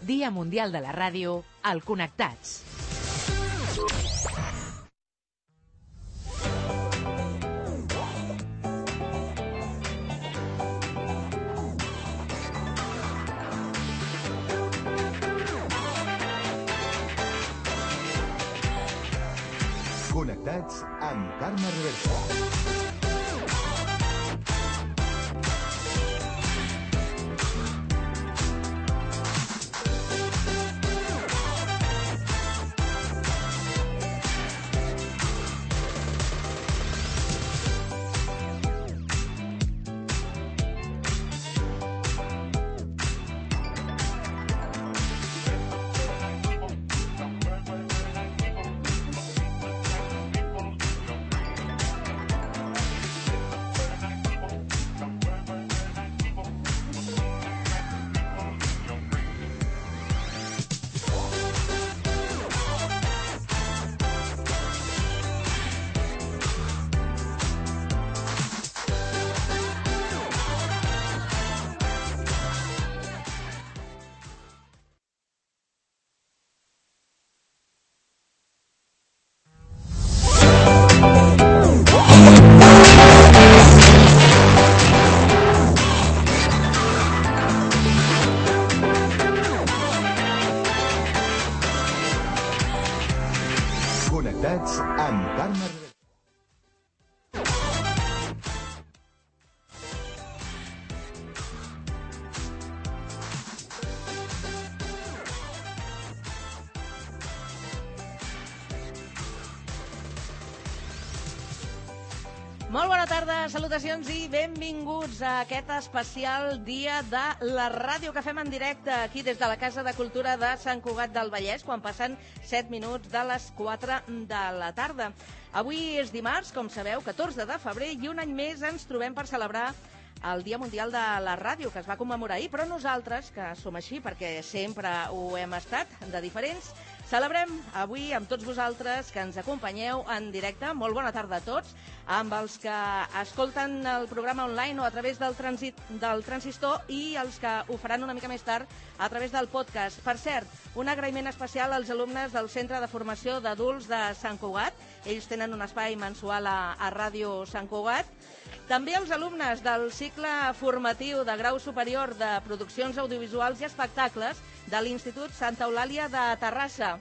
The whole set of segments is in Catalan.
Dia Mundial de la Ràdio, al Connectats. Connectats amb Carme Reversa. Connectats amb Carme Reversa. Molt bona tarda, salutacions i benvinguts a aquest especial dia de la ràdio que fem en directe aquí des de la Casa de Cultura de Sant Cugat del Vallès, quan passen 7 minuts de les 4 de la tarda. Avui és dimarts, com sabeu, 14 de febrer, i un any més ens trobem per celebrar el Dia Mundial de la Ràdio, que es va commemorar ahir, però nosaltres, que som així perquè sempre ho hem estat, de diferents, celebrem avui amb tots vosaltres que ens acompanyeu en directe. Molt bona tarda a tots, amb els que escolten el programa online o a través del transistor i els que ho faran una mica més tard a través del podcast. Per cert, un agraïment especial als alumnes del Centre de Formació d'Adults de Sant Cugat. Ells tenen un espai mensual a Ràdio Sant Cugat. També els alumnes del cicle formatiu de grau superior de produccions audiovisuals i espectacles de l'Institut Santa Eulàlia de Terrassa,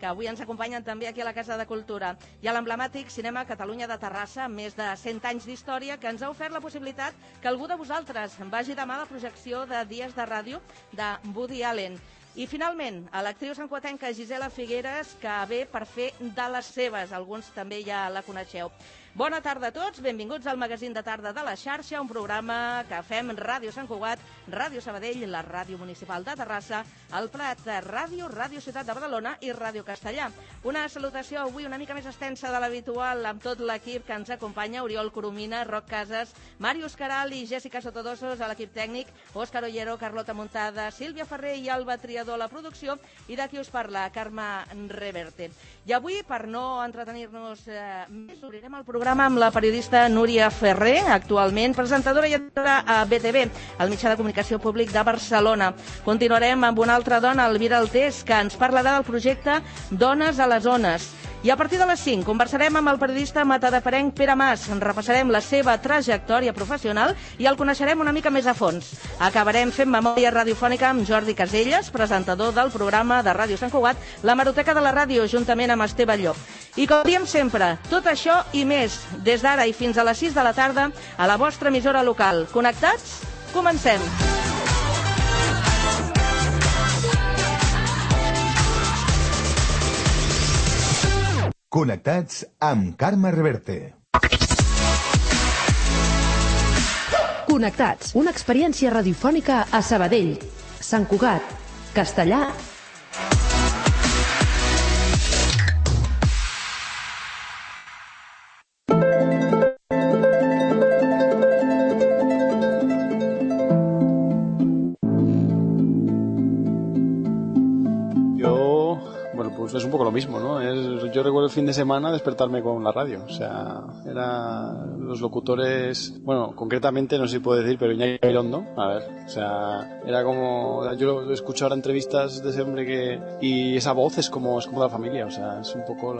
que avui ens acompanyen també aquí a la Casa de Cultura, i a l'emblemàtic Cinema Catalunya de Terrassa, amb més de 100 anys d'història, que ens ha ofert la possibilitat que algú de vosaltres vagi demà a la projecció de Dies de Ràdio de Woody Allen. I finalment, a l'actriu santcugatenca Gisela Figueres, que ve per fer de les seves. Alguns també ja la coneixeu. Bona tarda a tots, benvinguts al magazín de tarda de la xarxa, un programa que fem Ràdio Sant Cugat, Ràdio Sabadell, la Ràdio Municipal de Terrassa, el Prat Ràdio, Ràdio Ciutat de Badalona i Ràdio Castellà. Una salutació avui una mica més extensa de l'habitual amb tot l'equip que ens acompanya, Oriol Coromina, Roc Casas, Màrius Caral i Jèssica Sotodosos a l'equip tècnic, Òscar Ollero, Carlota Muntada, Sílvia Ferrer i Alba Triador a la producció, i d'aquí us parla Carme Reverte. I avui, per no entretenir-nos més, obrirem el programa amb la periodista Núria Ferrer, actualment presentadora i editora a BTV, el mitjà de comunicació públic de Barcelona. Continuarem amb una altra dona, Elvira Altés, que ens parlarà del projecte Dones a les Ones. I a partir de les 5 conversarem amb el periodista matadeferenc Pere Mas, repassarem la seva trajectòria professional i el coneixerem una mica més a fons. Acabarem fent memòria radiofònica amb Jordi Caselles, presentador del programa de Ràdio Sant Cugat, La Hemeroteca de la Ràdio, juntament amb Esteve Llop. I com diem sempre, tot això i més, des d'ara i fins a les 6 de la tarda, a la vostra emissora local. Connectats? Comencem! Connectats amb Carme Reverte. Connectats, una experiència radiofònica a Sabadell, Sant Cugat, Castellà. Bueno, pues es un poco lo mismo, ¿no? Yo recuerdo el fin de semana despertarme con la radio. O sea, los locutores... Bueno, concretamente no sé si puedo decir, pero Iñaki Gabilondo, a ver, o sea, era como... Yo lo escucho ahora entrevistas de ese hombre y esa voz es como la familia, o sea, es un poco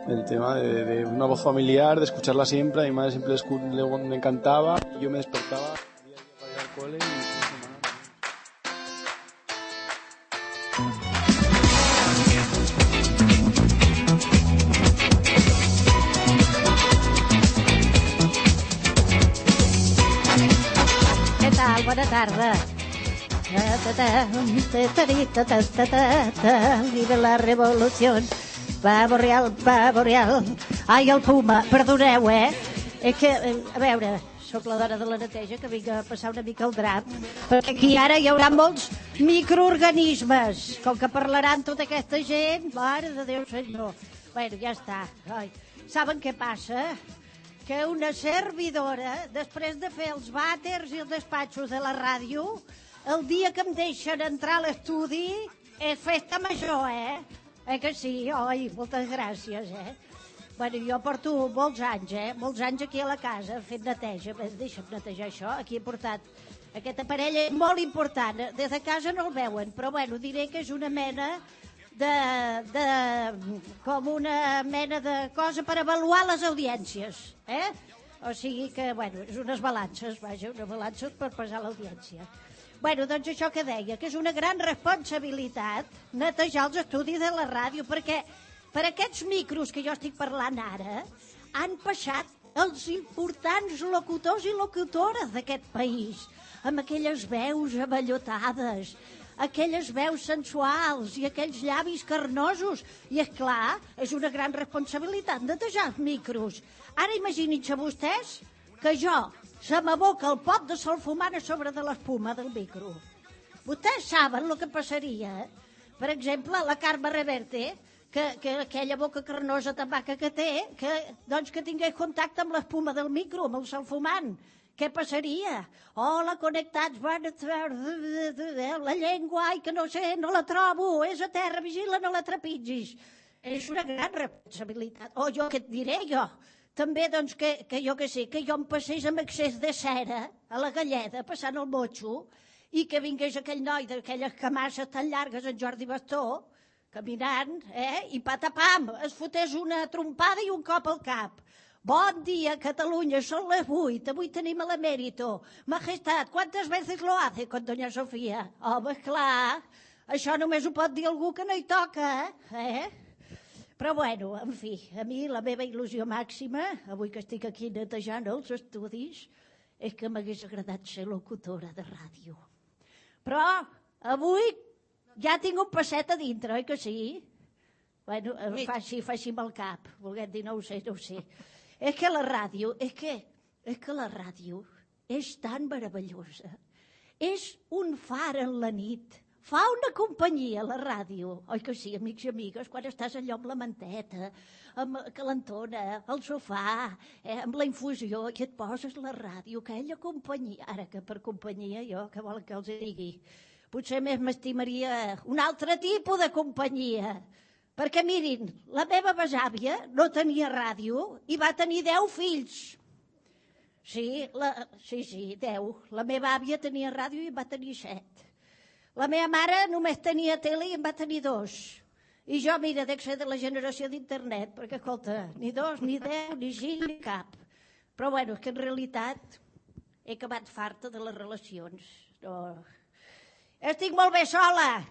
el tema de una voz familiar, de escucharla siempre. A mi madre siempre le encantaba, y yo me despertaba día a día para ir al cole y fin de semana. Bona tarda. Viva la revolució. Pavo real. Ai, el Puma, perdoneu, És que, a veure, sóc la dona de la neteja que vinc a passar una mica el drap, perquè aquí ara hi haurà molts microorganismes, com que parlaran tota aquesta gent, mare de Déu senyor. Bueno, ja està. Ai. Saben què passa? Que una servidora, després de fer els vàters i els despatxos de la ràdio, el dia que em deixen entrar a l'estudi és festa major, que sí? Oi, moltes gràcies, Bueno, jo porto molts anys aquí a la casa fent neteja. Deixa'm netejar això. Aquí he portat aquest aparell molt important. Des de casa no el veuen, però bueno, diré que és una mena com una mena de cosa per avaluar les audiències, O sigui que, bueno, és unes balances, vaja, unes balances per pesar l'audiència. Bueno, doncs això que deia, que és una gran responsabilitat netejar els estudis de la ràdio, perquè per aquests micros que jo estic parlant ara han passat els importants locutors i locutores d'aquest país, amb aquelles veus avellotades, aquelles veus sensuals i aquells llavis carnosos. I, és clar, és una gran responsabilitat netejar els micros. Ara imaginin-se vostès que se m'aboca el pot de solfumant a sobre de l'espuma del micro. Vostès saben el que passaria? Per exemple, la Carme Reverte, que aquella boca carnosa tan maca que té, que tingués contacte amb l'espuma del micro, amb el solfumant. Què passaria? Hola, connectats, la llengua, ai, que no sé, no la trobo, és a terra, vigila, no la trepitgis. És una gran responsabilitat. O jo, què et diré jo? També, doncs, que jo que sé, que jo em passés amb excés de cera a la galleda, passant el motxo, i que vingués aquell noi d'aquelles camasses tan llargues, en Jordi Bastó, caminant, i patapam, es fotés una trompada i un cop al cap. Bon dia, Catalunya, són les 8, avui tenim l'emèrito. Majestat, ¿cuántas veces lo hace con doña Sofía? Home, esclar, això només ho pot dir algú que no hi toca, Però bueno, en fi, a mi la meva il·lusió màxima, avui que estic aquí netejant els estudis, és que m'hagués agradat ser locutora de ràdio. Però avui ja tinc un passet a dintre, oi que sí? Bueno, faci amb el cap, volguem dir, no ho sé. És que la ràdio és tan meravellosa. És un far en la nit. Fa una companyia, la ràdio. Oi que sí, amics i amigues, quan estàs allò amb la manteta, amb calentona, al sofà, amb la infusió, i et poses la ràdio, aquella companyia. Ara que per companyia jo, què volen que els digui? Potser més m'estimaria un altre tipus de companyia. Perquè, mirin, la meva besàvia no tenia ràdio i va tenir 10 fills. Sí, 10. La meva àvia tenia ràdio i en va tenir 7. La meva mare només tenia tele i en va tenir 2. I jo, mira, dec ser de la generació d'internet, perquè, escolta, ni 2, ni 10, ni 5, ni cap. Però, bueno, és que en realitat he acabat farta de les relacions. No. Estic molt bé sola.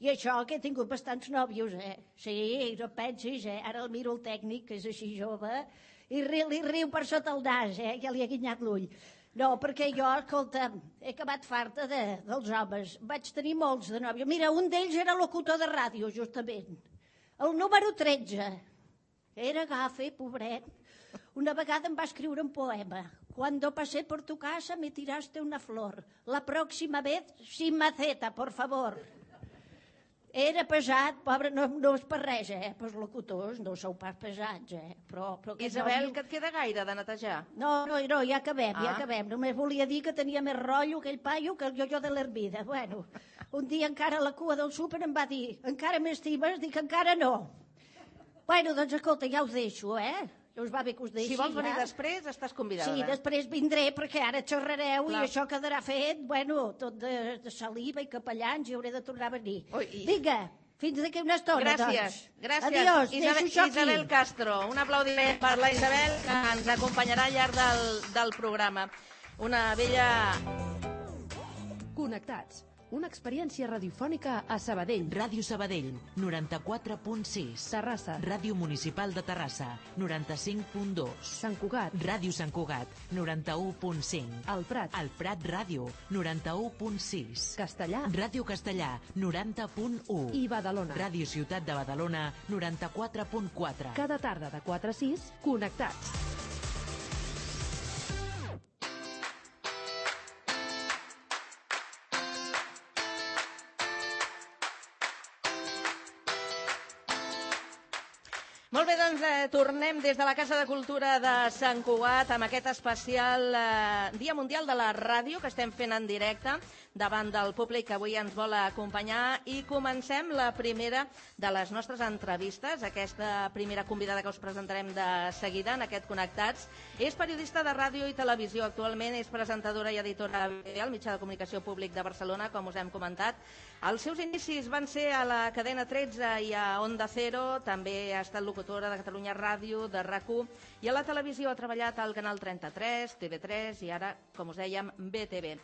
I això, que he tingut bastants nòvios, Sí, no pensis, Ara el miro el tècnic, que és així jove, i li riu per sota el nas, Ja li ha guinyat l'ull. No, perquè jo, escolta, he acabat farta dels homes. Vaig tenir molts de nòvios. Mira, un d'ells era locutor de ràdio, justament. El número 13. Era gafe, pobret. Una vegada em va escriure un poema. Cuando pasé por tu casa me tiraste una flor. La próxima vez sin maceta, por favor. Era pesat, pobre, no és per res, però els locutors no sou pas pesats, però Isabel, que et queda gaire de netejar? No, ja acabem. Només volia dir que tenia més rotllo aquell paio que el jo de l'Hermida. Bueno, un dia encara a la cua del súper em va dir, encara m'estimes? Dic, encara no. Bueno, doncs escolta, ja us deixo, Us va bé que us deixi. Si vols venir després, estàs convidada. Sí, després vindré, perquè ara xerrareu Clar. i això quedarà fet, bueno, tot de saliva i capellans i hauré de tornar a venir. Vinga, fins d'aquí una estona, Gràcies. doncs. Adiós, deixo això aquí. Isabel Castro, un aplaudiment per la Isabel, que ens acompanyarà al llarg del programa. Una bella... Connectats. Una experiència radiofònica a Sabadell. Ràdio Sabadell, 94.6. Terrassa. Ràdio Municipal de Terrassa, 95.2. Sant Cugat. Ràdio Sant Cugat, 91.5. El Prat. El Prat Ràdio, 91.6. Castellà. Ràdio Castellà, 90.1. I Badalona. Ràdio Ciutat de Badalona, 94.4. Cada tarda de 4 a 6, connectats. Molt bé, doncs tornem des de la Casa de Cultura de Sant Cugat amb aquest especial Dia Mundial de la Ràdio que estem fent en directe davant del públic que avui ens vol acompanyar i comencem la primera de les nostres entrevistes. Aquesta primera convidada que us presentarem de seguida en aquest Connectats és periodista de ràdio i televisió. Actualment és presentadora i editora al mitjà de comunicació públic de Barcelona, com us hem comentat. Els seus inicis van ser a la cadena 13 i a Onda Cero, també ha estat locutora de Catalunya Ràdio, de RAC1, i a la televisió ha treballat al Canal 33, TV3 i ara, com us dèiem, BTV.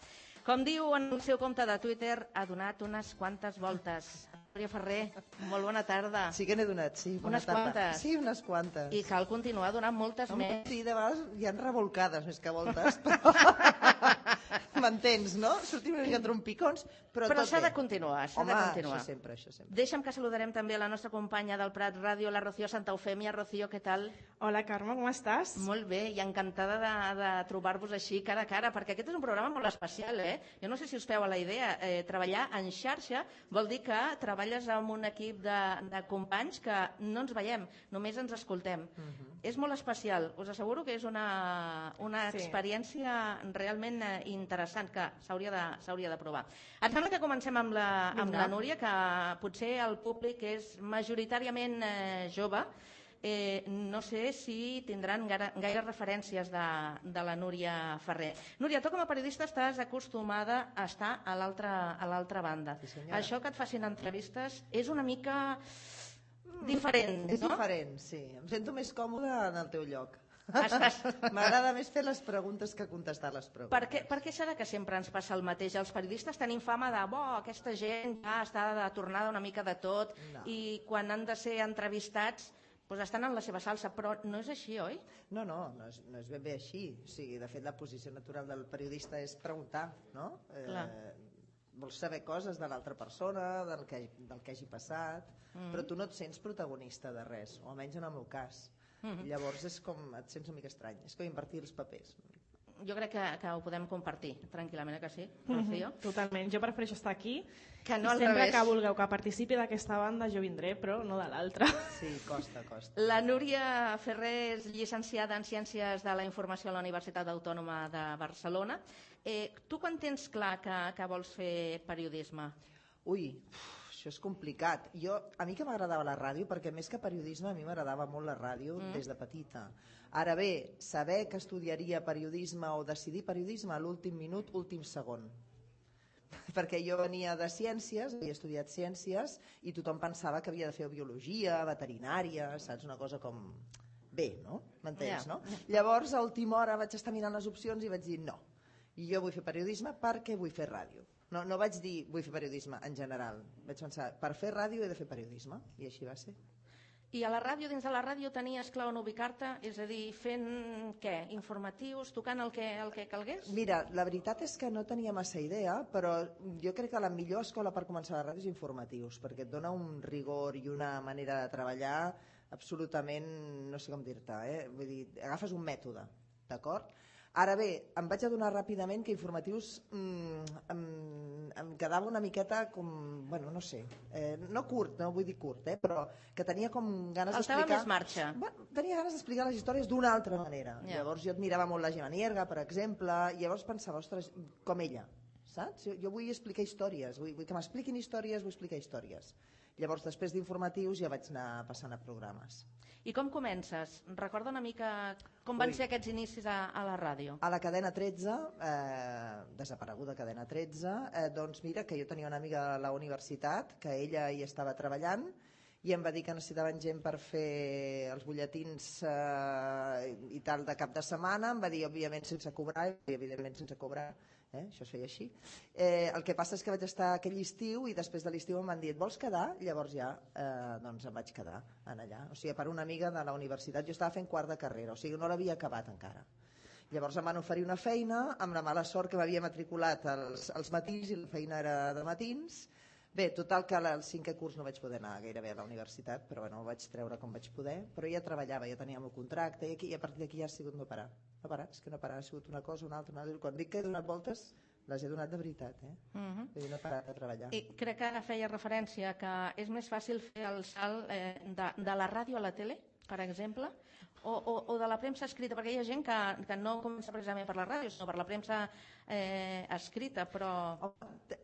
Com diu en el seu compte de Twitter, ha donat unes quantes voltes. Núria Ferrer, molt bona tarda. Sí que n'he donat, sí. Bona Unes tarda. quantes. Sí, unes quantes. I cal continuar donant moltes més. Sí, de vegades hi ha revolcades més que voltes, però... M'entens, no? Sortim una mica trompicons, però tot s'ha bé. de continuar, s'ha Home, de continuar. això sempre. Deixa'm que saludarem també a la nostra companya del Prat Ràdio, la Rocío Santa Eufèmia. Rocío, què tal? Hola, Carme, com estàs? Molt bé, i encantada de trobar-vos així cara a cara, perquè aquest és un programa molt especial, Jo no sé si us feu a la idea, treballar en xarxa vol dir que treballes amb un equip de companys que no ens veiem, només ens escoltem. És molt especial, us asseguro que és una experiència realment interessant que s'hauria de provar. Em sembla que comencem amb la Núria, que potser el públic és majoritàriament jove. No sé si tindran gaire referències de la Núria Ferrer. Núria, tu com a periodista estàs acostumada a estar a l'altra banda. Sí, això que et facin entrevistes és una mica diferent, no? És diferent, sí. Em sento més còmode en el teu lloc. M'agrada més fer les preguntes que contestar les preguntes. Per què serà que sempre ens passa el mateix? Els periodistes tenim fama de aquesta gent ja està de tornada una mica de tot i quan han de ser entrevistats doncs estan en la seva salsa, però no és així, oi? No és ben bé així. O sigui, de fet, la posició natural del periodista és preguntar, no? Vols saber coses de l'altra persona, del que hagi passat, però tu no et sents protagonista de res, o almenys en el meu cas. Llavors és com, et sents una mica estrany, és com invertir els papers. Jo crec que ho podem compartir tranquil·lament, que sí, Rocío? Totalment, jo prefereixo estar aquí que no al sempre revés. Que vulgueu que participi d'aquesta banda jo vindré, però no de l'altra. Sí, costa. La Núria Ferrer és llicenciada en Ciències de la Informació a la Universitat Autònoma de Barcelona. Tu quan tens clar que vols fer periodisme? Ui, això és complicat. A mi que m'agradava la ràdio, perquè més que periodisme a mi m'agradava molt la ràdio des de petita. Ara bé, saber que estudiaria periodisme o decidir periodisme a l'últim minut, últim segon. Perquè jo venia de ciències, havia estudiat ciències i tothom pensava que havia de fer biologia, veterinària, saps? Una cosa com bé, no? M'entens, no? Llavors, a última hora vaig estar mirant les opcions i vaig dir no. I jo vull fer periodisme perquè vull fer ràdio. No vaig dir vull fer periodisme en general. Vaig pensar, per fer ràdio he de fer periodisme. I així va ser. I a la ràdio, dins de la ràdio, tenies clar on ubicar-te? És a dir, fent què? Informatius, tocant el que calgués? Mira, la veritat és que no tenia massa idea, però jo crec que la millor escola per començar la ràdio és informatius, perquè et dona un rigor i una manera de treballar absolutament, no sé com dir-te, Vull dir, agafes un mètode, d'acord? Ara bé, em vaig adonar ràpidament que informatius em quedava una miqueta com, bueno, no sé, no curt, no vull dir curt, però que tenia com ganes d'explicar... Faltava més marxa. Tenia ganes d'explicar les històries d'una altra manera. Llavors jo admirava molt la Gemma Nierga, per exemple, i llavors pensava, ostres, com ella, saps? Jo vull explicar històries, vull que m'expliquin històries, vull explicar històries. Llavors, després d'informatius, ja vaig anar passant a programes. I com comences? Recorda una mica com van ser aquests inicis a la ràdio. A la cadena 13, desapareguda cadena 13, doncs mira, que jo tenia una amiga a la universitat, que ella hi estava treballant, i em va dir que necessitaven gent per fer els butlletins i tal de cap de setmana, em va dir, òbviament, sense cobrar, i evidentment sense cobrar, això es feia així. El que passa és que vaig estar aquell estiu i després de l'estiu em van dir, et vols quedar? Llavors ja doncs em vaig quedar allà. O sigui, per una amiga de la universitat, jo estava fent quart de carrera, o sigui, no l'havia acabat encara. Llavors em van oferir una feina, amb la mala sort que m'havia matriculat als matins i la feina era de matins. Bé, total que al 5è curs no vaig poder anar gairebé a la universitat, però bueno, ho vaig treure com vaig poder, però ja treballava, ja tenia el meu contracte, i a partir d'aquí ja ha sigut no parar. No parar, és que no parar, ha sigut una cosa, una altra. Quan dic que he donat voltes, les he donat de veritat, Vull dir, no he parat de treballar. I crec que ara feia referència que és més fàcil fer el salt de la ràdio a la tele, per exemple, o de la premsa escrita, perquè hi ha gent que no comença precisament per la ràdio, sinó per la premsa escrita, però...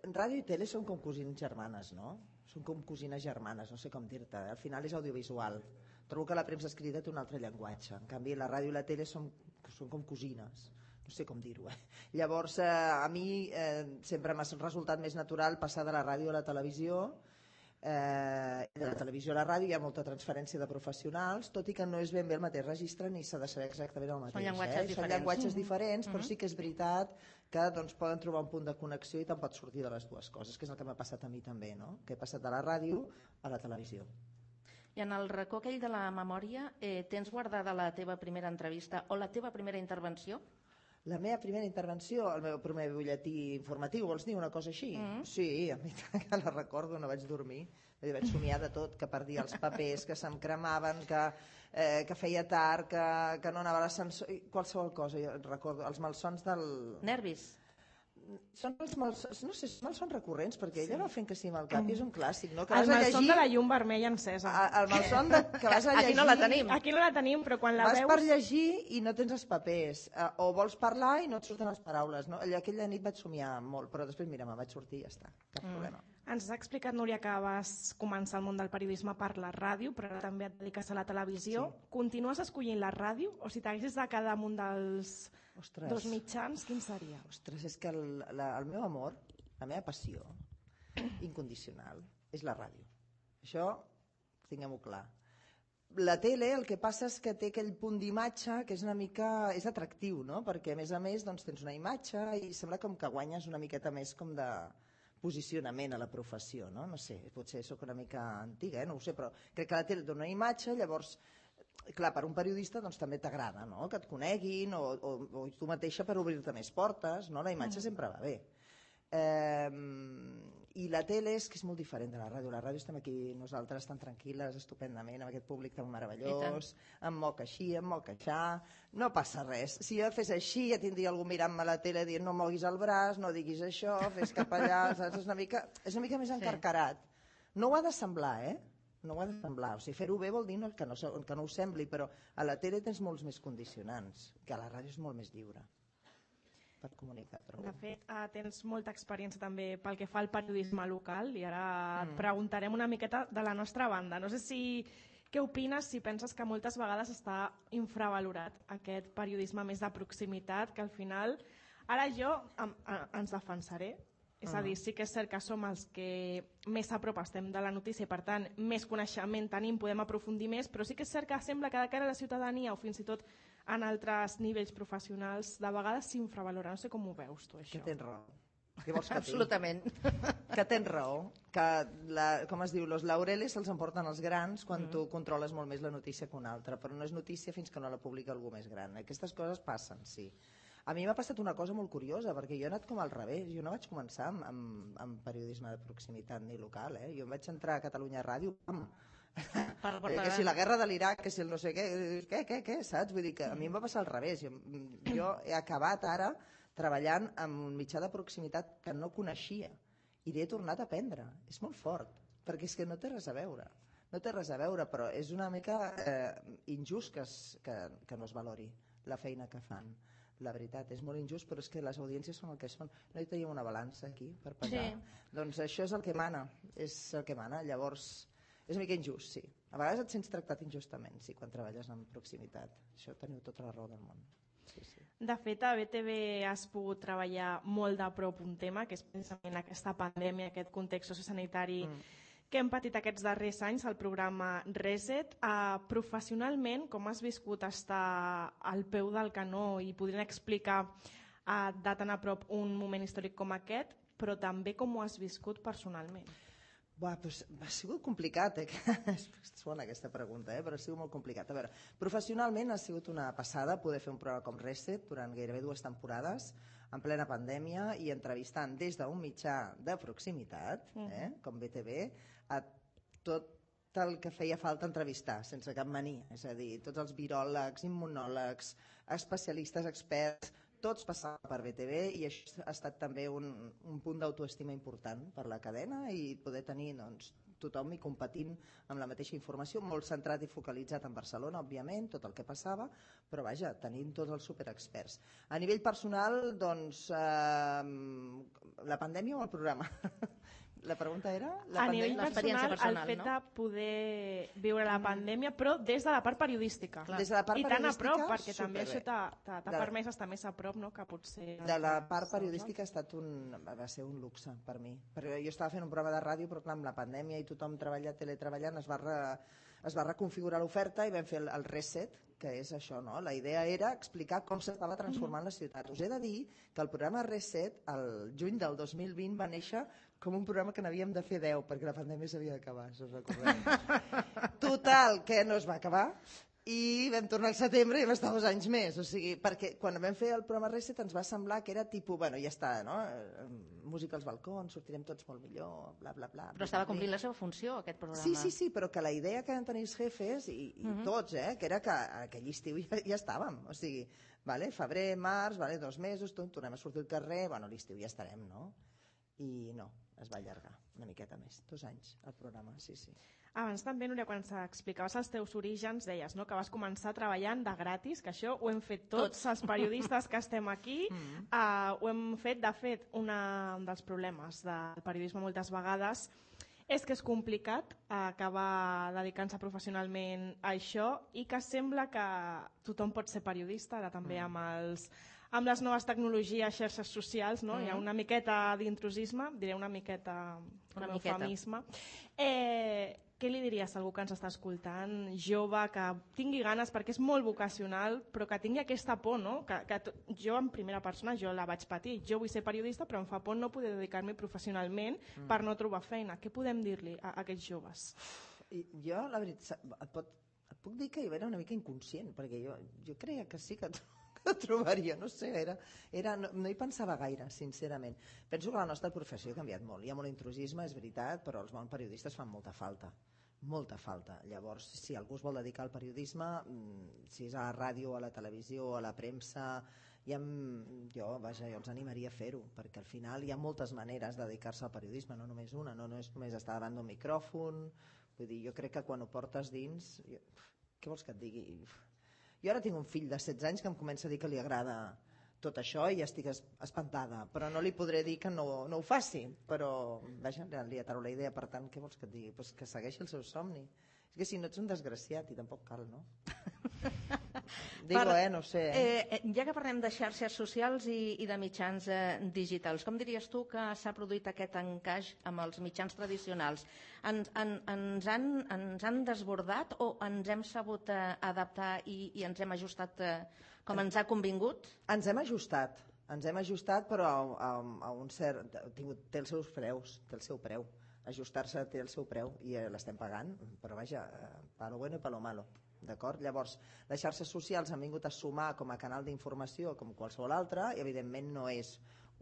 Ràdio i tele són com cosines germanes, no? Són com cosines germanes, no sé com dir-te. Al final és audiovisual. Trobo que la premsa escrita té un altre llenguatge. En canvi, la ràdio i la tele són com cosines. No sé com dir-ho, Llavors, a mi sempre m'ha resultat més natural passar de la ràdio a la televisió. De la televisió a la ràdio hi ha molta transferència de professionals, tot i que no és ben bé el mateix registre ni s'ha de saber exactament el mateix. Són llenguatges diferents, però sí que és veritat que doncs, poden trobar un punt de connexió i te'n pots sortir de les dues coses, que és el que m'ha passat a mi també, no? Que he passat de la ràdio a la televisió. I en el racó aquell de la memòria, tens guardada la teva primera entrevista o la teva primera intervenció? La meva primera intervenció, el meu primer butlletí informatiu, vols dir una cosa així? Sí, a mi que la recordo, no vaig dormir. Vaig somiar de tot, que perdia els papers, que se'm cremaven, que feia tard, que no anava a l'ascensor, qualsevol cosa. Jo recordo els malsons del... Nervis. Són els malsons, no sé, són malsons recurrents, perquè ella va fent que sí amb el cap, i és un clàssic, no? Que el malson de la llum vermella encesa. El malson que vas a llegir... Aquí no la tenim. Aquí no la tenim, però quan la vas veus... per llegir i no tens els papers, o vols parlar i no et surten les paraules, no? Aquella nit vaig somiar molt, però després, mira, me'n vaig sortir i ja està, cap problema. Ens has explicat, Núria, que vas començar el món del periodisme per la ràdio, però ara també et dediques a la televisió. Sí. Continues escollint la ràdio? O si t'haguessis de quedar amb un dels dos mitjans, quin seria? Ostres, és que el meu amor, la meva passió incondicional és la ràdio. Això, tinguem-ho clar. La tele, el que passa és que té aquell punt d'imatge que és una mica... és atractiu, no? Perquè, a més, doncs, tens una imatge i sembla com que guanyes una miqueta més com de posicionament a la professió, no? No sé, potser sóc una mica antiga, no ho sé, però crec que la tele dona una imatge, llavors, clar, per un periodista doncs també t'agrada, no? Que et coneguin o tu mateixa per obrir-te més portes, no? La imatge sempre va bé. I la tele és que és molt diferent de la ràdio. La ràdio estem aquí nosaltres tan tranquil·les, estupendament, amb aquest públic tan meravellós, em moc així, em moc aixà, no passa res. Si jo fes així ja tindria algú mirant-me a la tele dient no moguis el braç, no diguis això, fes cap allà, saps? És una mica més encarcarat. No ho ha de semblar, No ho ha de semblar. O sigui, fer-ho bé vol dir que no ho sembli, però a la tele tens molts més condicionants, que a la ràdio és molt més lliure per comunicar. De fet, tens molta experiència també pel que fa al periodisme local i ara et preguntarem una miqueta de la nostra banda. No sé què opines, si penses que moltes vegades està infravalorat aquest periodisme més de proximitat, que al final, ara jo ens defensaré, és a dir, sí que és cert que som els que més a prop estem de la notícia i per tant més coneixement tenim, podem aprofundir més, però sí que és cert que sembla que de cara a la ciutadania o fins i tot en altres nivells professionals de vegades s'infravalora. No sé com ho veus tu, això. Que tens raó. Què vols que Absolutament. Que tens raó. Que, com es diu, los laureles se'ls emporten els grans quan tu controles molt més la notícia que una altra, però no és notícia fins que no la publica algú més gran. Aquestes coses passen, sí. A mi m'ha passat una cosa molt curiosa, perquè jo he anat com al revés. Jo no vaig començar amb periodisme de proximitat ni local. Jo vaig entrar a Catalunya Ràdio Que si la guerra de l'Iraq, que si el no sé què, saps? Vull dir que a mi em va passar al revés. Jo he acabat ara treballant amb un mitjà de proximitat que no coneixia i l'he tornat a aprendre. És molt fort, perquè és que no té res a veure. No té res a veure, però és una mica injust que no es valori la feina que fan. La veritat, és molt injust, però és que les audiències són el que són. No hi tenim una balança aquí per pesar. Doncs això és el que mana, Llavors, és una mica injust, sí. A vegades et sents tractat injustament, sí, quan treballes en proximitat. Això teniu tota la raó del món. Sí. De fet, a BTV has pogut treballar molt de prop un tema, que és precisament aquesta pandèmia, aquest context sociosanitari que hem patit aquests darrers anys, el programa Reset. Professionalment, com has viscut estar al peu del canó i podrien explicar de tan a prop un moment històric com aquest, però també com ho has viscut personalment? Doncs ha sigut complicat, Suona aquesta pregunta, però ha sigut molt complicat. A veure, professionalment ha sigut una passada poder fer un programa com Reset durant gairebé 2 temporades, en plena pandèmia, i entrevistant des d'un mitjà de proximitat, com BTV, a tot el que feia falta entrevistar, sense cap mania. És a dir, tots els viròlegs, immunòlegs, especialistes, experts, tots passaven per BTV, i això ha estat també un punt d'autoestima important per la cadena, i poder tenir tothom i competint amb la mateixa informació, molt centrat i focalitzat en Barcelona, òbviament, tot el que passava, però vaja, tenint tots els superexperts. A nivell personal, doncs, la pandèmia o el programa? La pregunta era? A nivell personal, el fet de poder viure la pandèmia, però des de la part periodística. Des de la part I tan a prop, periodística, perquè també això t'ha permès estar més a prop, no?, que potser... De la part periodística va ser un luxe per mi. Perquè jo estava fent un programa de ràdio, però clar, amb la pandèmia i tothom teletreballant, es va reconfigurar l'oferta i vam fer el Reset, que és això, no? La idea era explicar com s'estava transformant la ciutat. Us he de dir que el programa Reset, el juny del 2020, va néixer com un programa que n'havíem de fer 10, perquè la pandèmia s'havia d'acabar, si us recordeu. Total, que no es va acabar, i vam tornar al setembre i vam estar 2 anys més. O sigui, perquè quan vam fer el programa Reset ens va semblar que era tipus, bueno, ja està, no? Música als balcons, sortirem tots molt millor, bla, bla, bla. Però estava complint la seva funció, aquest programa. Sí, però que la idea que van tenir els jefes, i tots, que era que aquell estiu ja estàvem. O sigui, febrer, març, 2 mesos, tornem a sortir al carrer, bueno, l'estiu ja estarem, no? I no, es va allargar una miqueta més, 2 anys, el programa, sí. Abans també, Núria, quan explicaves els teus orígens, deies, no?, que vas començar treballant de gratis, que això ho hem fet tots els periodistes que estem aquí. Ho hem fet, de fet, un dels problemes del periodisme moltes vegades és que és complicat acabar dedicant-se professionalment a això, i que sembla que tothom pot ser periodista, ara també amb les noves tecnologies, xarxes socials, no? Hi ha una miqueta d'intrusisme, diré una miqueta com a eufemisme. Què li diries a algú que ens està escoltant, jove, que tingui ganes, perquè és molt vocacional, però que tingui aquesta por, no? Que jo, en primera persona, jo la vaig patir. Jo vull ser periodista, però em fa por no poder dedicar-m'hi professionalment per no trobar feina. Què podem dir-li a aquests joves? Jo, la veritat, et puc dir que jo era una mica inconscient, perquè jo creia que sí que trobaria, no sé, no hi pensava gaire, sincerament. Penso que la nostra professió ha canviat molt. Hi ha molt intrusisme, és veritat, però els bons periodistes fan molta falta. Llavors, si algú es vol dedicar al periodisme, si és a la ràdio, a la televisió, a la premsa, jo els animaria a fer-ho, perquè al final hi ha moltes maneres de dedicar-se al periodisme, no només una, no és només estar davant d'un micròfon. Vull dir, jo crec que quan ho portes dins, què vols que et digui? Jo ara tinc un fill de 16 anys que em comença a dir que li agrada tot això i estic espantada, però no li podré dir que no ho faci, però vaja, li ataro la idea, per tant, què vols que et digui? Pues que segueixi el seu somni. És que si no ets un desgraciat, i tampoc cal, no? No sé. Ja que parlem de xarxes socials i de mitjans digitals, com diries tu que s'ha produït aquest encaix amb els mitjans tradicionals? Ens han desbordat o ens hem sabut adaptar i ens hem ajustat com ens ha convingut? Ens hem ajustat, però a un cert... Té els seus preus, té el seu preu. Ajustar-se té el seu preu i l'estem pagant, però vaja, palo bueno i palo malo. D'acord? Llavors, les xarxes socials han vingut a sumar com a canal d'informació com qualsevol altre, i evidentment no és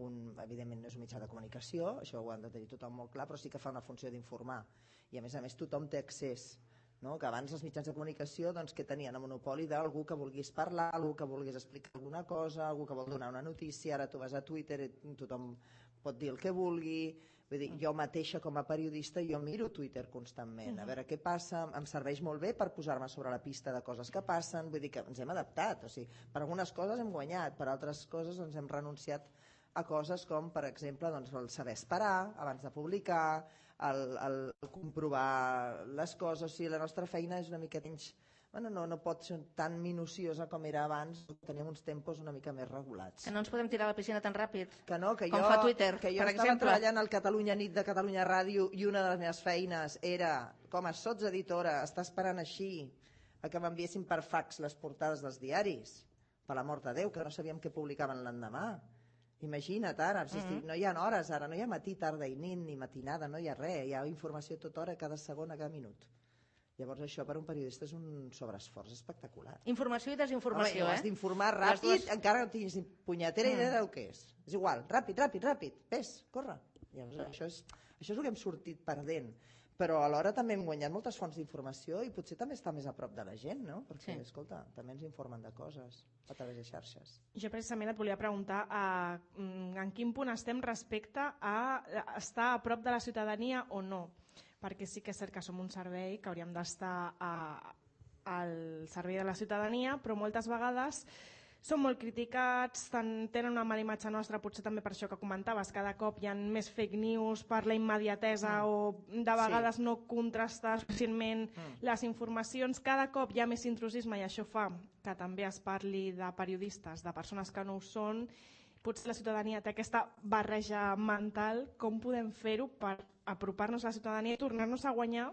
un mitjà de comunicació, això ho han de tenir tothom molt clar, però sí que fa una funció d'informar, i a més tothom té accés no? Que abans els mitjans de comunicació doncs, que tenien el monopoli d'algú que volgués parlar, algú que volgués explicar alguna cosa, algú que vol donar una notícia, ara tu vas a Twitter i tothom pot dir el que vulgui. Vull dir, jo mateixa com a periodista jo miro Twitter constantment, a veure què passa, em serveix molt bé per posar-me sobre la pista de coses que passen, vull dir que ens hem adaptat, o sigui, per algunes coses hem guanyat, per altres coses ens hem renunciat a coses com, per exemple, doncs, el saber esperar abans de publicar, el comprovar les coses, o sigui, la nostra feina és una mica menys... Bueno, no pot ser tan minuciosa com era abans, teníem uns tempos una mica més regulats. Que no ens podem tirar a la piscina tan ràpid, que no, que com jo, fa Twitter, que jo per estava exemple. treballant al Catalunya Nit de Catalunya Ràdio i una de les meves feines era, com a sotseditora, estar esperant així a que m'enviessin per fax les portades dels diaris, per la mort de Déu, que no sabíem què publicaven l'endemà. Imagina't ara, no hi ha hores ara, no hi ha matí, tarda i nit, ni matinada, no hi ha res, hi ha informació tota hora, cada segon, a cada minut. Llavors això per un periodista és un sobreesforç espectacular. Informació i desinformació, Has d'informar ràpid, encara no tinguis ni punyetera idea del que és. És igual, ràpid, ves, corre. Llavors això és el que hem sortit perdent. Però alhora també hem guanyat moltes fonts d'informació i potser també està més a prop de la gent, no? Perquè, escolta, també ens informen de coses a través de xarxes. Jo precisament et volia preguntar en quin punt estem respecte a estar a prop de la ciutadania o no. Perquè sí que és cert que som un servei que hauríem d'estar al servei de la ciutadania, però moltes vegades són molt criticats, tenen una mala imatge nostra, potser també per això que comentaves, cada cop hi ha més fake news per la immediatesa o de vegades no contrastar suficientment les informacions, cada cop hi ha més intrusisme i això fa que també es parli de periodistes, de persones que no ho són. Potser la ciutadania té aquesta barreja mental, com podem fer-ho per apropar-nos a la ciutadania i tornar-nos a guanyar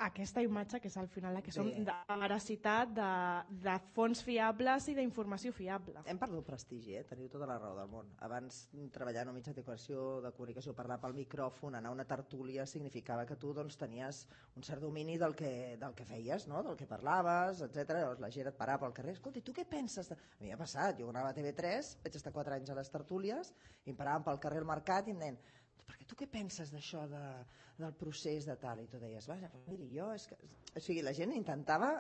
aquesta imatge que és al final la que som de veracitat, de fonts fiables i d'informació fiable. Hem perdut prestigi, teniu tota la raó del món. Abans treballar en un mitjà de comunicació, parlar pel micròfon, anar a una tertúlia, significava que tu doncs, tenies un cert domini del que feies, no? Del que parlaves, etc. Llavors la gent et parava pel carrer, escolta, i tu què penses? A mi m'ha passat, jo anava a TV3, vaig estar 4 anys a les tertúlies, i em paraven pel carrer al mercat i em deien, perquè tu què penses d'això del procés de tal? I tu deies, vaja, miri, jo... O sigui, la gent intentava,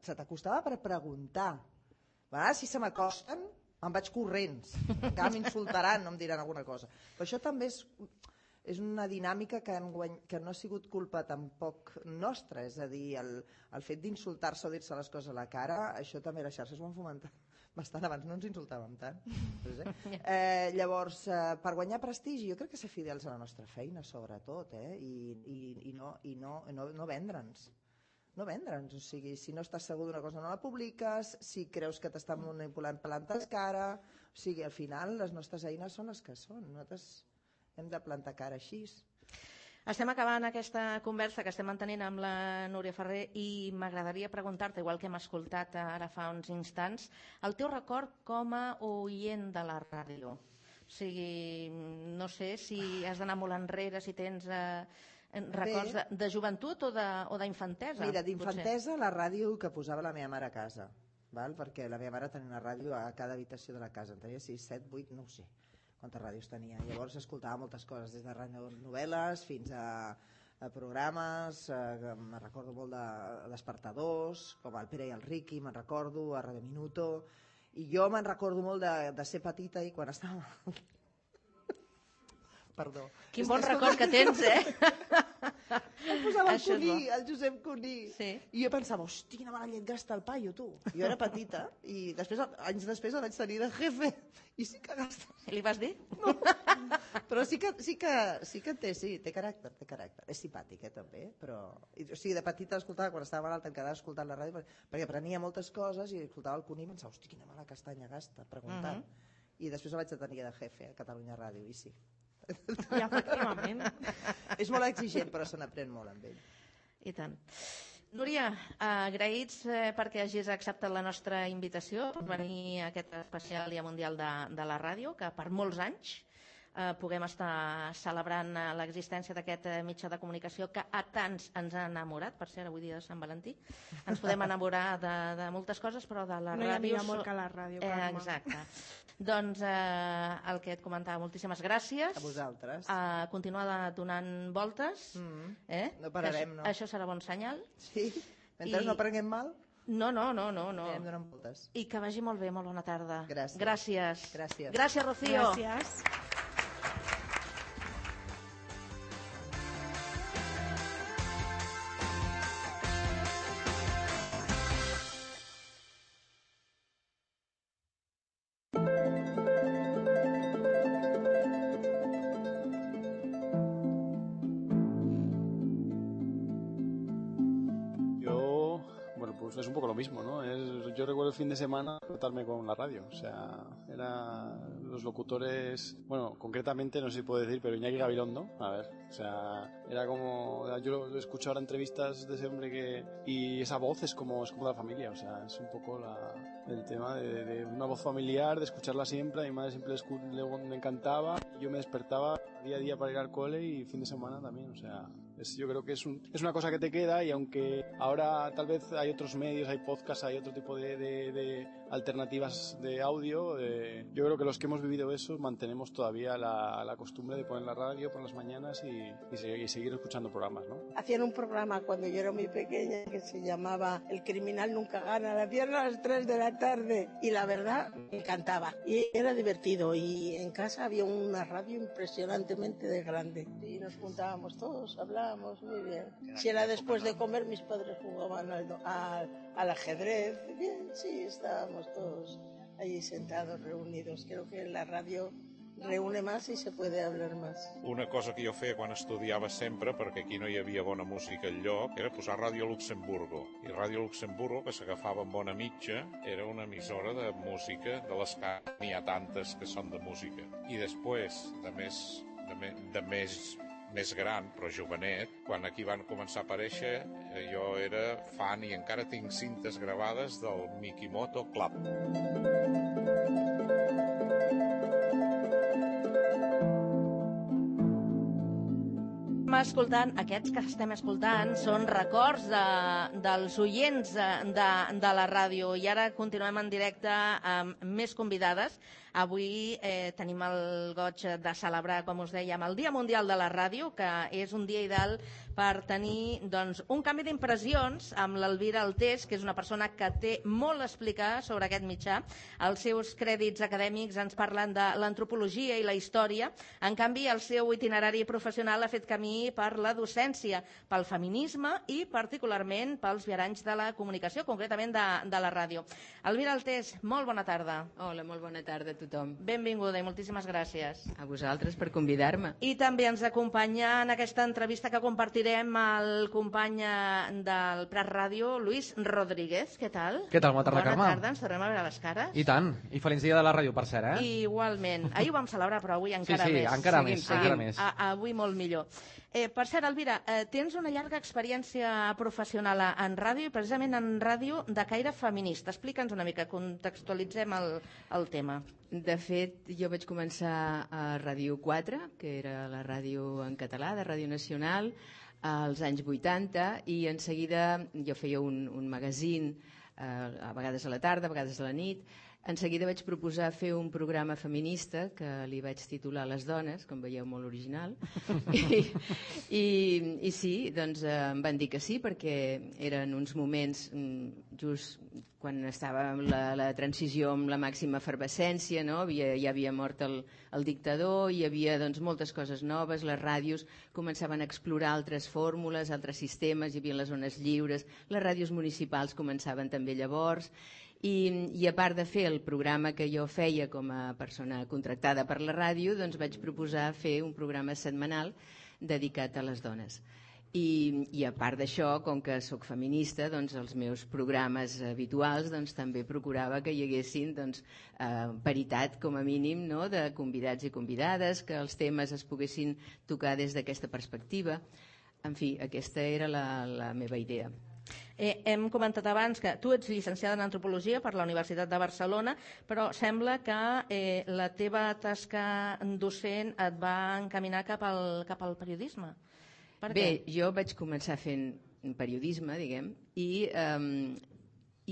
se t'acostava per preguntar. A vegades, si se m'acosten, me'n vaig corrents. Encara m'insultaran, no em diran alguna cosa. Però això també és una dinàmica que no ha sigut culpa tampoc nostra. És a dir, el fet d'insultar-se o dir-se les coses a la cara, això també les xarxes ho han fomentat bastant. Abans no ens insultàvem tant. Llavors, per guanyar prestigi, jo crec que ser fidels a la nostra feina, sobretot, i no vendre'ns. No vendre'ns, o sigui, si no estàs segur d'una cosa no la publiques, si creus que t'estan manipulant plantes cara, o sigui, al final les nostres eines són les que són, nosaltres hem de plantar cara així. Estem acabant aquesta conversa que estem mantenint amb la Núria Ferrer i m'agradaria preguntar-te, igual que hem escoltat ara fa uns instants, el teu record com a oient de la ràdio. O sigui, no sé si has d'anar molt enrere, si tens records de joventut o d'infantesa. Mira, d'infantesa la ràdio que posava la meva mare a casa, perquè la meva mare tenia una ràdio a cada habitació de la casa, en tenia 6, 7, 8, no ho sé quantes ràdios tenia. Llavors escoltava moltes coses, des de radionovel·les fins a programes, me'n recordo molt de despertadors, com el Pere i el Riqui, me'n recordo, a Radio Minuto, i jo me'n recordo molt de ser petita i quan estava... Perdó. Quin bon record que tens, Em posava el Josep Cuní. I jo pensava, hosti, quina mala llet gasta el paio, tu. Jo era petita i anys després el vaig tenir de jefe. I sí que gasta. Li vas dir? No. Però sí que té caràcter. És simpàtic, també. O sigui, de petita l'escoltava, quan estava malalt em quedava escoltant la ràdio, perquè aprenia moltes coses i escoltava el Cuní i pensava, hosti, quina mala castanya gasta, preguntant. I després el vaig tenir de jefe a Catalunya Ràdio, i sí. I efectivament. És molt exigent, però se n'aprèn molt amb ell. I tant. Núria, agraïts perquè hagis acceptat la nostra invitació per venir a aquest especial Dia Mundial de la Ràdio, que per molts anys puguem estar celebrant l'existència d'aquest mitjà de comunicació que a tants ens ha enamorat. Per cert, avui dia de Sant Valentí ens podem enamorar de moltes coses, però de la No hi ràdio... havia molt que la ràdio, Carme. Exacte. Doncs el que et comentava, moltíssimes gràcies. A vosaltres. Continuar donant voltes. No pararem, no. Això serà bon senyal. Sí? Mentre no prenguem mal, No. anem donant voltes. I que vagi molt bé, molt bona tarda. Gràcies. Gràcies, Rocío. Gràcies. Pues es un poco lo mismo, ¿no? Yo recuerdo el fin de semana tratarme con la radio, o sea, los locutores, bueno, concretamente no sé si puedo decir, pero Iñaki Gabilondo, a ver, o sea, era como, yo lo escucho ahora entrevistas de ese hombre y esa voz es como de la familia, o sea, es un poco el tema de una voz familiar, de escucharla siempre, a mi madre siempre le encantaba, yo me despertaba día a día para ir al cole y fin de semana también, o sea, yo creo que es una cosa que te queda, y aunque ahora tal vez hay otros medios, hay podcasts, hay otro tipo de alternativas de audio, yo creo que los que hemos vivido eso mantenemos todavía la costumbre de poner la radio por las mañanas y seguir escuchando programas, ¿no? Hacían un programa cuando yo era muy pequeña que se llamaba El criminal nunca gana, la hacían a las 3 de la tarde y la verdad me encantaba y era divertido, y en casa había una radio impresionantemente de grande y nos juntábamos todos, hablábamos muy bien. Si era después de comer, mis padres jugaban al ajedrez, bien, sí, estábamos todos allí sentados, reunidos. Creo que la radio reúne más i se puede hablar más. Una cosa que jo feia quan estudiava sempre, perquè aquí no hi havia bona música enlloc, era posar Ràdio Luxemburgo. I Ràdio Luxemburgo, que s'agafava amb bona mitja, era una emissora de música, de les que n'hi ha tantes que són de música. I després, de més gran, però jovenet, quan aquí van començar a aparèixer, jo era fan i encara tinc cintes gravades del Mikimoto Club. Aquests que estem escoltant són records dels oients de la ràdio, i ara continuem en directe amb més convidades. Avui tenim el goig de celebrar, com us dèiem, el Dia Mundial de la Ràdio, que és un dia ideal per tenir un canvi d'impressions amb l'Elvira Altés, que és una persona que té molt a explicar sobre aquest mitjà. Els seus crèdits acadèmics ens parlen de l'antropologia i la història. En canvi, el seu itinerari professional ha fet camí per la docència, pel feminisme i particularment pels viaranys de la comunicació, concretament de la ràdio. Elvira Altés, molt bona tarda. Hola, molt bona tarda a tothom. Benvinguda i moltíssimes gràcies. A vosaltres per convidar-me. I també ens acompanya en aquesta entrevista que compartirem el company del Prat Ràdio, Luis Rodríguez. Què tal? Què tal? Bona tarda, Carme. Bona tarda, ens tornem a veure les cares. I tant, i feliç dia de la ràdio, per cert, Igualment. Ahir ho vam celebrar, però avui encara més. Sí, encara més. Avui molt millor. Per cert, Elvira, tens una llarga experiència professional en ràdio, i precisament en ràdio de caire feminista. Explica'ns una mica, contextualitzem el tema. De fet, jo vaig començar a Ràdio 4, que era la ràdio en català de Ràdio Nacional, als anys 80, i en seguida jo feia un magazín, a vegades a la tarda, a vegades a la nit. En seguida vaig proposar fer un programa feminista que li vaig titular Les dones, com veieu, molt original. I sí, doncs em van dir que sí, perquè eren uns moments just quan estava la transició amb la màxima efervescència, no? Ja havia mort el dictador, hi havia moltes coses noves, les ràdios començaven a explorar altres fórmules, altres sistemes, hi havia les zones lliures, les ràdios municipals començaven també llavors, i a part de fer el programa que jo feia com a persona contractada per la ràdio, doncs vaig proposar fer un programa setmanal dedicat a les dones. I a part d'això, com que sóc feminista, doncs els meus programes habituals també procurava que hi haguessin paritat, com a mínim, no?, de convidats i convidades, que els temes es poguessin tocar des d'aquesta perspectiva. En fi, aquesta era la meva idea. Hem comentat abans que tu ets llicenciada en Antropologia per la Universitat de Barcelona, però sembla que la teva tasca docent et va encaminar cap al periodisme. Per què? Bé, jo vaig començar fent periodisme, diguem, i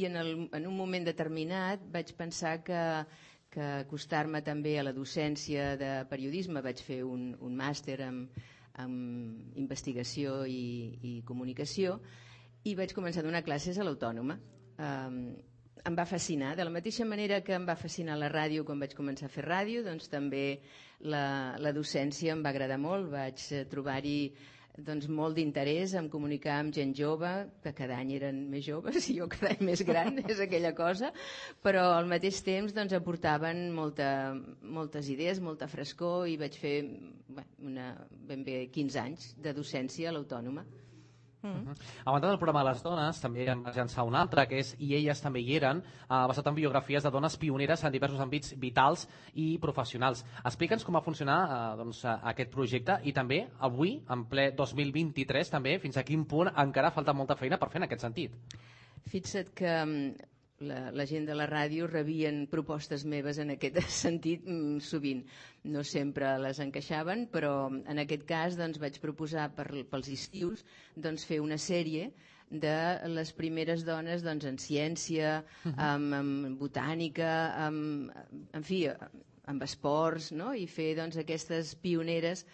en un moment determinat vaig pensar que acostar-me també a la docència de periodisme, vaig fer un màster en investigació i comunicació, i vaig començar a donar classes a l'Autònoma. Em va fascinar, de la mateixa manera que em va fascinar la ràdio quan vaig començar a fer ràdio, doncs també la docència em va agradar molt, vaig trobar-hi molt d'interès en comunicar amb gent jove, que cada any eren més joves i jo cada any més gran, és aquella cosa, però al mateix temps aportaven moltes idees, molta frescor, i vaig fer ben bé 15 anys de docència a l'Autònoma. A banda del programa de les dones, també en vas llançar un altre, que és I elles també hi eren, basat en biografies de dones pioneres en diversos àmbits vitals i professionals. Explica'ns com va funcionar aquest projecte i també avui, en ple 2023, també fins a quin punt encara falta molta feina per fer en aquest sentit. Fixa't que la gent de la ràdio rebien propostes meves en aquest sentit sovint. No sempre les encaixaven, però en aquest cas vaig proposar pels estius fer una sèrie de les primeres dones en ciència, en botànica, en fi, amb esports, no? I fer aquestes pioneres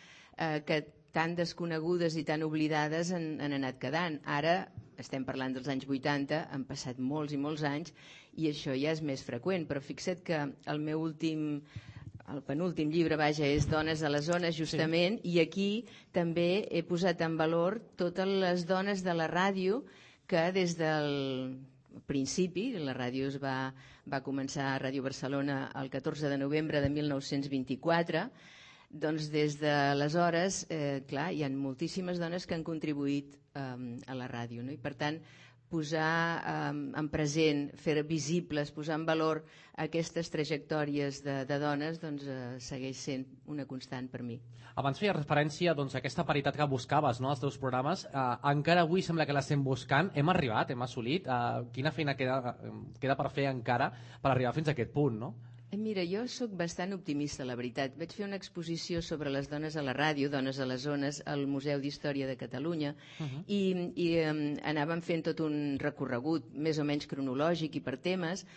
que tan desconegudes i tan oblidades han anat quedant. Ara estem parlant dels anys 80, han passat molts i molts anys i això ja és més freqüent, però fixa't que el penúltim llibre, és Dones a les zones, justament, i aquí també he posat en valor totes les dones de la ràdio que des del principi, la ràdio va començar a Ràdio Barcelona el 14 de novembre de 1924, doncs des d'aleshores, clar, hi ha moltíssimes dones que han contribuït a la ràdio, no? I per tant, posar en present, fer visibles, posar en valor aquestes trajectòries de dones segueix sent una constant per mi. Abans feia referència a aquesta paritat que buscaves als teus programes. Encara avui sembla que l'estem buscant. Hem arribat, hem assolit. Quina feina queda per fer encara per arribar fins a aquest punt, no? Mira, jo sóc bastant optimista, la veritat. Vaig fer una exposició sobre les dones a la ràdio, Dones a les zones, al Museu d'Història de Catalunya, i anàvem fent tot un recorregut més o menys cronològic i per temes,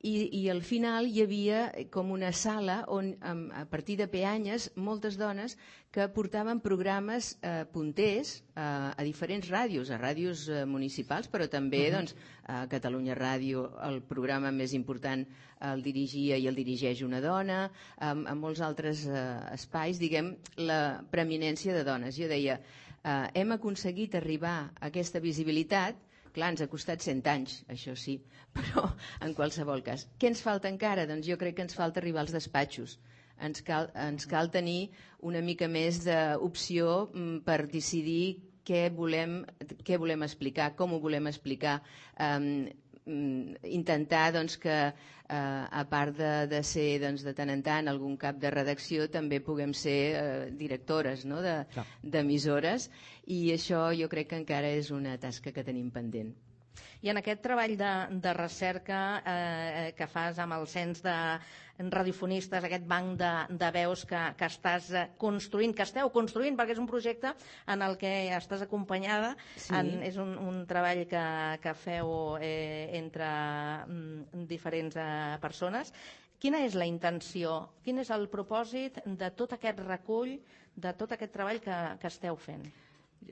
i al final hi havia com una sala on, a partir de peanyes, moltes dones que portaven programes punters a diferents ràdios, a ràdios municipals, però també a Catalunya Ràdio el programa més important el dirigia i el dirigeix una dona, a molts altres espais, diguem, la preeminència de dones. Jo deia, hem aconseguit arribar a aquesta visibilitat. Clar, ens ha costat 100 anys, això sí, però en qualsevol cas. Què ens falta encara? Doncs jo crec que ens falta arribar als despatxos. Ens cal tenir una mica més d'opció per decidir què volem explicar, com ho volem explicar, intentar que a part de ser de tant en tant algun cap de redacció també puguem ser directores d'emissores, i això jo crec que encara és una tasca que tenim pendent. I en aquest treball de recerca que fas amb el cens de radiofonistes, aquest banc de veus que estàs construint, que esteu construint, perquè és un projecte en el que estàs acompanyada, és un treball que feu entre diferents persones. Quina és la intenció, quin és el propòsit de tot aquest recull, de tot aquest treball que esteu fent?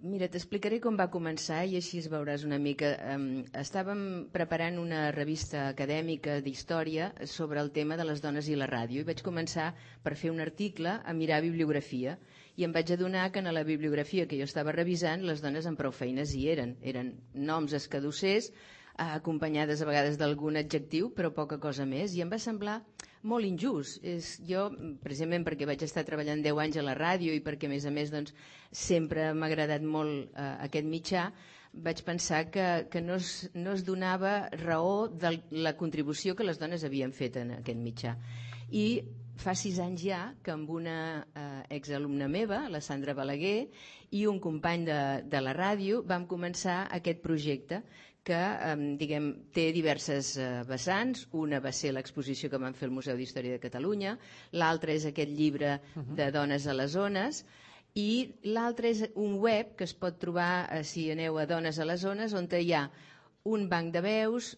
Mira, t'explicaré com va començar i així es veuràs una mica. Estàvem preparant una revista acadèmica d'història sobre el tema de les dones i la ràdio i vaig començar per fer un article a mirar bibliografia i em vaig adonar que en la bibliografia que jo estava revisant les dones amb prou feines hi eren. Eren noms escadussers, acompanyades a vegades d'algun adjectiu, però poca cosa més, i em va semblar molt injust. Jo, precisament perquè vaig estar treballant 10 anys a la ràdio i perquè, a més, sempre m'ha agradat molt aquest mitjà, vaig pensar que no es donava raó de la contribució que les dones havien fet en aquest mitjà. I fa 6 anys ja que amb una exalumna meva, la Sandra Balaguer, i un company de la ràdio vam començar aquest projecte que té diverses vessants. Una va ser l'exposició que vam fer al Museu d'Història de Catalunya, l'altra és aquest llibre de Dones a les Zones, i l'altre és un web que es pot trobar si aneu a Dones a les Zones, on hi ha un banc de veus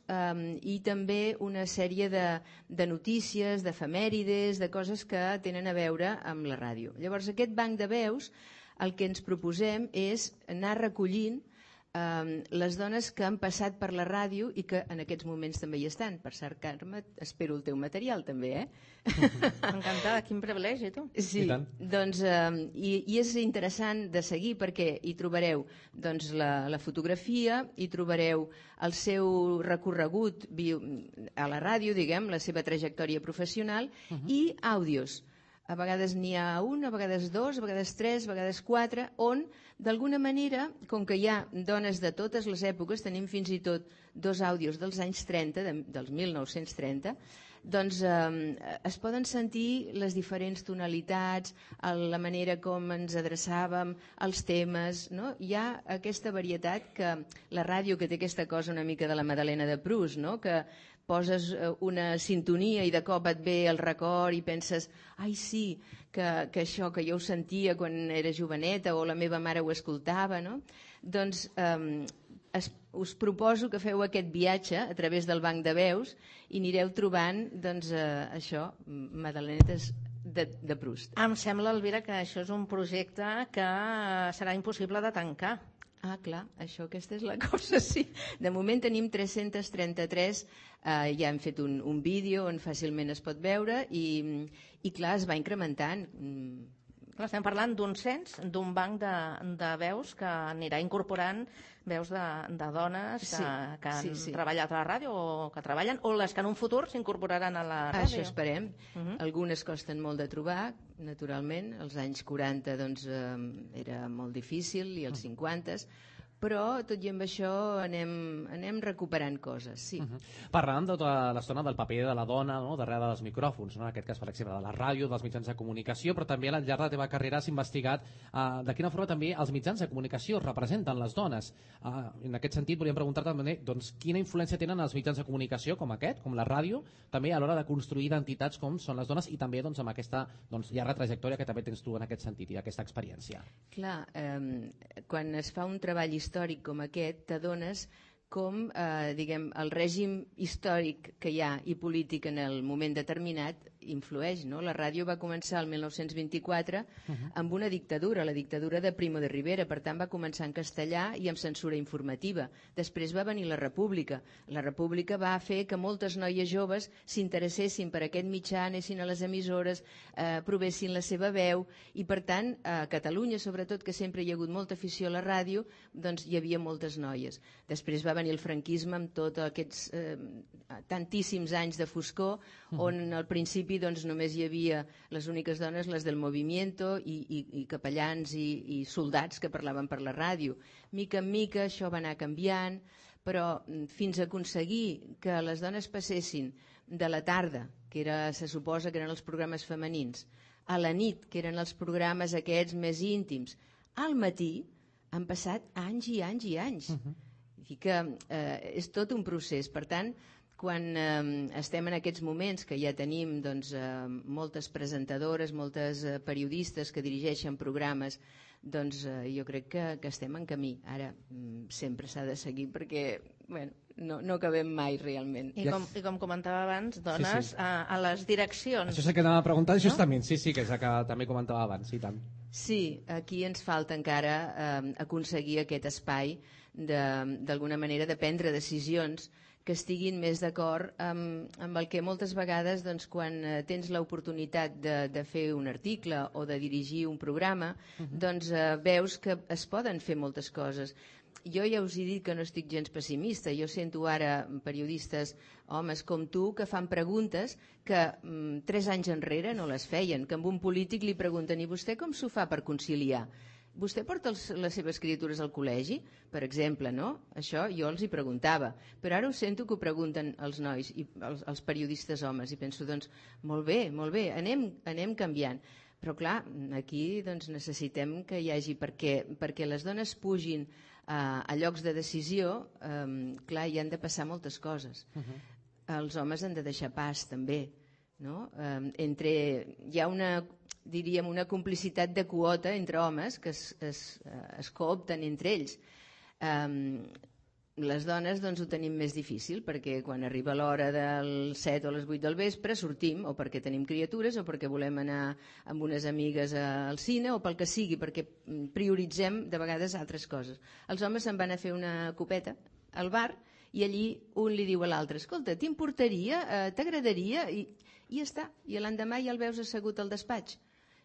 i també una sèrie de notícies, d'efemèrides, de coses que tenen a veure amb la ràdio. Llavors, aquest banc de veus, el que ens proposem és anar recollint les dones que han passat per la ràdio i que en aquests moments també hi estan. Per cert, Carme, espero el teu material també, Encantada, quin privilegi, tu. Sí, doncs, i és interessant de seguir perquè hi trobareu doncs, la fotografia, hi trobareu el seu recorregut a la ràdio, diguem, la seva trajectòria professional i àudios. A vegades n'hi ha un, a vegades dos, a vegades tres, a vegades quatre, on d'alguna manera, com que hi ha dones de totes les èpoques, tenim fins i tot 2 àudios dels anys 30, dels 1930, doncs es poden sentir les diferents tonalitats, la manera com ens adreçàvem, els temes, no? Hi ha aquesta varietat que la ràdio, que té aquesta cosa una mica de la Madalena de Proust, no? Que poses una sintonia i de cop et ve el record i penses, ai sí, que això que jo ho sentia quan era joveneta o la meva mare ho escoltava, no? Doncs us proposo que feu aquest viatge a través del banc de veus i anireu trobant, doncs, això, madalenetes de Proust. Em sembla, Elvira, que això és un projecte que serà impossible de tancar. Ah, clar, aquesta és la cosa, sí. De moment tenim 333, ja hem fet un vídeo on fàcilment es pot veure i clar, es va incrementant. Estem parlant d'un cens, d'un banc de veus que anirà incorporant veus de dones que han treballat a la ràdio o que treballen, o les que en un futur s'incorporaran a la ràdio. Això esperem. Algunes costen molt de trobar, naturalment. Als anys 40 doncs, era molt difícil, i als 50, però tot i amb això anem recuperant coses, sí. Parlàvem tota l'estona del paper de la dona, no? Darrere dels micròfons, no? En aquest cas, per exemple, de la ràdio, dels mitjans de comunicació, però també al llarg de la teva carrera has investigat de quina forma també els mitjans de comunicació representen les dones. En aquest sentit, volíem preguntar-te també doncs, quina influència tenen els mitjans de comunicació com aquest, com la ràdio, també a l'hora de construir identitats com són les dones i també doncs, amb aquesta llarga trajectòria que també tens tu en aquest sentit i aquesta experiència. Clar, quan es fa un treball històric com aquest, t'adones com el règim històric que hi ha i polític en el moment determinat influeix, no? La ràdio va començar el 1924 amb una dictadura, la dictadura de Primo de Rivera, per tant va començar en castellà i amb censura informativa. Després va venir la República. La República va fer que moltes noies joves s'interessessin per aquest mitjà, anessin a les emissores, provessin la seva veu, i per tant a Catalunya, sobretot, que sempre hi ha hagut molta afició a la ràdio, doncs hi havia moltes noies. Després va venir el franquisme amb tots aquests tantíssims anys de foscor, on al principi doncs, només hi havia les úniques dones, les del movimiento, i capellans i soldats que parlaven per la ràdio. Mica en mica això va anar canviant, però fins a aconseguir que les dones passessin de la tarda, que se suposa que eren els programes femenins, a la nit, que eren els programes aquests més íntims, al matí han passat anys i anys i anys. I que és tot un procés. Per tant, quan estem en aquests moments que ja tenim doncs, moltes presentadores, moltes periodistes que dirigeixen programes, doncs jo crec que estem en camí. Ara sempre s'ha de seguir perquè no acabem mai realment. I com comentava abans, dones a les direccions. Això és el que anava a preguntar justament, sí, que és el que també comentava abans, i tant. Sí, aquí ens falta encara aconseguir aquest espai d'alguna manera de prendre decisions que estiguin més d'acord amb el que moltes vegades doncs, quan tens l'oportunitat de fer un article o de dirigir un programa, doncs veus que es poden fer moltes coses. Jo ja us he dit que no estic gens pessimista. Jo sento ara periodistes, homes com tu, que fan preguntes que 3 anys enrere no les feien, que amb un polític li pregunten: i vostè com s'ho fa per conciliar? vostè porta les seves criatures al col·legi, per exemple, no? Això jo els hi preguntava, però ara ho sento que ho pregunten els nois, i els periodistes homes, i penso, doncs, molt bé, anem canviant. Però clar, aquí doncs, necessitem que hi hagi, perquè les dones pugin a llocs de decisió, clar, hi han de passar moltes coses. Els homes han de deixar pas, també. No? Hi ha una complicitat de quota entre homes que es coopten entre ells. Les dones doncs, ho tenim més difícil perquè quan arriba l'hora del 7 o les 8 del vespre sortim o perquè tenim criatures o perquè volem anar amb unes amigues al cine o pel que sigui, perquè prioritzem de vegades altres coses. Els homes se'n van a fer una copeta al bar i allí un li diu a l'altre, escolta, t'importaria, t'agradaria? I ja està, i l'endemà ja el veus assegut al despatx.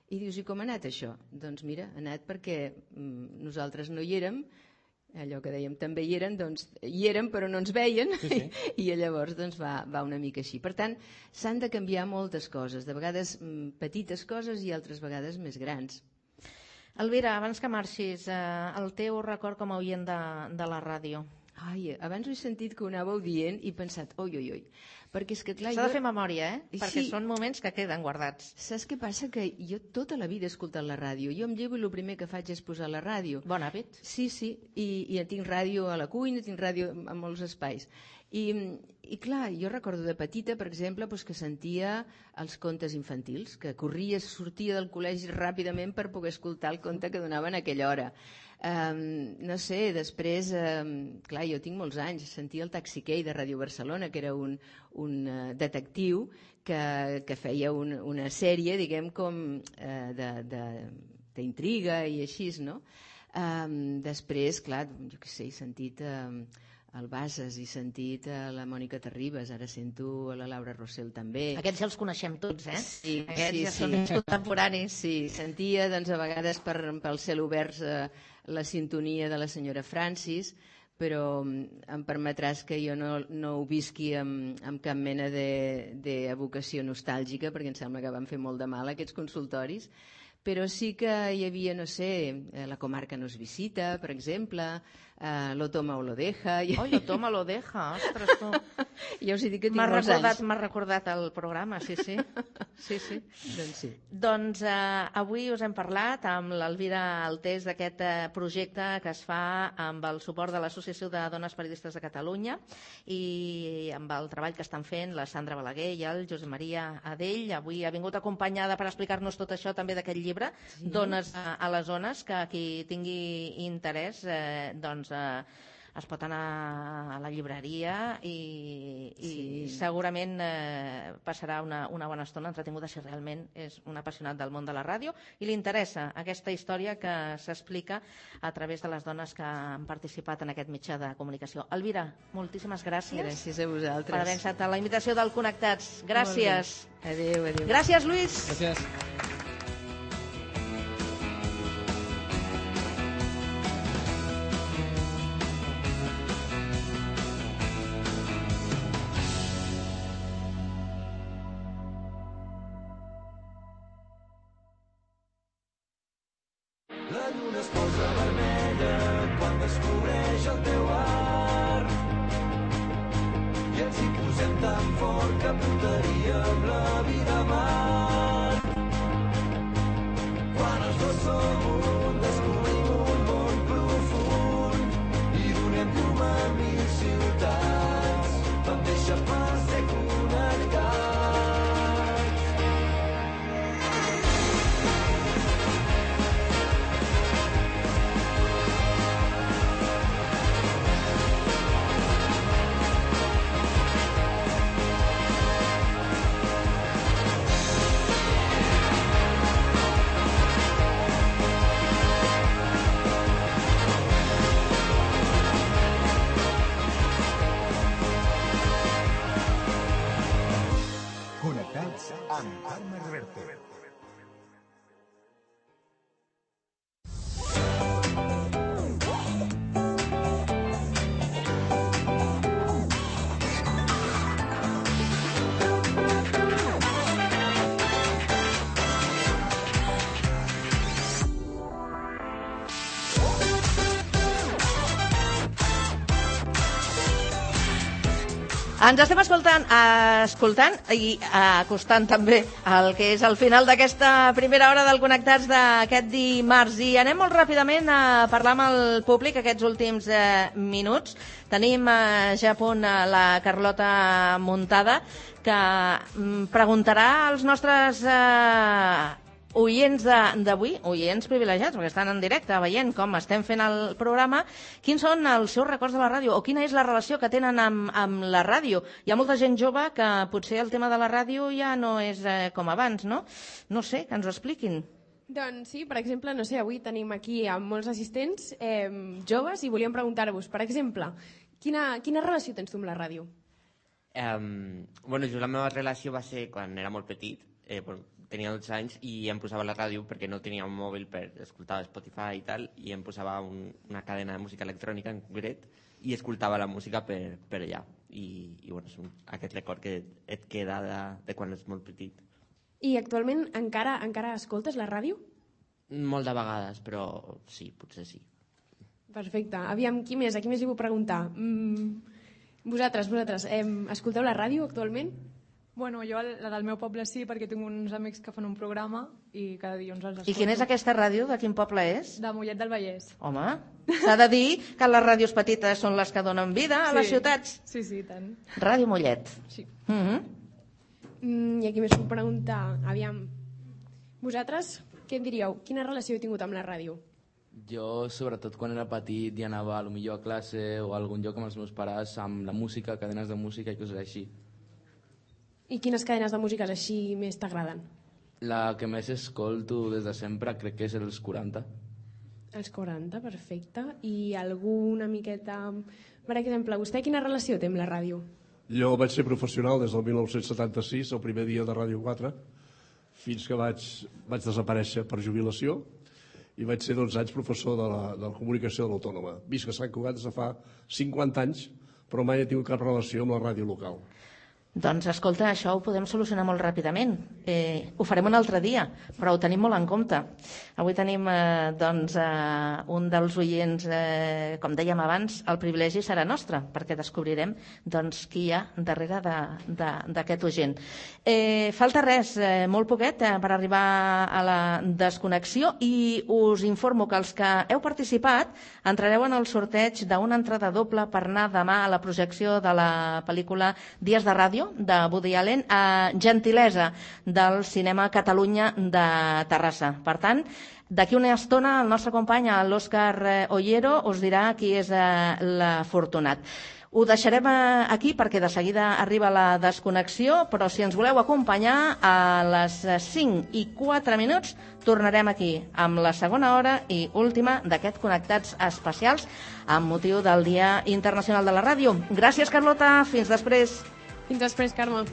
I dius, i com ha anat això? Doncs mira, ha anat perquè nosaltres no hi érem, allò que dèiem també hi eren, doncs hi érem però no ens veien, i llavors doncs, va una mica així. Per tant, s'han de canviar moltes coses, de vegades petites coses i altres vegades més grans. Elvira, abans que marxis, el teu record com a oient de la ràdio? Ai, abans ho he sentit que ho anàveu dient i he pensat, oi, perquè és que clar... S'ha de fer memòria, perquè són moments que queden guardats. Saps què passa? Que jo tota la vida he escoltat la ràdio. Jo em llevo i el primer que faig és posar la ràdio. Bon hàbit. Sí, i tinc ràdio a la cuina, tinc ràdio a molts espais. I clar, jo recordo de petita, per exemple, que sentia els contes infantils, que sortia del col·legi ràpidament per poder escoltar el conte que donaven a aquella hora. No sé, després, clar, jo tinc molts anys, sentia el Taxi-Key de Ràdio Barcelona, que era un detectiu que feia una sèrie, diguem, com d'intriga i així, no? Després, clar, jo què sé, he sentit el Bases, he sentit la Mònica Terribas, ara sento la Laura Rossell també. Aquests ja els coneixem tots, eh? Sí, aquests ja són contemporanis. Sí, sentia, doncs, a vegades pel cel obert la sintonia de la senyora Francis, però em permetràs que jo no ho visqui amb cap mena d'evocació nostàlgica, perquè em sembla que van fer molt de mal aquests consultoris, però sí que hi havia, no sé, La comarca nos visita, per exemple, Lo toma o lo deja. Oi, Lo toma o lo deja, ostres, tu. Ja us he dit que tinc molts anys. M'ha recordat el programa, sí. Doncs sí. Doncs avui us hem parlat amb l'Elvira Altés d'aquest projecte que es fa amb el suport de l'Associació de Dones Periodistes de Catalunya i amb el treball que estan fent la Sandra Balaguer i el Josep Maria Adell. Avui ha vingut acompanyada per explicar-nos tot això també d'aquest llibre, Dones a les zones, que qui tingui interès doncs es pot anar a la llibreria i segurament passarà una bona estona entretinguda si realment és un apassionat del món de la ràdio i li interessa aquesta història que s'explica a través de les dones que han participat en aquest mitjà de comunicació. Elvira, moltíssimes gràcies. Gràcies a vosaltres. Per haver acceptat la invitació del Connectats. Gràcies. Adéu. Gràcies, Lluís. Gràcies. La lluna es posa vermella quan descobreix el teu art i ens hi posem tan fort que portaríem la vida a mar. Quan els dos som un, descobrim un món profund i donem llum a 1000 ciutats. Vam deixar pas ser connectats. Ens estem escoltant i acostant també el que és el final d'aquesta primera hora del Connectats d'aquest dimarts. I anem molt ràpidament a parlar amb el públic aquests últims minuts. Tenim ja a punt la Carlota muntada, que preguntarà als nostres oients d'avui, oients privilegiats, perquè estan en directe veient com estem fent el programa, quins són els seus records de la ràdio o quina és la relació que tenen amb la ràdio. Hi ha molta gent jove que potser el tema de la ràdio ja no és com abans, no? No sé, que ens ho expliquin. Doncs sí, per exemple, no sé, avui tenim aquí molts assistents joves i volíem preguntar-vos, per exemple, quina relació tens tu amb la ràdio? Bueno, jo la meva relació va ser quan era molt petit, tenia 12 anys i em posava la ràdio perquè no tenia un mòbil per escoltar Spotify i tal, i em posava una cadena de música electrònica en concret i escoltava la música per allà. I bueno, és aquest record que et queda de quan ets molt petit. I actualment encara escoltes la ràdio? Molt de vegades, però sí, potser sí. Perfecte. Aviam, qui més? A qui més li puc preguntar? Vosaltres, escolteu la ràdio actualment? Bueno, jo la del meu poble sí, perquè tinc uns amics que fan un programa i cada dilluns els escolto. I quina és aquesta ràdio? De quin poble és? De Mollet del Vallès. Home, s'ha de dir que les ràdios petites són les que donen vida a les ciutats. Sí, sí, tant. Ràdio Mollet. Sí. I aquí més puc preguntar, aviam, vosaltres què en diríeu? Quina relació heu tingut amb la ràdio? Jo, sobretot quan era petit i anava potser a classe o a algun lloc amb els meus pares, amb la música, cadenes de música i coses així. I quines cadenes de músiques així més t'agraden? La que més escolto des de sempre crec que és els 40. Els 40, perfecte. I alguna miqueta... Per exemple, vostè quina relació té amb la ràdio? Jo vaig ser professional des del 1976, el primer dia de Ràdio 4, fins que vaig desaparèixer per jubilació i vaig ser 12 anys professor de la comunicació de l'Autònoma. Visc a Sant Cugat des de fa 50 anys, però mai he tingut cap relació amb la ràdio local. Doncs escolta, això ho podem solucionar molt ràpidament. Ho farem un altre dia, però ho tenim molt en compte. Avui tenim un dels oients, com dèiem abans, el privilegi serà nostre, perquè descobrirem qui hi ha darrere d'aquest oient. Falta res, molt poquet, per arribar a la desconnexió, i us informo que els que heu participat entrareu en el sorteig d'una entrada doble per anar demà a la projecció de la pel·lícula Dies de Ràdio, de Woody Allen, a gentilesa del Cinema Catalunya de Terrassa. Per tant, d'aquí una estona el nostre company, l'Òscar Ollero, us dirà qui és l'afortunat. Ho deixarem aquí perquè de seguida arriba la desconnexió, però si ens voleu acompanyar a les 5:04 tornarem aquí amb la segona hora i última d'aquest Connectats especials amb motiu del Dia Internacional de la Ràdio. Gràcies, Carlota. Fins després. Fins després, Carme.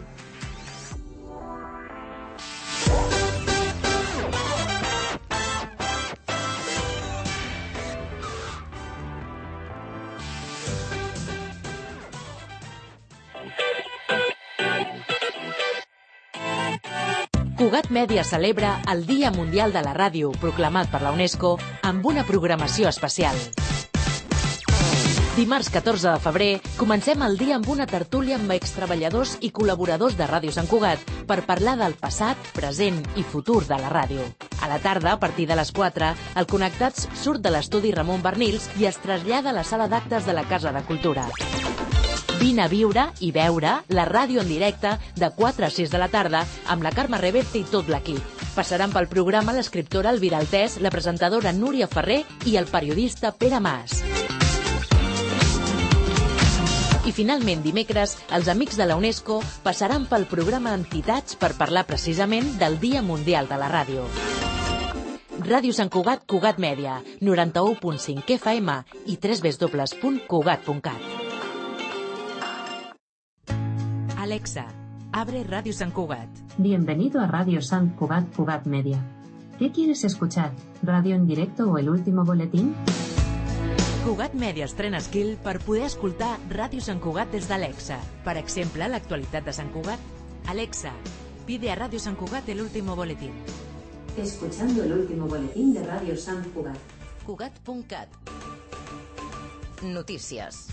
Cugat Mèdia celebra el Dia Mundial de la Ràdio, proclamat per la UNESCO, amb una programació especial. Dimarts 14 de febrer comencem el dia amb una tertúlia amb extreballadors i col·laboradors de Ràdio Sant Cugat per parlar del passat, present i futur de la ràdio. A la tarda, a partir de les 4, el Connectats surt de l'estudi Ramon Bernils i es trasllada a la sala d'actes de la Casa de Cultura. Vine a viure i veure la ràdio en directe de 4 a 6 de la tarda amb la Carme Reverte i tot l'equip. Passaran pel programa l'escriptora Elvira Altès, la presentadora Núria Ferrer i el periodista Pere Mas. I finalment, dimecres, els amics de la UNESCO passaran pel programa Entitats per parlar precisament del Dia Mundial de la Ràdio. Ràdio Sant Cugat, Cugat Mèdia, 91.5 FM i www.cugat.cat. Alexa, abre Radio San Cugat. Bienvenido a Radio San Cugat, Cugat Media. ¿Qué quieres escuchar? ¿Radio en directo o el último boletín? Cugat Media estrena skill per poder escoltar Ràdio Sant Cugat des d'Alexa. Per exemple, l'actualitat de Sant Cugat. Alexa, pide a Radio San Cugat el último boletín. Escuchando el último boletín de Radio San Cugat. Cugat.cat. Notícies.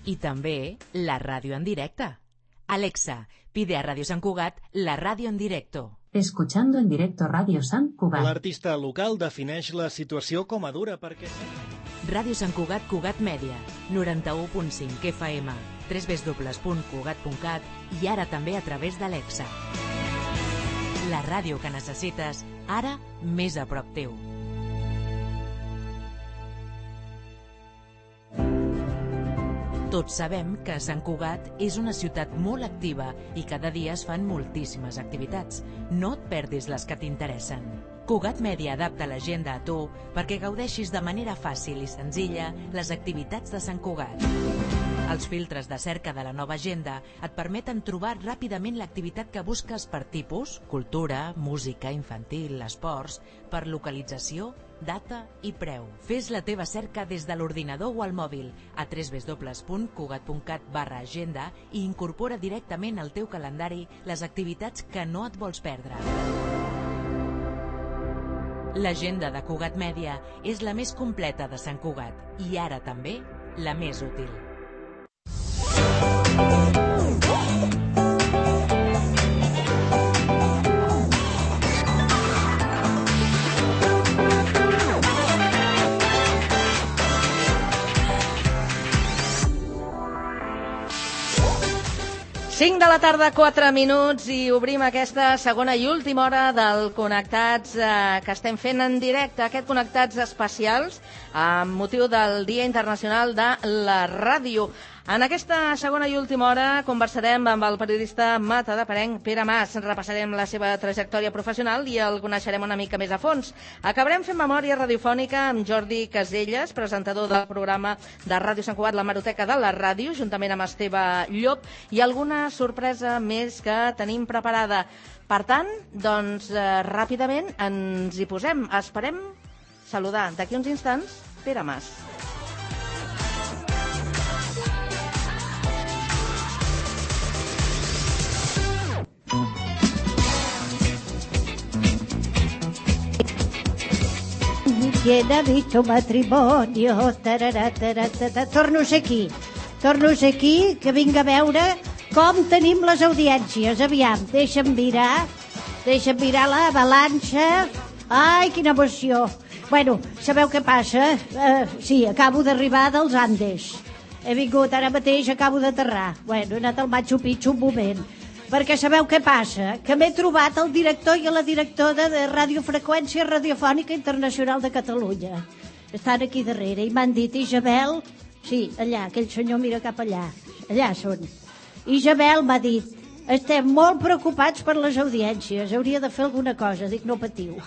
I també la ràdio en directe. Alexa, pide a Radio Sant Cugat la ràdio en directo. Escuchando en directo Radio Sant Cugat. L'artista local defineix la situació com a dura perquè... Ràdio Sant Cugat, Cugat Mèdia, 91.5 FM, www.cugat.cat i ara també a través d'Alexa. La ràdio que necessites, ara més a prop teu. Tots sabem que Sant Cugat és una ciutat molt activa i cada dia es fan moltíssimes activitats. No et perdis les que t'interessen. Cugat Mèdia adapta l'agenda a tu perquè gaudeixis de manera fàcil i senzilla les activitats de Sant Cugat. Els filtres de cerca de la nova agenda et permeten trobar ràpidament l'activitat que busques per tipus, cultura, música, infantil, esports, per localització, data i preu. Fes la teva cerca des de l'ordinador o al mòbil a www.cugat.cat/agenda i incorpora directament al teu calendari les activitats que no et vols perdre. L'agenda de Cugat Mèdia és la més completa de Sant Cugat i ara també la més útil. Cinc de la tarda, 4 minuts, i obrim aquesta segona i última hora del Connectats que estem fent en directe, aquest Connectats especials amb motiu del Dia Internacional de la Ràdio. En aquesta segona i última hora conversarem amb el periodista matadeperarenc Pere Mas. Repassarem la seva trajectòria professional i el coneixerem una mica més a fons. Acabarem fent memòria radiofònica amb Jordi Caselles, presentador del programa de Ràdio Sant Cugat, la Hemeroteca de la Ràdio, juntament amb Esteve Llop, i alguna sorpresa més que tenim preparada. Per tant, doncs, ràpidament ens hi posem. Esperem saludar d'aquí uns instants Pere Mas. ¿Quién ha visto matrimonio? Torno a ser aquí, que vinc a veure com tenim les audiències. Aviam, deixa'm mirar la balança. Ai, quina emoció. Bueno, sabeu què passa? Sí, acabo d'arribar dels Andes. He vingut ara mateix, acabo d'aterrar. Bueno, he anat al Machu Picchu un moment. Perquè sabeu què passa? Que m'he trobat el director i la directora de Radiofreqüència Radiofònica Internacional de Catalunya. Estan aquí darrere i m'han dit, Isabel... Sí, allà, aquell senyor mira cap allà. Allà són. Isabel m'ha dit, estem molt preocupats per les audiències, hauria de fer alguna cosa. Dic, no patiu.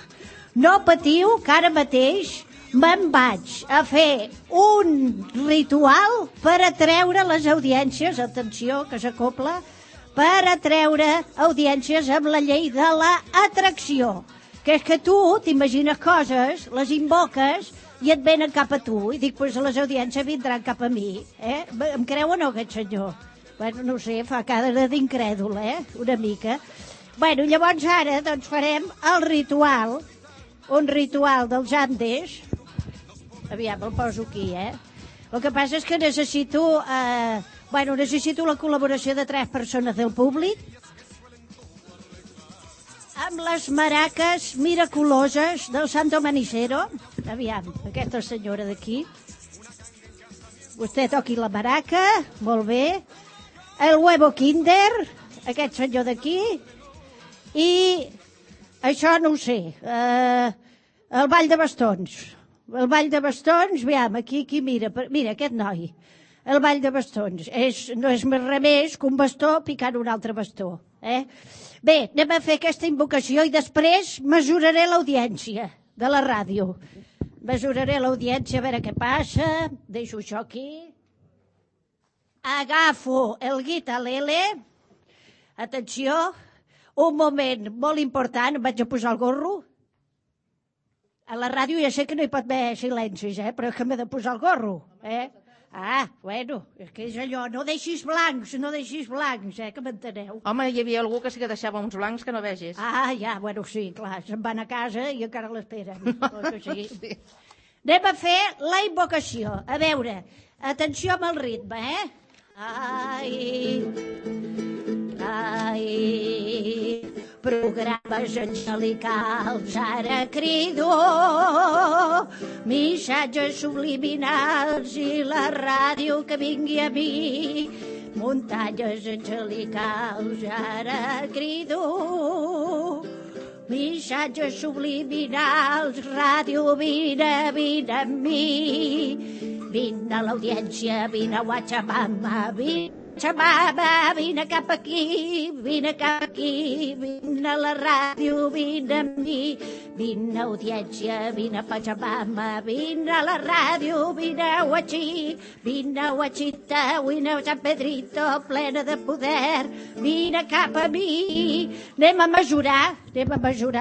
No patiu, que ara mateix me'n vaig a fer un ritual per atreure les audiències, atenció, que s'acopla, per atreure audiències amb la llei de l'atracció, que és que tu t'imagines coses, les invoques i et venen cap a tu, i dic, pues les audiències vindran cap a mi, Em creu o no aquest senyor? Bueno, no sé, fa cara d'incrèdul, una mica. Bueno, llavors ara doncs farem el ritual, un ritual dels Andes. Aviam, el poso aquí, El que passa és que necessito la col·laboració de 3 persones del públic amb les maraques miraculoses del Santo Manicero. Aviam, aquesta senyora d'aquí. Vostè toqui la maraca, molt bé. El huevo Kinder, aquest senyor d'aquí. I això no ho sé. El ball de bastons. El ball de bastons, aviam, aquí mira, aquest noi. El ball de bastons no és més res més que un bastó picant un altre bastó. Bé, anem a fer aquesta invocació i després mesuraré l'audiència de la ràdio. Mesuraré l'audiència a veure què passa. Deixo això aquí. Agafo el guitarlele. Atenció, un moment molt important, em vaig a posar el gorro. A la ràdio ja sé que no hi pot haver silencis, però és que m'he de posar el gorro, bueno, és que és allò, no deixis blancs, que m'enteneu. Home, hi havia algú que sí que deixava uns blancs que no vegis. Ja, bueno, sí, clar, se'n van a casa i encara l'esperen. Sí. Anem a fer la invocació. A veure, atenció amb el ritme, Ai, programes angelicals, ara crido, missatges subliminals i la ràdio que vingui a mi. Muntanyes angelicals, ara crido, missatges subliminals, ràdio, vine amb mi. Vine a l'audiència, vine a Guachamama, vine cap aquí, vine a la ràdio, vine amb mi. Vine a audiència, vine a Pachamama, vine a la ràdio, vine a Huachí, vine a Huachita, vine a San Pedrito, plena de poder, vine cap a mi. Anem a mesurar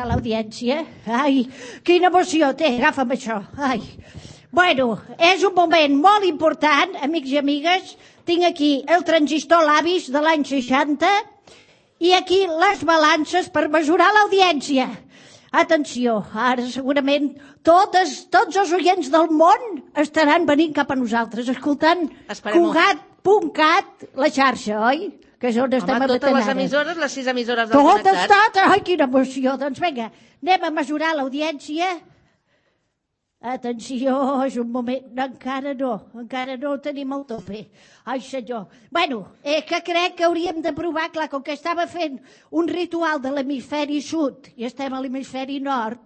l'audiència. Ai, quina emoció té, agafa'm això. Ai. Bueno, és un moment molt important, amics i amigues. Tinc aquí el transistor Labis de l'any 60 i aquí les balances per mesurar l'audiència. Atenció, ara segurament tots els oients del món estaran venint cap a nosaltres, escoltant Cugat.cat, la xarxa, oi? Que és on estem Home, totes les emissores, les 6 emissores del Connectat. Totes, ai, quina emoció. Doncs vinga, anem a mesurar l'audiència. Atenció, és un moment... Encara no ho tenim al tope. Ai, senyor. Bueno, que crec que hauríem de provar, clar, com que estava fent un ritual de l'hemisferi sud i estem a l'hemisferi nord,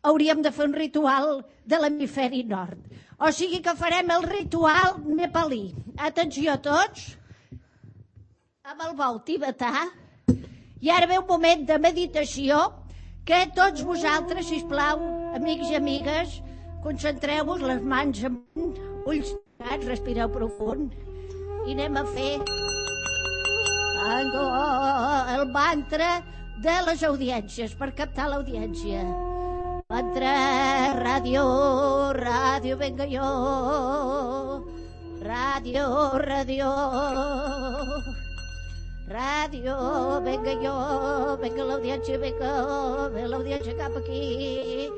hauríem de fer un ritual de l'hemisferi nord. O sigui que farem el ritual nepalí. Atenció a tots, amb el vol tibetà, i ara ve un moment de meditació que tots vosaltres, sisplau, amics i amigues, concentreu-vos, les mans amunt, ulls tancats, respireu profund i anem a fer el mantra de les audiències per captar l'audiència. Mantra, ràdio, venga jo, ràdio, venga jo, venga l'audiència cap aquí.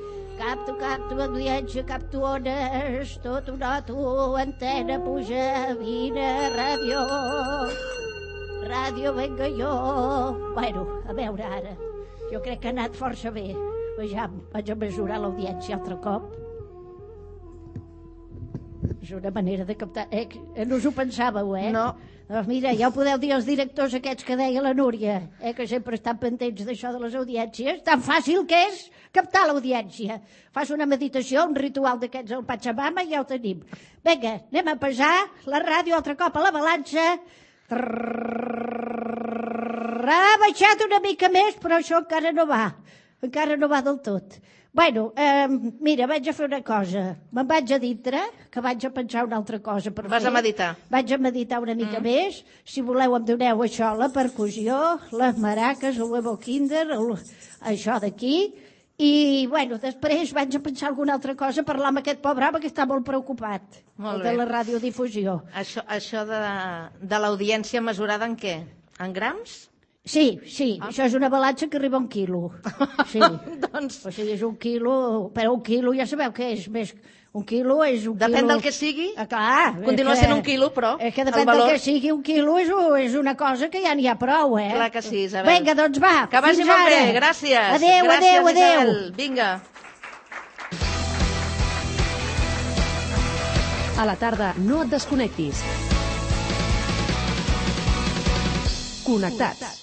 Capto audiència, capto ones, tot ho noto, antena puja, vine, ràdio, venga jo. Bueno, a veure ara, jo crec que ha anat força bé. Vejam, vaig a mesurar l'audiència altre cop. És una manera de captar... no us ho pensàveu, No. Doncs mira, ja ho podeu dir als directors aquests que deia la Núria, que sempre estan pendents d'això de les audiències. Tan fàcil que és captar l'audiència. Fas una meditació, un ritual d'aquests al Pachamama i ja ho tenim. Vinga, anem a pesar la ràdio altre cop a la balança. Ha baixat una mica més, però això encara no va del tot. Bueno, mira, vaig a fer una cosa. Me'n vaig a dintre, que vaig a pensar una altra cosa per fer. Vas a meditar. Vaig a meditar una mica més. Si voleu em doneu això, la percussió, les maraques, el huevo kinder, això d'aquí. I, bueno, després vaig a pensar alguna altra cosa, parlar amb aquest pobre home que està molt preocupat. Molt de bé. la radiodifusió. Això de l'audiència mesurada en què? En grams? Sí, això és una balança que arriba a 1 quilo. Sí. Doncs... O sigui, és 1 quilo, però 1 quilo ja sabeu què és, més... 1 quilo és 1 quilo... Depèn del que sigui. Clar. Continua sent 1 quilo, però és que depèn del que sigui 1 quilo és una cosa que ja n'hi ha prou, Clar que sí, Isabel. Vinga, doncs va, que vagi fins molt ara. bé, gràcies. Adéu. Isabel. Vinga. A la tarda, no et desconnectis. Connectats.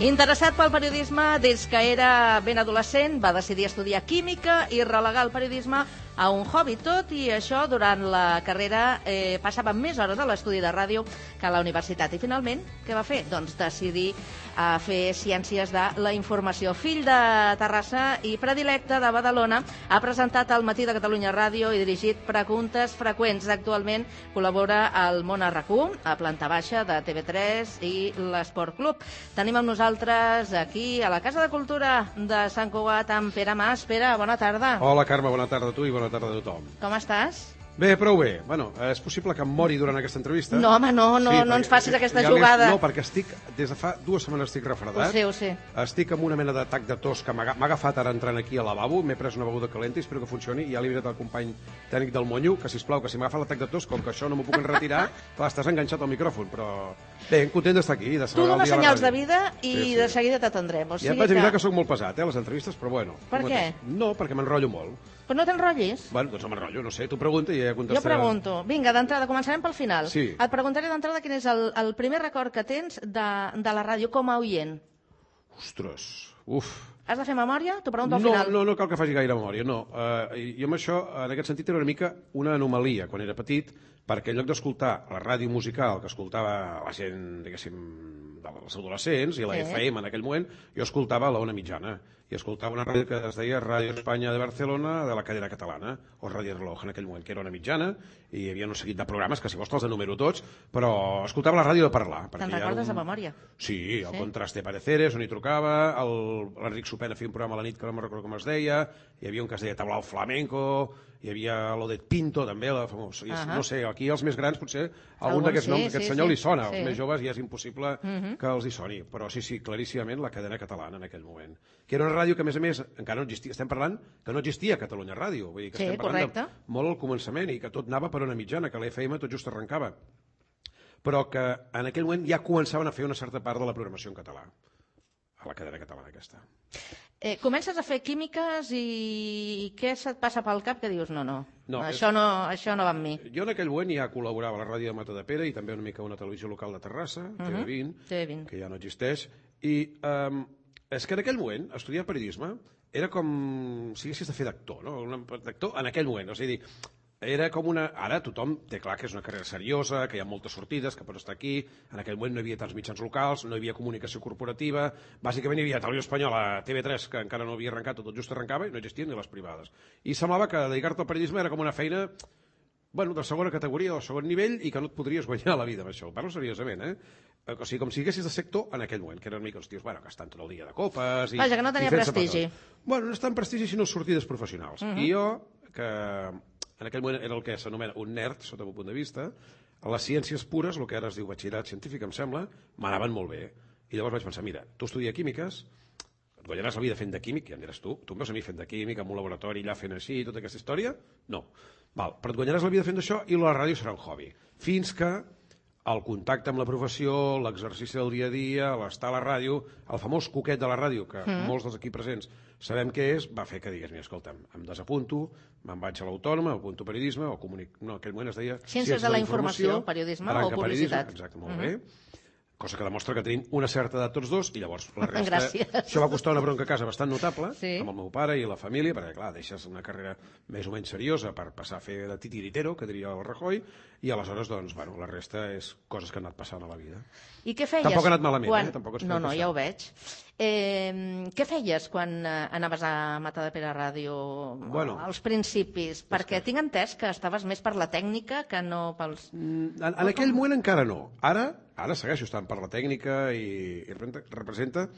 Interessat pel periodisme des que era ben adolescent, va decidir estudiar química i relegar el periodisme a un hobby. Tot i això, durant la carrera passava més hores a l'estudi de ràdio que a la universitat. I finalment, què va fer? Doncs decidir fer ciències de la informació. Fill de Terrassa i predilecte de Badalona, ha presentat al Matí de Catalunya Ràdio i dirigit Preguntes Freqüents. Actualment col·labora al Món RQ, a planta baixa de TV3 i l'Esport Club. Tenim amb nosaltres aquí, a la Casa de Cultura de Sant Cugat, amb Pere Mas. Pere, bona tarda. Hola, Carme, bona tarda a tu i bona tarda a tothom. Com estàs? Bé, prou bé. Bueno, és possible que em mori durant aquesta entrevista. No, home, no ens facis aquesta jugada. No, perquè des de fa 2 setmanes estic refredat. Ho sé. Estic amb una mena d'atac de tos que m'ha agafat ara entrant aquí al lavabo, m'he pres una beguda calenta i espero que funcioni, i ja li he dit al company tècnic del Monyo que, sisplau, que si m'agafa l'atac de tos, com que això no m'ho puc enretirar, clar, estàs enganxat al micròfon, però... Bé, content d'estar aquí. Tu dones senyals de vida i de seguida t'atendrem. Ja em vaig avisar que soc molt pesat, les entrevistes, però bueno. Per què? No, perquè m'enrotllo molt. Però no t'enrotllis? Bueno, doncs no m'enrotllo, no sé, tu pregunta i ja contestaré. Jo pregunto. Vinga, d'entrada, començarem pel final. Sí. Et preguntaré d'entrada quin és el primer record que tens de la ràdio com a oient. Ostres, uf. Has de fer memòria? T'ho pregunto al final. No cal que faci gaire memòria, no. Jo amb això, en aquest sentit, era una mica una anomalia quan era petit, perquè en lloc d'escoltar la ràdio musical que escoltava la gent, diguéssim, dels adolescents i la FM en aquell moment, jo escoltava la Ona Mitjana i escoltava una ràdio que es deia Ràdio Espanya de Barcelona de la cadena catalana, o Ràdio Reloj en aquell moment, que era Ona Mitjana, i hi havia un seguit de programes que si vols te'ls enumero tots, però escoltava la ràdio de parlar. Te'n recordes de memòria? Sí, el Contraste Pareceres, on hi trucava, l'Enric Sopena feia un programa a la nit que no me'n recordo com es deia, hi havia un que es deia Tablao Flamenco, hi havia l'Odet Pinto, també, la famosa. No sé, aquí els més grans, potser, algun d'aquests noms, aquest senyor li sona. Els més joves ja és impossible que els hi soni. Però sí, claríssimament, la cadena catalana en aquell moment. Que era una ràdio que, a més, encara no existia. Estem parlant que no existia Catalunya Ràdio. Vull dir que estem parlant de molt al començament i que tot anava per Ona Mitjana, que l'FM tot just arrencava. Però que en aquell moment ja començaven a fer una certa part de la programació en català. A la cadena catalana aquesta. Comences a fer químiques i què se't passa pel cap que dius això no va amb mi? Jo en aquell moment ja col·laborava a la ràdio de Matadepera i també una mica a una televisió local de Terrassa, TV20, que ja no existeix, i és que en aquell moment estudiar periodisme era com si haguessis de fer d'actor, no? D'actor en aquell moment, o sigui, era com una... Ara tothom té clar que és una carrera seriosa, que hi ha moltes sortides, que pots estar aquí. En aquell moment no hi havia tants mitjans locals, no hi havia comunicació corporativa, bàsicament hi havia Televisió Espanyola, TV3, que encara no havia arrencat, tot just arrencava, i no existien ni les privades. I semblava que dedicar-te al periodisme era com una feina de segona categoria o segon nivell i que no et podries guanyar la vida amb això. Ho parlo seriosament, O sigui, com si haguessis de ser actor en aquell moment, que eren mica els tios, que estan tot el dia de copes... Vaja, que no tenia prestigi. Bueno, no és tant prestigi, sinó sortides professionals. I jo, que en aquell moment era el que s'anomena un nerd, sota el meu punt de vista, a les ciències pures, el que ara es diu batxillerat científic, em sembla, m'anaven molt bé. I llavors vaig pensar, mira, tu estudia químiques, et guanyaràs la vida fent de químic, ja em diràs tu em veus a mi fent de químic, en un laboratori allà fent així, tota aquesta història? No. Val, però et guanyaràs la vida fent d'això i la ràdio serà un hobby. Fins que el contacte amb la professió, l'exercici del dia a dia, l'estar a la ràdio, el famós coquet de la ràdio, que molts dels aquí presents sabem què és, va fer que digués, mira, escolta'm, em desapunto, me'n vaig a l'Autònoma, apunto periodisme, o no, en aquell moment es deia Ciències de la Informació, periodisme o publicitat. Exacte, molt bé. Cosa que demostra que tenim una certa edat tots dos, i llavors la resta... Gràcies. Això va costar una bronca a casa bastant notable, amb el meu pare i la família, perquè, clar, deixes una carrera més o menys seriosa per passar a fer de titiritero, que diria el Rajoy, i aleshores, doncs, bueno, la resta és coses que han anat passant a la vida. I què feies? Tampoc ha anat malament, Tampoc no, ja ho veig. Què feies quan anaves a Matadepera Ràdio als principis? Perquè tinc entès que estaves més per la tècnica que no pels... En aquell moment encara no. Ara segueixo estant per la tècnica i representa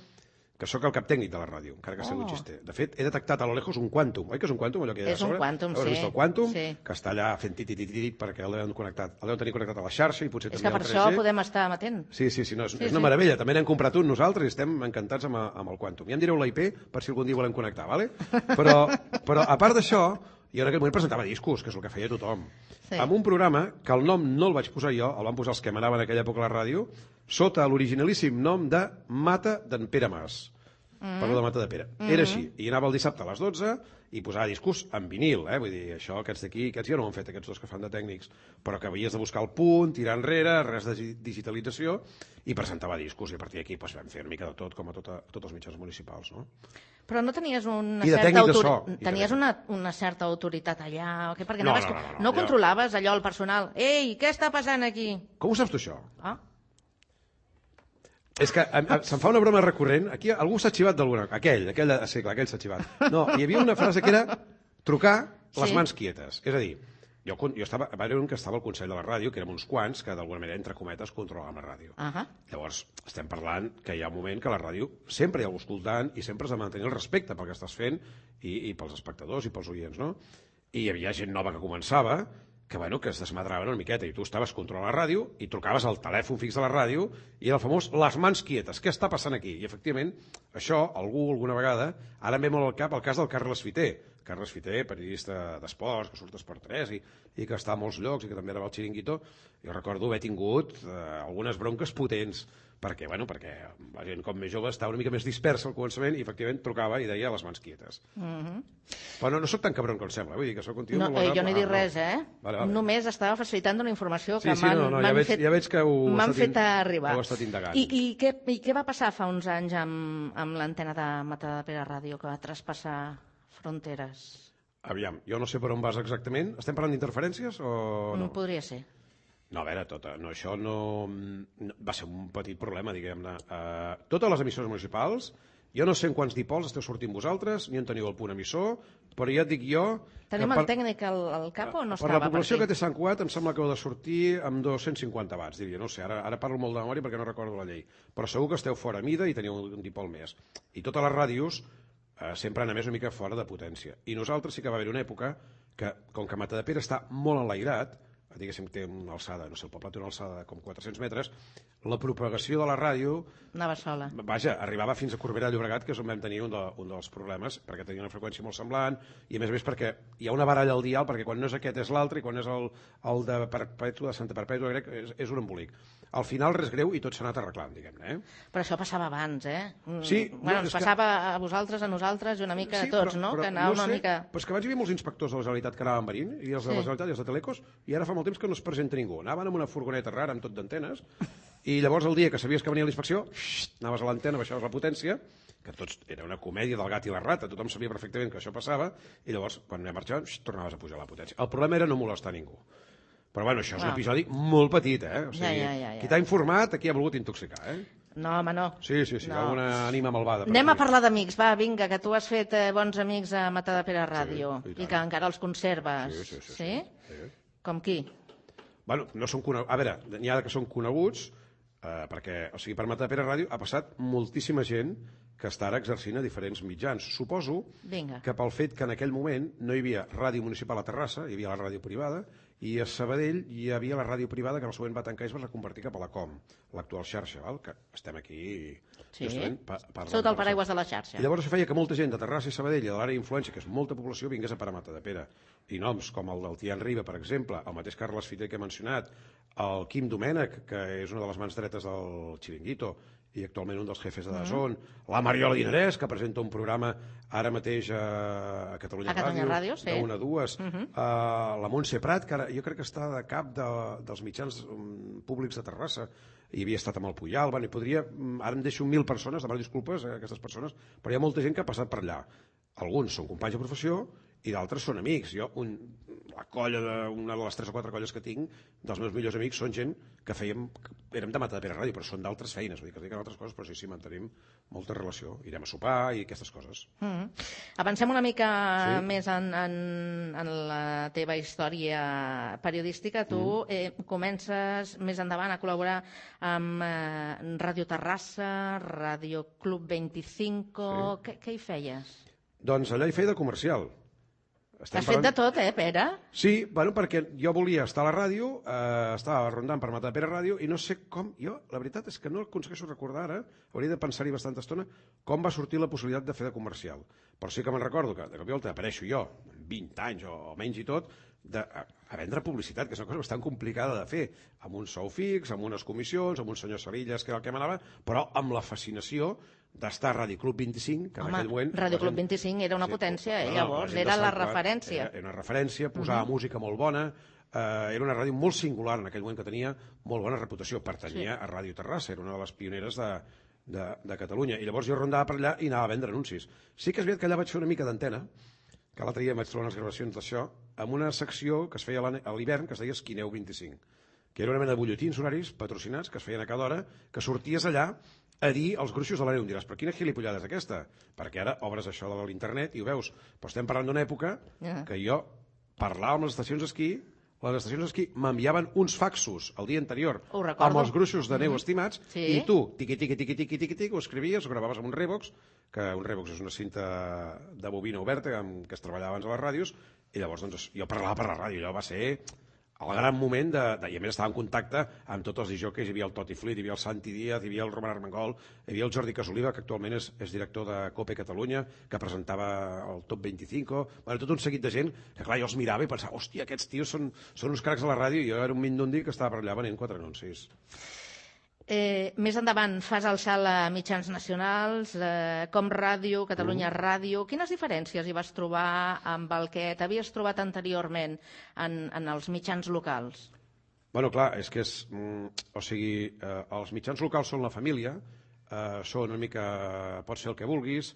que sóc el cap tècnic de la ràdio, encara que sigui un xiste. De fet, he detectat a lo lejos un quàntum. Oi que és un quàntum, allò que hi ha a sobre? És un quàntum, sí. Has vist el quàntum? Que està allà fent tit perquè el deuen tenir connectat a la xarxa i potser també al 3G. És que per això podem estar amatent. Sí, no, és una meravella. També n'hem comprat un nosaltres i estem encantats amb el quàntum. Ja em direu la IP per si algun dia volem connectar, vale? Però a part d'això, jo en aquell moment presentava discos, que és el que feia tothom. Amb un programa que el nom no el vaig posar jo, el van posar els que manaven en aquella època a la ràdio, sota l'originalíssim nom de Mata d'en Pere Mas. Parlo de Matadepera. Era així. I anava el dissabte a les 12 i posava discos en vinil, Vull dir, això, aquests d'aquí, aquests ja no ho han fet, aquests dos que fan de tècnics, però que havies de buscar el punt, tirar enrere, res de digitalització, i presentava discos, i a partir d'aquí vam fer una mica de tot, com a tots els mitjans municipals, no? Però no tenies una certa autoritat allà? Perquè no controlaves allò, el personal. Ei, què està passant aquí? Com ho saps tu, això? És que se'm fa una broma recurrent. Aquí algú s'ha xivat d'alguna cosa. Aquell s'ha xivat. No, hi havia una frase que era trucar les mans quietes. És a dir, jo va haver un que estava al Consell de la Ràdio, que érem uns quants, que d'alguna manera, entre cometes, controlàvem la ràdio. Llavors, estem parlant que hi ha un moment que la ràdio sempre hi ha algú escoltant i sempre has de mantenir el respecte pel que estàs fent i pels espectadors i pels oients, no? I hi havia gent nova que començava que es desmadraven una miqueta, i tu estaves controlant la ràdio i trucaves al telèfon fix de la ràdio i era el famós les mans quietes, què està passant aquí? I efectivament, això, alguna vegada, ara em ve molt al cap el cas del Carles Fiter, periodista d'esports, que surt a Esport 3 i que està a molts llocs i que també era al Chiringuito. Jo recordo haver tingut algunes bronques potents, perquè la gent com més jove estava una mica més dispersa al començament i efectivament trucava i deia les mans quietes. Però no soc tan cabron com sembla, vull dir que soc un tio molt Jo no he dit res, Vale. Només estava facilitant una informació que ja veig que m'han fet arribar. Heu estat indagant. I què va passar fa uns anys amb l'antena de Matadepera Ràdio, que va traspassar fronteres? Aviam, jo no sé per on vas exactament. Estem parlant d'interferències o no? Podria ser. No, a veure, això no va ser un petit problema, diguem-ne. Totes les emissores municipals, jo no sé en quants dipols esteu sortint vosaltres, ni on teniu el punt emissor, però ja et dic jo... Tenim el tècnic al cap o no estava? Per la població que té Sant Cugat em sembla que heu de sortir amb 250 watts, diria. No sé, ara parlo molt de memòria perquè no recordo la llei. Però segur que esteu fora mida i teniu un dipol més. I totes les ràdios sempre han a més una mica fora de potència. I nosaltres sí que va haver una època que, com que Matadepera està molt enlairat, diguéssim, té una alçada, no sé, el poble té una alçada de com 400 metres, la propagació de la ràdio... Anava sola. Vaja, arribava fins a Corbera de Llobregat, que és on vam tenir un dels problemes, perquè tenia una freqüència molt semblant, i a més perquè hi ha una baralla al dial, perquè quan no és aquest és l'altre, i quan és el de Perpètua, de Santa Perpètua, crec, és un embolic. Al final res greu i tot s'ha anat arreglant, diguem-ne. Però això passava abans, Sí. Ens passava a vosaltres, a nosaltres, i una mica a tots, no? Que anava una mica... Però és que abans hi havia molts inspectors de la Generalitat que anaven venint, i els de la Generalitat i els de Telecos, i ara fa molt temps que no es presenta ningú. Anaven amb una furgoneta rara, amb tot d'antenes, i llavors el dia que sabies que venia l'inspecció, anaves a l'antena, baixaves la potència, que tots era una comèdia del gat i la rata, tothom sabia perfectament que això passava, i llavors, quan anem marxant, tornaves a pujar la potència. El problema era no molestar ningú. Però bueno, això és un episodi molt petit, O sigui, qui t'ha informat, aquí ha volgut intoxicar, No, home, no. Sí, no. Alguna ànima malvada. Anem a parlar d'amics, va, vinga, que tu has fet bons amics a Matadepera Ràdio, i que encara els conserves. Sí? Com qui? Bueno, no són coneguts. A veure, n'hi ha que són coneguts, perquè, o sigui, per Matadepera Ràdio ha passat moltíssima gent que està ara exercint a diferents mitjans. Suposo que pel fet que en aquell moment no hi havia ràdio municipal a Terrassa, hi havia la ràdio privada, i a Sabadell hi havia la ràdio privada que en el següent va tancar i es va reconvertir cap a la COM, l'actual xarxa, que estem aquí justament parlant. Sota el paraigües de la xarxa. I llavors això feia que molta gent de Terrassa i Sabadell i de l'àrea d'influència, que és molta població, vingués a parar a Matadepera. I noms com el del Tian Riba, per exemple, el mateix Carles Fiter que he mencionat, el Quim Domènech, que és una de les mans dretes del Chiringuito, i actualment un dels jefes de DAZN, la Mariola Dinarès, que presenta un programa ara mateix a Catalunya Ràdio, de 1 a 2, la Montse Prat, que ara jo crec que està de cap dels mitjans públics de Terrassa, i havia estat amb el Puyal, i podria, ara em deixo 1.000 persones, demano disculpes a aquestes persones, però hi ha molta gent que ha passat per allà. Alguns són companys de professió i d'altres són amics. Jo, la colla, una de les 3 o 4 colles que tinc, dels meus millors amics, són gent que érem de Matadepera Ràdio, però són d'altres feines, vull dir que es dediquen a altres coses, però sí, mantenim molta relació. Irem a sopar i aquestes coses. Avancem una mica més en la teva història periodística. Tu comences més endavant a col·laborar amb Ràdio Terrassa, Ràdio Club 25... Què hi feies? Doncs allà hi feia de comercial. Has fet de tot, Pere? Sí, perquè jo volia estar a la ràdio, estava rondant per Matadepera Ràdio i no sé com, la veritat és que no aconsegueixo recordar ara, hauria de pensar-hi bastanta estona, com va sortir la possibilitat de fer de comercial. Però sí que me'n recordo que de cop i volta apareixo jo, amb 20 anys o menys i tot, a vendre publicitat, que és una cosa bastant complicada de fer, amb un sou fix, amb unes comissions, amb un senyor Sarillas, que era el que manava, però amb la fascinació d'estar a Ràdio Club 25, que en aquell moment... Ràdio Club 25 era una potència, llavors, era la referència. Era una referència, posava música molt bona, era una ràdio molt singular en aquell moment que tenia molt bona reputació, pertanyia a Ràdio Terrassa, era una de les pioneres de Catalunya, i llavors jo rondava per allà i anava a vendre anuncis. Sí que és veritat que allà vaig fer una mica d'antena, que l'altre dia vaig trobar unes gravacions d'això, amb una secció que es feia a l'hivern, que es deia Esquineu 25, que era una mena de butlletins horaris patrocinats que es feien a cada hora, que sorties allà a dir els gruixos de la neu. Em diràs, però quina gilipollada és aquesta? Perquè ara obres això de l'internet i ho veus. Però estem parlant d'una època que jo parlava amb les estacions d'esquí, les estacions d'esquí m'enviaven uns faxos el dia anterior amb els gruixos de neu estimats i tu, tiqui, ho escrivies, ho gravaves amb un Revox, que un Revox és una cinta de bobina oberta amb què es treballava abans a les ràdios, i llavors jo parlava per la ràdio. Allò va ser el gran moment i a més estava en contacte amb tots els disjòqueis. Hi havia el Toti Flit, hi havia el Santi Díaz, hi havia el Roman Armengol, hi havia el Jordi Casoliva, que actualment és director de COPE Catalunya, que presentava el Top 25, tot un seguit de gent que clar, jo els mirava i pensava, hòstia, aquests tios són uns cracs a la ràdio, i jo era un mindundi que estava per allà venent 4 anuncis. Més endavant fas el salt a mitjans nacionals, com Ràdio, Catalunya Ràdio. Quines diferències hi vas trobar amb el que t'havies trobat anteriorment en els mitjans locals? Bueno, clar, és que els mitjans locals són la família, són una mica, pot ser el que vulguis,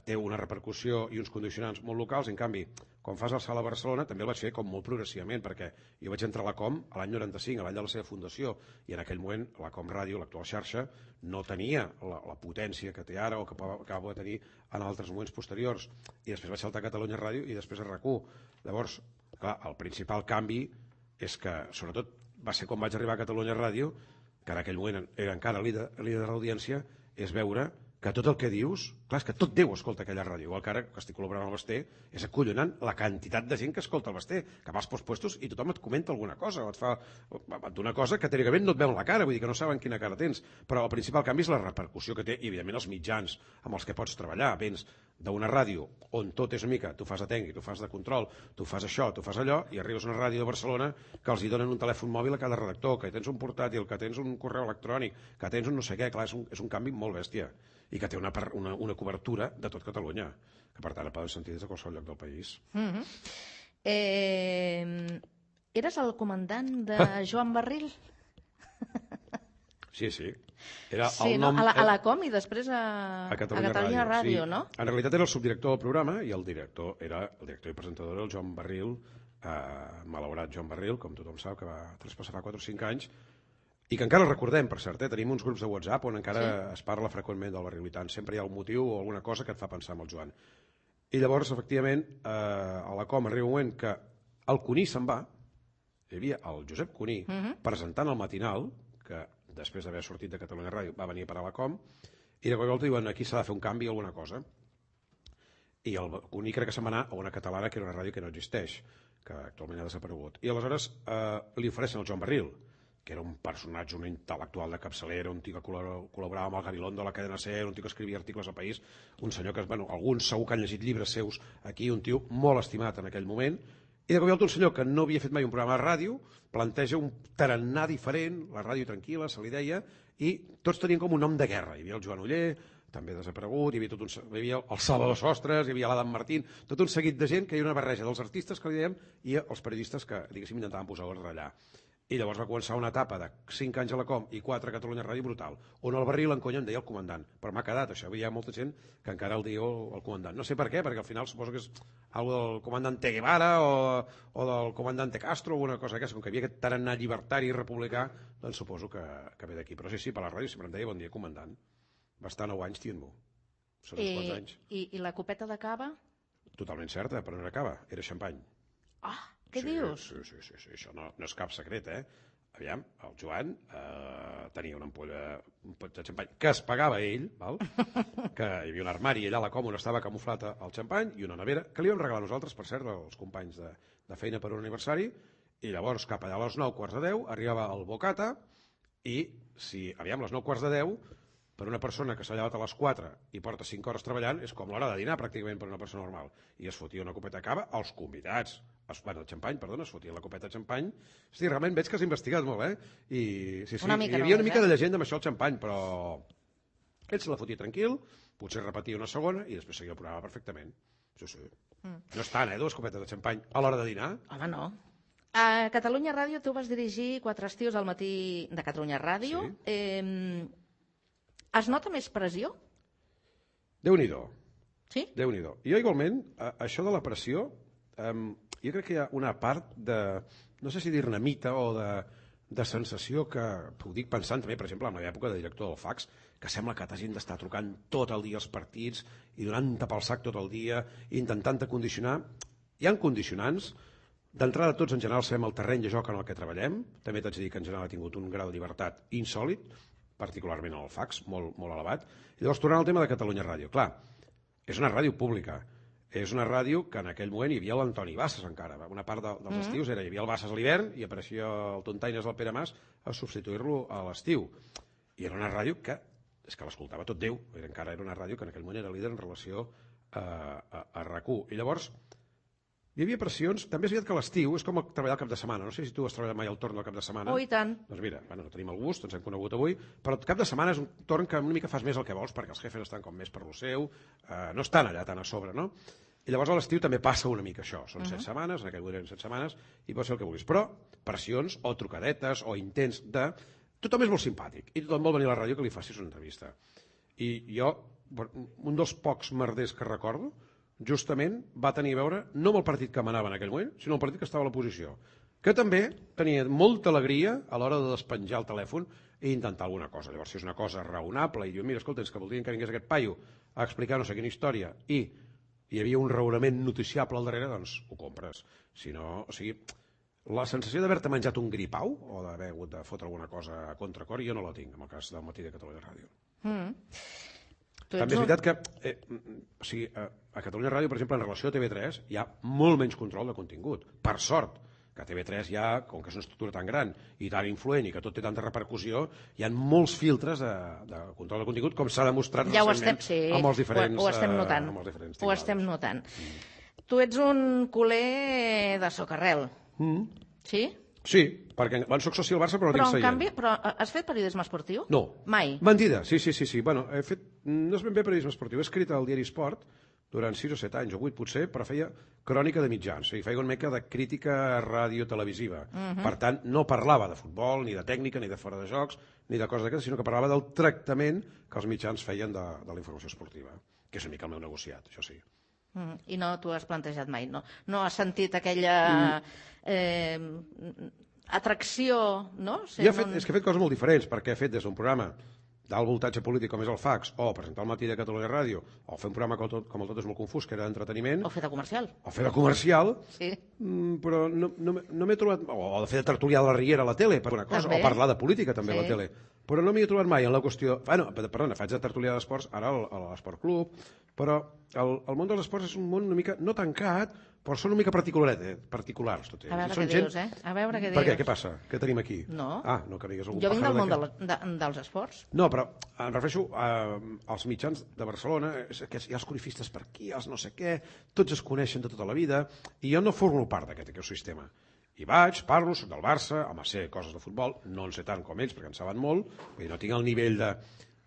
té una repercussió i uns condicionants molt locals. En canvi, quan fas el salt a Barcelona també el vaig fer com molt progressivament, perquè jo vaig entrar a la Com l'any 95, l'any de la seva fundació, i en aquell moment la Com Ràdio, l'actual xarxa, no tenia la potència que té ara o que va poder tenir en altres moments posteriors. I després vaig saltar a Catalunya Ràdio i després a RAC1. Llavors, clar, el principal canvi és que, sobretot, va ser quan vaig arribar a Catalunya Ràdio, que en aquell moment era encara líder de l'audiència, és veure que tot el que dius, clar, és que tot Déu escolta aquella ràdio, igual que ara que estic col·laborant amb el Basté, és acollonant la quantitat de gent que escolta el Basté, que vas pels puestos i tothom et comenta alguna cosa, o et fa una cosa que teòricament no et veuen la cara, vull dir que no saben quina cara tens, però el principal canvi és la repercussió que té, i evidentment els mitjans amb els que pots treballar. Vens d'una ràdio on tot és una mica, tu fas de tècnic, tu fas de control, tu fas això, tu fas allò, i arribes a una ràdio de Barcelona que els hi donen un telèfon mòbil a cada redactor, que tens un portàtil, que tens un correu electrònic, que tens un no sé què. Clar, és un canvi molt bèstia, i que té una cobertura de tot Catalunya, que per tant el poden sentir des de qualsevol lloc del país. Eres el comandant de Joan Barril? Sí. Era sí, el nom, a la Com i després a Catalunya Ràdio, sí. No? En realitat era el subdirector del programa i el director i presentador, el Joan Barril, malaurat Joan Barril, com tothom sap, que va traspassar fa 4 o 5 anys, i que encara el recordem, per cert, tenim uns grups de WhatsApp on encara es parla freqüentment del Barril, i tant, sempre hi ha un motiu o alguna cosa que et fa pensar en el Joan. I llavors, efectivament, a la Com arriba un moment que el Cuní se'n va, hi havia el Josep Cuní presentant el matinal, que després d'haver sortit de Catalunya Ràdio va venir a parar a la Com, i de cop i volta diuen, aquí s'ha de fer un canvi o alguna cosa. I el Cuní crec que se'n va anar a una catalana, que era una ràdio que no existeix, que actualment ha desaparegut. I aleshores li ofereixen el Joan Barril, que era un personatge, un intel·lectual de capçalera, un tio que col·laborava amb el Gabilondo de la cadena SER, un tio que escrivia articles al País, un senyor que, alguns segur que han llegit llibres seus aquí, un tio molt estimat en aquell moment, i de cop i volta un senyor que no havia fet mai un programa de ràdio planteja un tarannà diferent, la ràdio tranquil·la, se li deia, i tots tenien com un nom de guerra. Hi havia el Joan Oller, també desaparegut, hi havia el Salvador Sostres, hi havia l'Adam Martín, tot un seguit de gent que hi havia una barreja dels artistes, que li dèiem, i els periodistes que, diguéssim, intentaven posar ordre allà. I llavors va començar una etapa de 5 anys a la Com i 4 a Catalunya Ràdio brutal, on el Barril en conya em deia el comandant, però m'ha quedat això, hi ha molta gent que encara el diu el comandant. No sé per què, perquè al final suposo que és algo del comandante Guevara o del comandante Castro o una cosa aquesta, com que hi havia aquest tarannà llibertari i republicà, doncs suposo que ve d'aquí. Però sí, per la ràdio sempre em deia bon dia comandant. Va estar 9 anys tient-m'ho. Són uns quants anys. I la copeta de cava? Totalment certa, però no era cava, era xampany. Què dius? Sí, això no és cap secret, Aviam, el Joan tenia una ampolla, un pot de xampany que es pagava ell, val? Que hi havia un armari allà a la Com on estava camuflat el xampany i una nevera, que li vam regalar nosaltres, per cert, als companys de feina per un aniversari, i llavors cap allà a les 9:45 arribava el bocata, i si, aviam, a les 9:45, per una persona que s'ha llevat a les 4 i porta 5 hores treballant, és com l'hora de dinar pràcticament per una persona normal. I es fotia una copeta de cava als convidats. El xampany, perdona, es fotia la copeta de xampany. Hosti, realment veig que has investigat molt, I sí, hi havia una mica de llegenda amb això del xampany, però ell se la fotia tranquil, potser repetia una segona i després seguia el programa perfectament. Sí. No és tant, 2 copetes de xampany a l'hora de dinar. Home, no. A Catalunya Ràdio tu vas dirigir 4 estius al matí de Catalunya Ràdio. Sí. Es nota més pressió? Déu-n'hi-do. Sí? Déu-n'hi-do. Jo igualment, això de la pressió, jo crec que hi ha una part de, no sé si dir-ne mite o de sensació que, ho dic pensant també, per exemple, en l'època de director del fax, que sembla que t'hagin d'estar trucant tot el dia als partits i donant-te pel sac tot el dia, intentant-te condicionar. Hi ha condicionants. D'entrada, tots en general sabem el terreny de joc en el que treballem. També t'haig de dir que en general ha tingut un grau de llibertat insòlid, particularment en el fax, molt elevat. I llavors, tornant al tema de Catalunya Ràdio. Clar, és una ràdio pública. és una ràdio que en aquell moment hi havia l'Antoni Bassas encara. Una part dels estius hi havia el Bassas a l'hivern i apareixia el Tontaines del Pere Mas a substituir-lo a l'estiu. I era una ràdio que, és que l'escoltava tot Déu, encara era una ràdio que en aquell moment era líder en relació a RAC1. I llavors hi havia pressions, també és veritat que l'estiu és com treballar al cap de setmana. No sé si tu has treballat mai al torn del cap de setmana. Oh, i tant. Doncs mira, no tenim el gust, ens hem conegut avui, però el cap de setmana és un torn que una mica fas més el que vols, perquè els jefes estan com més per lo seu, no estan allà tan a sobre, no? I llavors a l'estiu també passa una mica això. Són 7 setmanes, en aquell moment eren 7 setmanes, i pots fer el que vulguis. Però pressions o trucadetes o intents de... Tothom és molt simpàtic i tothom vol venir a la ràdio que li facis una entrevista. I jo, un dels pocs merders que recordo, justament va tenir a veure no amb el partit que manava en aquell moment, sinó el partit que estava a l'oposició, que també tenia molta alegria a l'hora de despenjar el telèfon i intentar alguna cosa. Llavors, si és una cosa raonable i diu, mira, escolta, és que voldrien que vingués aquest paio a explicar no sé quina història i hi havia un raonament noticiable al darrere, doncs ho compres. Si no, o sigui, la sensació d'haver-te menjat un gripau o d'haver hagut de fotre alguna cosa a contracor, jo no la tinc, en el cas del Matí de Catalunya Ràdio. També és veritat que a Catalunya Ràdio, per exemple, en relació a TV3 hi ha molt menys control de contingut. Per sort, que a TV3 hi ha, com que és una estructura tan gran i tan influent i que tot té tanta repercussió, hi ha molts filtres de control de contingut, com s'ha demostrat recentment amb els diferents... Ho estem notant. Ho estem notant. Tu ets un culer de Socarrel. Sí? Sí, perquè soc soci del Barça però no tinc seient. Però en canvi, has fet periodisme esportiu? No. Mai? Mentida, sí. Bueno, he fet, no és ben bé periodisme esportiu, he escrit al diari Esport durant 6 o 7 anys, o 8 potser, però feia crònica de mitjans, i feia una mica de crítica radiotelevisiva. Per tant, no parlava de futbol, ni de tècnica, ni de fora de jocs, ni de coses d'aquestes, sinó que parlava del tractament que els mitjans feien de la informació esportiva, que és una mica el meu negociat, això sí. I no t'ho has plantejat mai, no? No has sentit aquella atracció, no? És que he fet coses molt diferents, perquè he fet des d'un programa d'alt voltatge polític com és el Fax, o presentar el Matí de Catalunya Ràdio, o fer un programa com el Tot és molt confús, que era d'entreteniment. O fer de comercial. Sí. Però no m'he trobat... O de fer de tertulià de la Riera a la tele, per una cosa, o parlar de política també a la tele. Però no m'hi he trobat mai en la qüestió... Perdona, faig de tertulià d'esports ara a l'Esport Club, però el món dels esports és un món una mica, no tancat, però són una mica particulars. Tot a veure què dius, A veure què dius. Per què? Què passa? Què tenim aquí? No. No que digues algun jo vinc del món dels esports. No, però em refereixo als mitjans de Barcelona, que hi ha els corifistes per aquí, els no sé què, tots es coneixen de tota la vida, i jo no formo part d'aquest sistema. I vaig, parlo, soc del Barça, home, sé coses de futbol, no en sé tant com ells, perquè en saben molt, vull dir, no tinc el nivell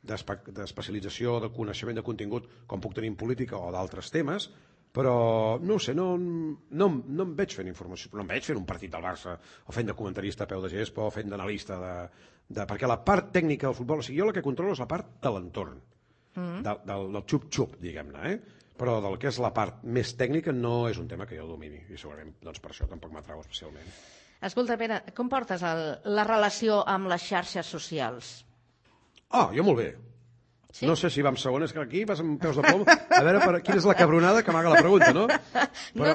d'especialització, de coneixement de contingut, com puc tenir en política o d'altres temes, però no ho sé, no em veig fent informació, no em veig fent un partit del Barça o fent de comentarista a peu de gespa o fent d'analista perquè la part tècnica del futbol, o sigui, jo el que controlo és la part de l'entorn, del xup-xup, diguem-ne, però del que és la part més tècnica no és un tema que jo domini i segurament per això tampoc m'atrau especialment. Escolta, Pere, com portes la relació amb les xarxes socials? Jo molt bé. Sí? No sé si va amb segon, és que aquí vas amb peus de plom. A veure quina és la cabronada que m'haga la pregunta, no?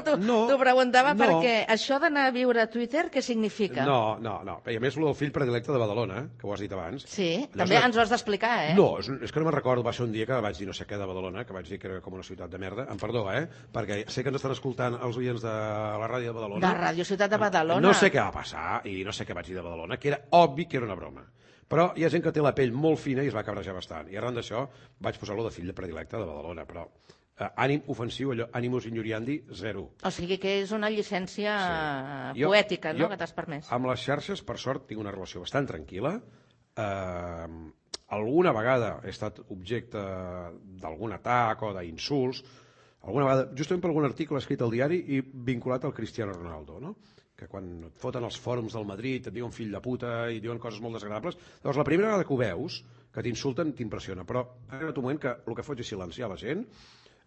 T'ho preguntava perquè això d'anar a viure a Twitter, què significa? No. I a més, el del fill predilecte de Badalona, que ho has dit abans. Sí, també ens ho has d'explicar, No, és que no me'n recordo, va ser un dia que vaig dir no sé què de Badalona, que vaig dir que era com una ciutat de merda. Em perdó, perquè sé que ens estan escoltant els oients de la ràdio de Badalona. De Ràdio Ciutat de Badalona. No sé què va passar i no sé què vaig dir de Badalona, que era obvi que era una broma. Però hi ha gent que té la pell molt fina i es va cabrejar bastant. I arran d'això vaig posar-lo de fill de predilecte de Badalona. Però ànim ofensiu, allò, animus injuriandi, 0. O sigui que és una llicència poètica, no?, que t'has permès. Amb les xarxes, per sort, tinc una relació bastant tranquil·la. Alguna vegada he estat objecte d'algun atac o d'insults, alguna vegada, justament per algun article escrit al diari i vinculat al Cristiano Ronaldo, no?, que quan et foten els fòrums del Madrid et diuen fill de puta i diuen coses molt desagradables, llavors la primera vegada que ho veus, que t'insulten, t'impressiona, però ha arribat un moment que el que faig és silenciar la gent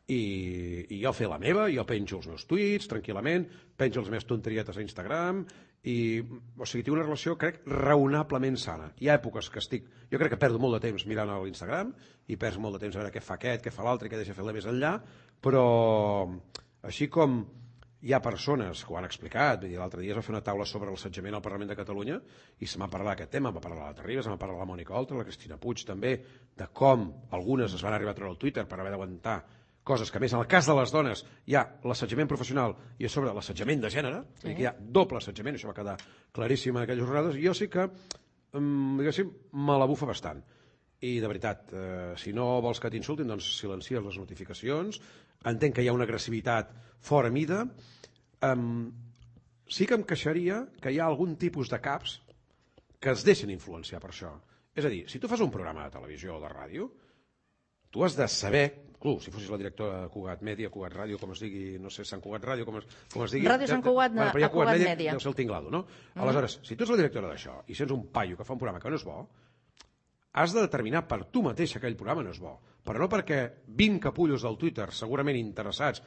i jo fer la meva, jo penjo els meus tuits tranquil·lament, penjo les meves tonterietes a Instagram o sigui, tinc una relació, crec, raonablement sana. Hi ha èpoques que jo crec que perdo molt de temps mirant a l'Instagram i perds molt de temps a veure què fa aquest, què fa l'altre, què deixa fer-la més enllà, però així com hi ha persones que ho han explicat, l'altre dia es va fer una taula sobre l'assetjament al Parlament de Catalunya i se m'ha parlat d'aquest tema, va parlar la Terribas, se m'ha parlat la Mònica Oltra, la Cristina Puig també, de com algunes es van arribar a treure al Twitter per haver d'aguantar coses que, a més, en el cas de les dones hi ha l'assetjament professional i a sobre l'assetjament de gènere, sí. Que hi ha doble assetjament, això va quedar claríssim en aquelles jornades, i jo sí que, diguéssim, me la bufa bastant. I, de veritat, si no vols que t'insultin, doncs silencies les notificacions, entenc que hi ha una agressivitat fora mida, sí que em queixaria que hi ha algun tipus de caps que es deixen influenciar per això. És a dir, si tu fas un programa de televisió o de ràdio, tu has de saber, si fossis la directora de Cugat Mèdia, Cugat Ràdio, com es digui, no sé, Sant Cugat Ràdio, com es digui... Ràdio Sant Cugat, a Cugat Mèdia. Deu ser el tinglado, no? Aleshores, si tu ets la directora d'això i sents un paio que fa un programa que no és bo, has de determinar per tu mateix que aquell programa no és bo, però no perquè 20 capullos del Twitter, segurament interessats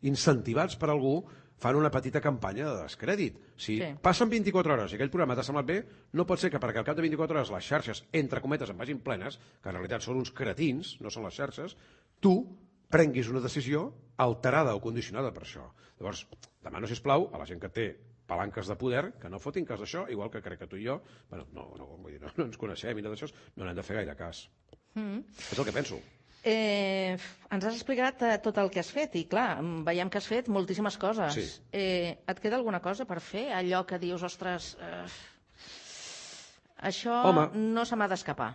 incentivats per algú, fan una petita campanya de descrèdit. Si passen 24 hores i aquell programa t'ha semblat bé, no pot ser que perquè al cap de 24 hores les xarxes, entre cometes, en vagin plenes, que en realitat són uns cretins, no són les xarxes, tu prenguis una decisió alterada o condicionada per això. Llavors, demano, sisplau, a la gent que té palanques de poder, que no fotin cas d'això, igual que crec que tu i jo, no ens coneixem i no d'això, no n'hem de fer gaire cas. És el que penso. Ens has explicat tot el que has fet i, clar, veiem que has fet moltíssimes coses. Sí. Et queda alguna cosa per fer? Allò que dius, ostres, això no se m'ha d'escapar.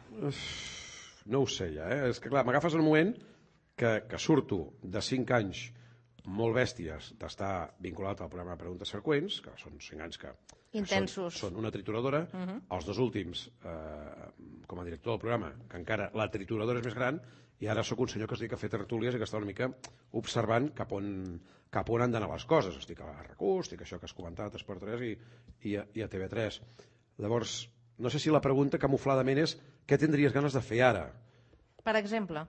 No ho sé, ja. És que, clar, m'agafes en un moment que surto de 5 anys molt bèsties d'estar vinculat al programa de Preguntes Freqüents, que són 5 anys que intensos. Són una trituradora. Els 2 últims, com a director del programa, que encara la trituradora és més gran, i ara sóc un senyor que es dedica a fer tertúlies i que està una mica observant cap on han d'anar les coses. Estic a RAC1, estic això que has comentat, a Esport 3 i a TV3. Llavors, no sé si la pregunta camufladament és què tindries ganes de fer ara? Per exemple?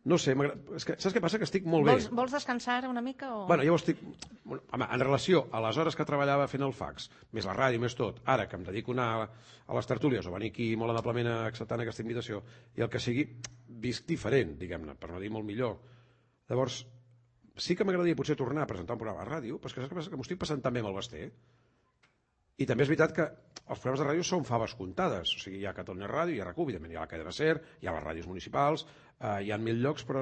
No sé, saps què passa? Que estic molt bé. Vols descansar una mica? Bueno, jo estic... Home, en relació a les hores que treballava fent el fax, més la ràdio, més tot, ara que em dedico a anar a les tertúlies o venir aquí molt amablement acceptant aquesta invitació i el que sigui, visc diferent, diguem-ne, per no dir molt millor. Llavors, sí que m'agradaria potser tornar a presentar un programa a ràdio, però és que saps què passa? Que m'ho estic passant també amb el Basté. I també és veritat que els programes de ràdio són faves comptades. O sigui, hi ha Catalunya Ràdio, hi ha RAC1, evidentment hi ha la cadena SER, hi ha les ràdios municipals, hi ha 1000 llocs, però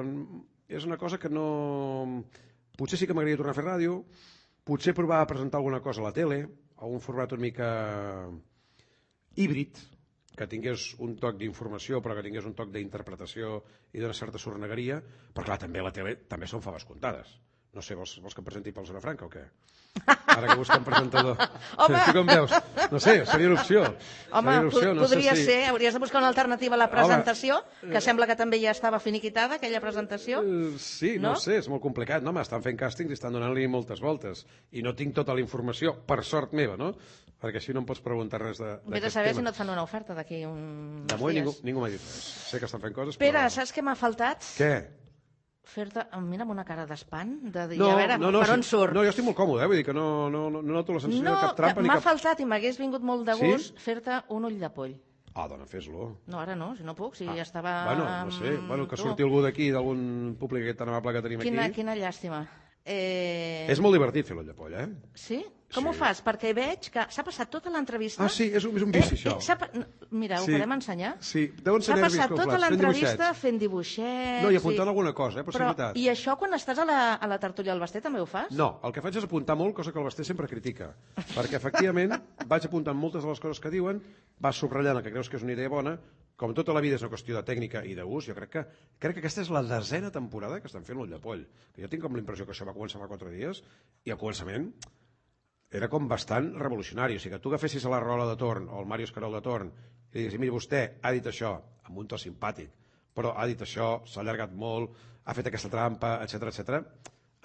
és una cosa que no... Potser sí que m'agradaria tornar a fer ràdio, potser provar a presentar alguna cosa a la tele, a un format una mica híbrid, que tingués un toc d'informació però que tingués un toc d'interpretació i d'una certa sornegueria, però clar, també a la tele també són faves comptades. No sé, vols que em presenti pel Zona Franca o què? Ara que busca un presentador. Home! Tu com veus? No sé, seria una opció. Home, podria ser. Hauries de buscar una alternativa a la presentació, que sembla que també ja estava finiquitada, aquella presentació. Sí, no sé, és molt complicat. No, estan fent càstings i estan donant-li moltes voltes. I no tinc tota la informació, per sort meva, no? Perquè així no em pots preguntar res d'aquest tema. Vés a saber si no et fan una oferta d'aquí uns dies. De moment ningú m'ha dit res. Sé que estan fent coses, però... Pere, saps què m'ha faltat? Què? Fer-te... Mira amb una cara d'espant, de dir, a veure, per on surt? No, jo estic molt còmode, vull dir que no noto la sensació de cap trampa ni cap... M'ha faltat i m'hagués vingut molt de gust fer-te un ull de poll. Dona, fes-lo. No, ara no, si no puc, si ja estava... Bueno, no sé, que surti algú d'aquí, d'algun públic tan amable que tenim aquí. Quina llàstima. És molt divertit fer l'ull de poll, Sí? Com ho fas? Perquè veig que s'ha passat tota l'entrevista... Ah, sí, és un vici, això. Mira, ho podem ensenyar? Sí, deuen ser nervis conflats. S'ha passat tota l'entrevista fent dibuixets... No, i apuntant alguna cosa, per ser veritat. I això quan estàs a la tertúlia del Basté també ho fas? No, el que faig és apuntar molt, cosa que el Basté sempre critica. Perquè, efectivament, vaig apuntant moltes de les coses que diuen, vas subratllant el que creus que és una idea bona, com tota la vida és una qüestió de tècnica i d'ús, jo crec que aquesta és la 10a temporada que estan fent l'ull de poll. Jo tinc com la impressió que això va començar fa 4 dies, i al començament era com bastant revolucionari. O sigui, que tu agafessis a la Rola de Torn o el Màrius Carol de Torn i diguessis, mira, vostè ha dit això, amb un to simpàtic, però ha dit això, s'ha allargat molt, ha fet aquesta trampa, etc.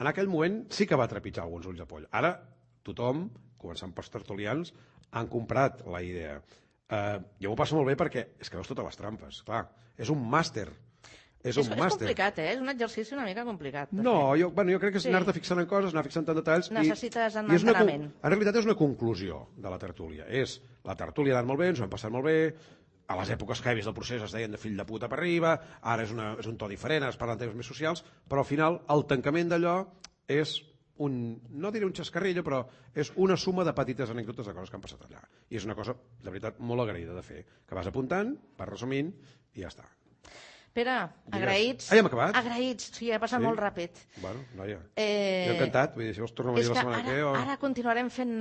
En aquell moment sí que va trepitjar alguns ulls de poll. Ara tothom, començant pels tertulians, han comprat la idea. Jo m'ho passo molt bé perquè és que veus totes les trampes, clar. És un màster. És complicat, és un exercici una mica complicat. No, jo crec que és anar-te fixant en coses, anar fixant en detalls... Necessites enteniment. En realitat és una conclusió de la tertúlia. La tertúlia ha anat molt bé, ens ho hem passat molt bé, a les èpoques heavies del procés es deien de fill de puta per arriba, ara és un to diferent, ara es parlen temes més socials, però al final el tancament d'allò és no diré un xascarrillo, però és una suma de petites anècdotes de coses que han passat allà. I és una cosa, de veritat, molt agraïda de fer, que vas apuntant, vas resumint i ja està. Pere, agraïts. Ja hem acabat? Agraïts, sí, ha passat molt ràpid. Bueno, noia. Jo encantat, vull dir, si vols tornar a venir la setmana que ve... Ara continuarem fent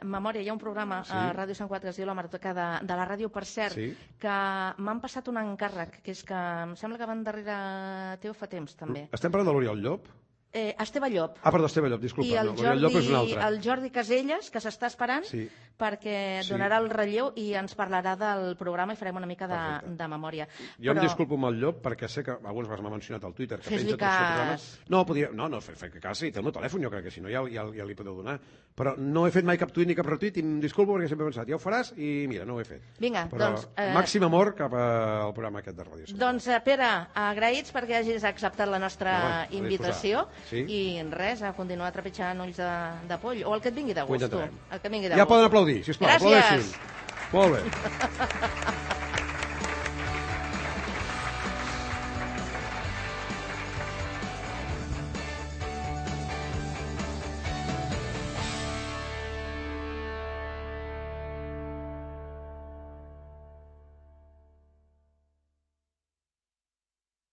memòria. Hi ha un programa a Ràdio Sant Cugat que es diu La Maroteca de la Ràdio, per cert, que m'han passat un encàrrec, que és que em sembla que van darrere teu fa temps, també. Estem parlant de l'Oriol Llop? Esteve Llop. Perdó, Esteve Llop, disculpa. I l'Oriol Llop és un altre. el Jordi Caselles, que s'està esperant, perquè donarà el relleu i ens parlarà del programa i farem una mica de memòria. Jo em disculpo amb el Llop perquè sé que alguns m'ha mencionat al Twitter que Fes-li penja tots els programes. No, fer cas, sí, té el meu telèfon, jo crec que si no ja li podeu donar. Però no he fet mai cap tuit ni cap retuit i em disculpo perquè sempre he pensat, ja ho faràs i mira, no ho he fet. Vinga, doncs... Màxim amor cap al programa aquest de Ràdio Sant. Doncs, Pere, agraïts perquè hagis acceptat la nostra invitació i res, a continuar trepitjant ulls de poll, o el que et vingui de gust, tu. Ja poden aplaudir, sisplau, aplaudeixin. Molt bé.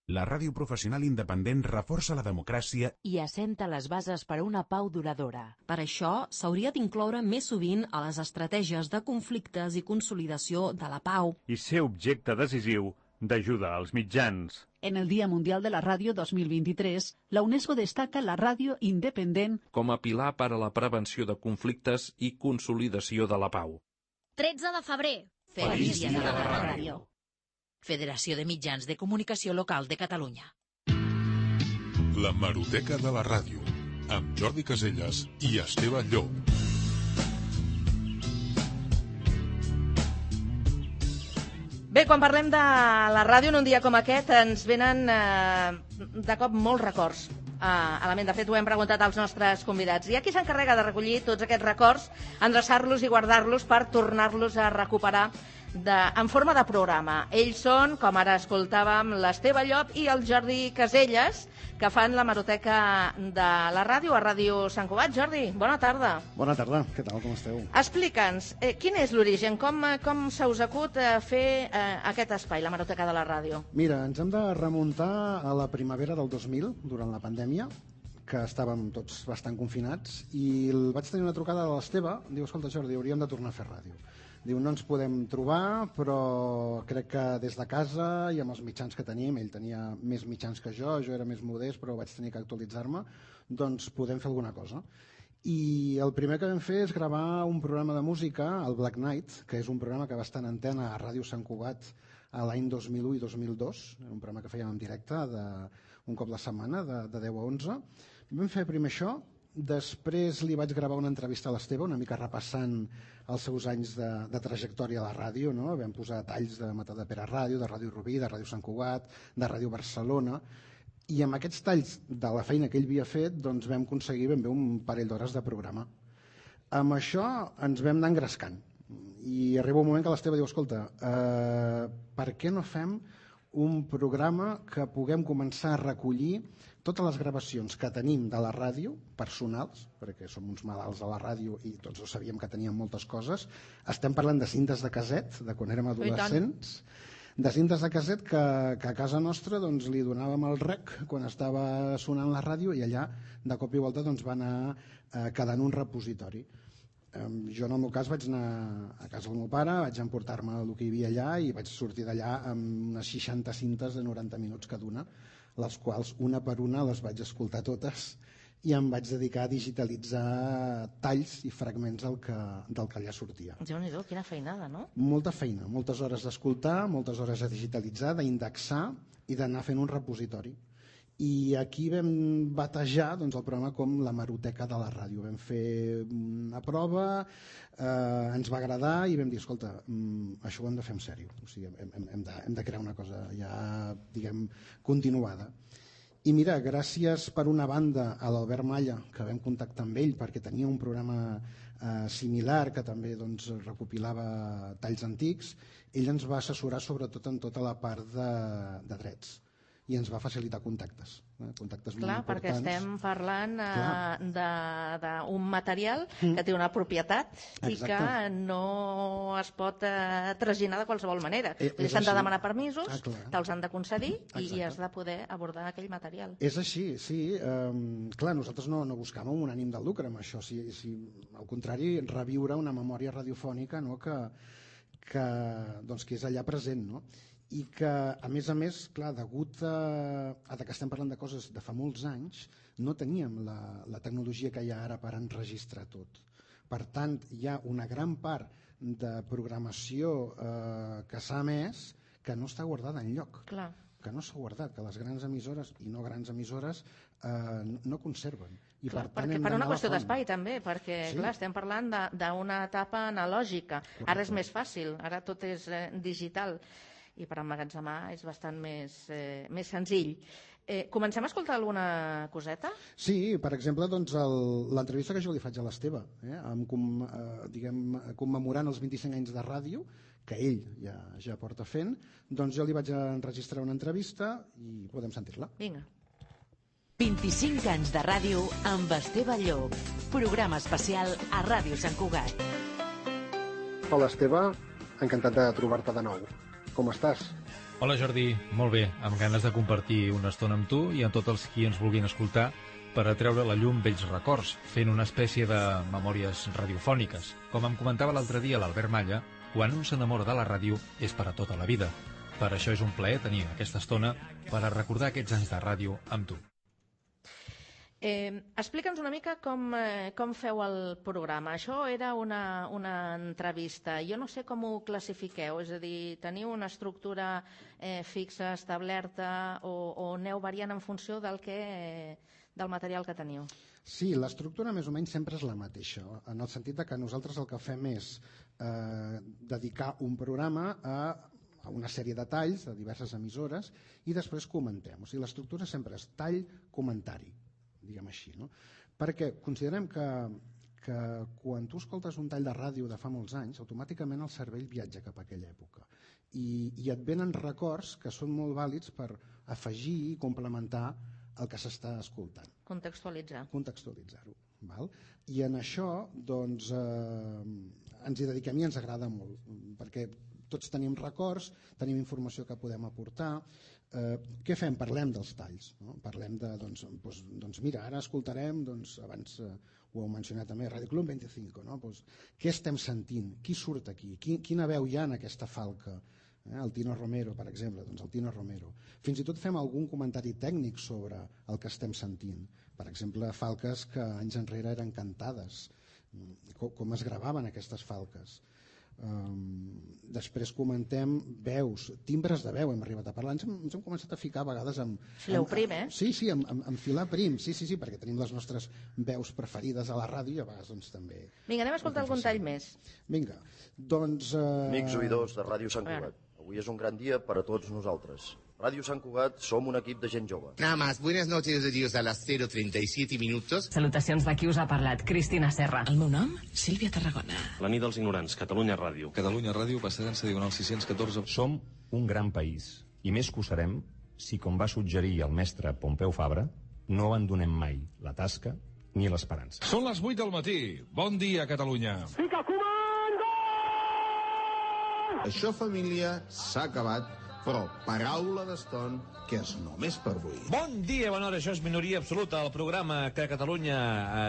La ràdio professional independent reforça la democràcia i assenta les bases per a una pau duradora. Per això, s'hauria d'incloure més sovint a les estratègies de conflictes i consolidació de la pau. I ser objecte decisiu d'ajuda als mitjans. En el Día Mundial de la Radio 2023, la UNESCO destaca la ràdio independent com a pilar per a la prevenció de conflictes i consolidació de la pau. 13 de febrer. Feliç dia de la ràdio. Federació de Mitjans de Comunicació Local de Catalunya. La Maroteca de la Ràdio, amb Jordi Caselles i Esteve Llop. Bé, quan parlem de la ràdio en un dia com aquest ens venen de cop molts records a la ment. De fet, ho hem preguntat als nostres convidats. Hi ha qui s'encarrega de recollir tots aquests records, endreçar-los i guardar-los per tornar-los a recuperar en forma de programa. Ells són, com ara escoltàvem, l'Esteve Llop i el Jordi Caselles, que fan la Maroteca de la ràdio a Ràdio Sant Cugat. Jordi, bona tarda. Bona tarda, què tal, com esteu? Explica'ns, quin és l'origen? Com se us acut fer aquest espai, la Maroteca de la ràdio? Mira, ens hem de remuntar a la primavera del 2000, durant la pandèmia, que estàvem tots bastant confinats, i vaig tenir una trucada de l'Esteve, diu, escolta Jordi, hauríem de tornar a fer ràdio. Diu, no ens podem trobar, però crec que des de casa i amb els mitjans que tenim, ell tenia més mitjans que jo era més modest, però vaig tenir que actualitzar-me, doncs podem fer alguna cosa. I el primer que vam fer és gravar un programa de música, el Black Night, que és un programa que va estar en antena a Ràdio Sant Cugat a l'any 2001 i 2002, un programa que fèiem en directe un cop la setmana, de 10 a 11. Vam fer primer això, després li vaig gravar una entrevista a l'Esteve, una mica repassant els seus anys de trajectòria a la ràdio, no? Vam posar talls de Matadepera Ràdio, de Ràdio Rubí, de Ràdio Sant Cugat, de Ràdio Barcelona, i amb aquests talls de la feina que ell havia fet doncs vam aconseguir ben bé un parell d'hores de programa. Amb això ens vam anar engrescant i arriba un moment que l'Esteve diu, escolta, per què no fem un programa que puguem començar a recollir totes les gravacions que tenim de la ràdio, personals, perquè som uns malalts a la ràdio i tots ho sabíem que teníem moltes coses. Estem parlant de cintes de caset, de quan érem adolescents, de cintes de caset que a casa nostra doncs, li donàvem el rec quan estava sonant la ràdio i allà de cop i volta doncs, va anar quedant un repositori. Jo en el meu cas vaig anar a casa del meu pare, vaig emportar-me el que hi havia allà i vaig sortir d'allà amb unes 60 cintes de 90 minuts cada una, les quals una per una les vaig escoltar totes i em vaig dedicar a digitalitzar talls i fragments del que allà sortia. Déu-n'hi-do, quina feinada, no? Molta feina, moltes hores d'escoltar, moltes hores de digitalitzar, d'indexar i d'anar fent un repositori. I aquí vam batejar doncs, el programa com la Maroteca de la ràdio. Vam fer una prova, ens va agradar i vam dir, escolta, això ho hem de fer en sèrio. O sigui, hem de crear una cosa ja, diguem, continuada. I mira, gràcies per una banda a l'Albert Malla, que vam contactar amb ell perquè tenia un programa similar que també doncs, recopilava talls antics, ell ens va assessorar sobretot en tota la part de drets. i ens va facilitar contactes. Contactes molt Clar, perquè importants. estem parlant d'un material que té una propietat i que no es pot traginar de qualsevol manera. S'han de demanar permisos, te'ls han de concedir i has de poder abordar aquell material. És així, sí. Clar, nosaltres no buscàvem un ànim de lucre amb això, al contrari, reviure una memòria radiofònica que és allà present, no? I que, a més, clar, degut a que estem parlant de coses de fa molts anys, no teníem la tecnologia que hi ha ara per enregistrar tot. Per tant, hi ha una gran part de programació que s'ha emès que no està guardada enlloc. Clar. Que no s'ha guardat, que les grans emissores i no grans emissores no conserven. I Clar, per tant, per una qüestió d'espai també, perquè clar, estem parlant d'una etapa analògica. Ara és més fàcil, ara tot és digital i per emmagatzemar és bastant més senzill. Comencem a escoltar alguna coseta? Sí, per exemple, doncs, l'entrevista que jo li faig a l'Esteve, commemorant els 25 anys de ràdio, que ell ja porta fent, doncs jo li vaig enregistrar una entrevista i podem sentir-la. Vinga. 25 anys de ràdio amb Esteve Llop. Programa especial a Ràdio Sant Cugat. Hola, Esteve. Encantat de trobar-te de nou. Com estàs? Hola, Jordi. Molt bé. Amb ganes de compartir una estona amb tu i amb tots els qui ens vulguin escoltar per atreure a la llum vells records, fent una espècie de memòries radiofòniques. Com em comentava l'altre dia l'Albert Malla, quan un s'enamora de la ràdio és per a tota la vida. Per això és un plaer tenir aquesta estona per a recordar aquests anys de ràdio amb tu. Explica'ns una mica com feu el programa. Això era una entrevista. Jo no sé com ho classifiqueu, és a dir, teniu una estructura fixa, establerta, o aneu variant en funció del material que teniu? Sí, l'estructura més o menys sempre és la mateixa, en el sentit que nosaltres el que fem és dedicar un programa a una sèrie de talls de diverses emissores i després comentem. O sigui, l'estructura sempre és tall, comentari, diguem així, no? Perquè considerem que quan tu escoltes un tall de ràdio de fa molts anys, automàticament el cervell viatja cap a aquella època i et venen records que són molt vàlids per afegir i complementar el que s'està escoltant. Contextualitzar-ho. I en això doncs, ens hi dediquem i ens agrada molt, perquè tots tenim records, tenim informació que podem aportar. Què fem? Parlem dels talls, no? Parlem de, doncs mira, ara escoltarem, abans ho heu mencionat també, Ràdio Club 25, no? Què estem sentint? Qui surt aquí? Quina veu hi ha en aquesta falca? El Tino Romero, per exemple, doncs el Tino Romero. Fins i tot fem algun comentari tècnic sobre el que estem sentint. Per exemple, falques que anys enrere eren cantades, com es gravaven aquestes falques. Després comentem veus, timbres de veu, hem arribat a parlar, ens hem començat a ficar a vegades amb... Fileu prim, Sí, amb filar prim, sí, perquè tenim les nostres veus preferides a la ràdio i a vegades doncs també... Vinga, anem a escoltar algun tall més. Vinga, doncs... Amics oïdors de Ràdio Sant Cugat, avui és un gran dia per a tots nosaltres. Ràdio Sant Cugat som un equip de gent jove. Nada más, buenas noches de Dios a las 0:37 minutos. Salutacions de qui us ha parlat, Cristina Serra. El meu nom, Sílvia Tarragona. La nit dels ignorants, Catalunya Ràdio. Catalunya Ràdio, Passadensa Diagonal 614. Som un gran país, i més que ho serem si, com va suggerir el mestre Pompeu Fabra, no abandonem mai la tasca ni l'esperança. Són les 8 del matí. Bon dia, Catalunya. Fica comando! Això, família, s'ha acabat. Però paraula d'eston que és només per avui. Bon dia, bona hora, això és Minoria Absoluta, el programa que Catalunya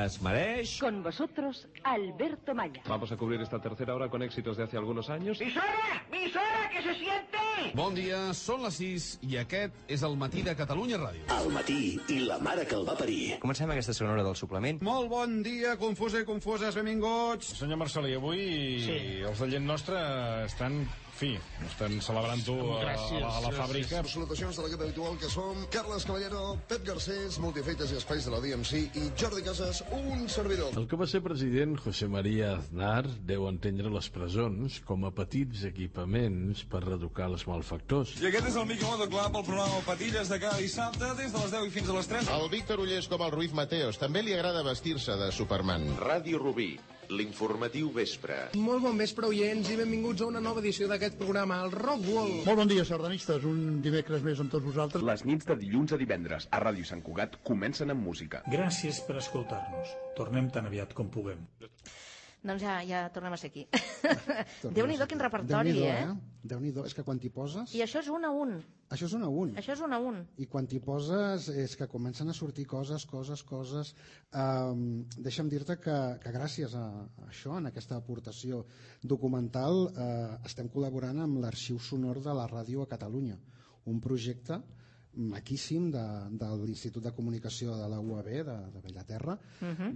es mereix. Con vosotros, Alberto Malla. Vamos a cubrir esta tercera hora con éxitos de hace algunos años. ¡Misora! ¡Misora, que se siente! Bon dia, són les 6 i aquest és el matí de Catalunya Ràdio. El matí i la mare que el va parir. Comencem aquesta segona hora del suplement. Molt bon dia, confusa i confoses, benvinguts. Senyor Marcelí, avui els de Gent Nostra estan... estan celebrant-ho a la fàbrica. Salutacions de l'equip habitual que som Carles Caballero, Pep Garcés, Multifeites i Espais de la DMC i Jordi Casas, un servidor. El que va ser president, José María Aznar, deu entendre les presons com a petits equipaments per reeducar els malfactors. I aquest és el Miqui Moto Club, el programa Patilles de cada dissabte des de les 10 i fins a les 3. El Víctor Ullés com el Ruiz Mateos també li agrada vestir-se de Superman. Ràdio Rubí, l'informatiu vespre. Molt bon vespre, oients, i benvinguts a una nova edició d'aquest programa, el Rockwall. Molt bon dia, sardanistes, un dimecres més amb tots vosaltres. Les nits de dilluns a divendres a Ràdio Sant Cugat comencen amb música. Gràcies per escoltar-nos. Tornem tan aviat com puguem. Doncs ja tornem a ser aquí. Déu-n'hi-do quin repertori, Déu-n'hi-do, és que quan t'hi poses... I això és un a un. Això és un a un. Això és un a un. I quan t'hi poses és que comencen a sortir coses. Deixa'm dir-te que gràcies a això, en aquesta aportació documental, estem col·laborant amb l'Arxiu Sonor de la Ràdio a Catalunya, un projecte maquíssim de l'Institut de Comunicació de la UAB de Bellaterra,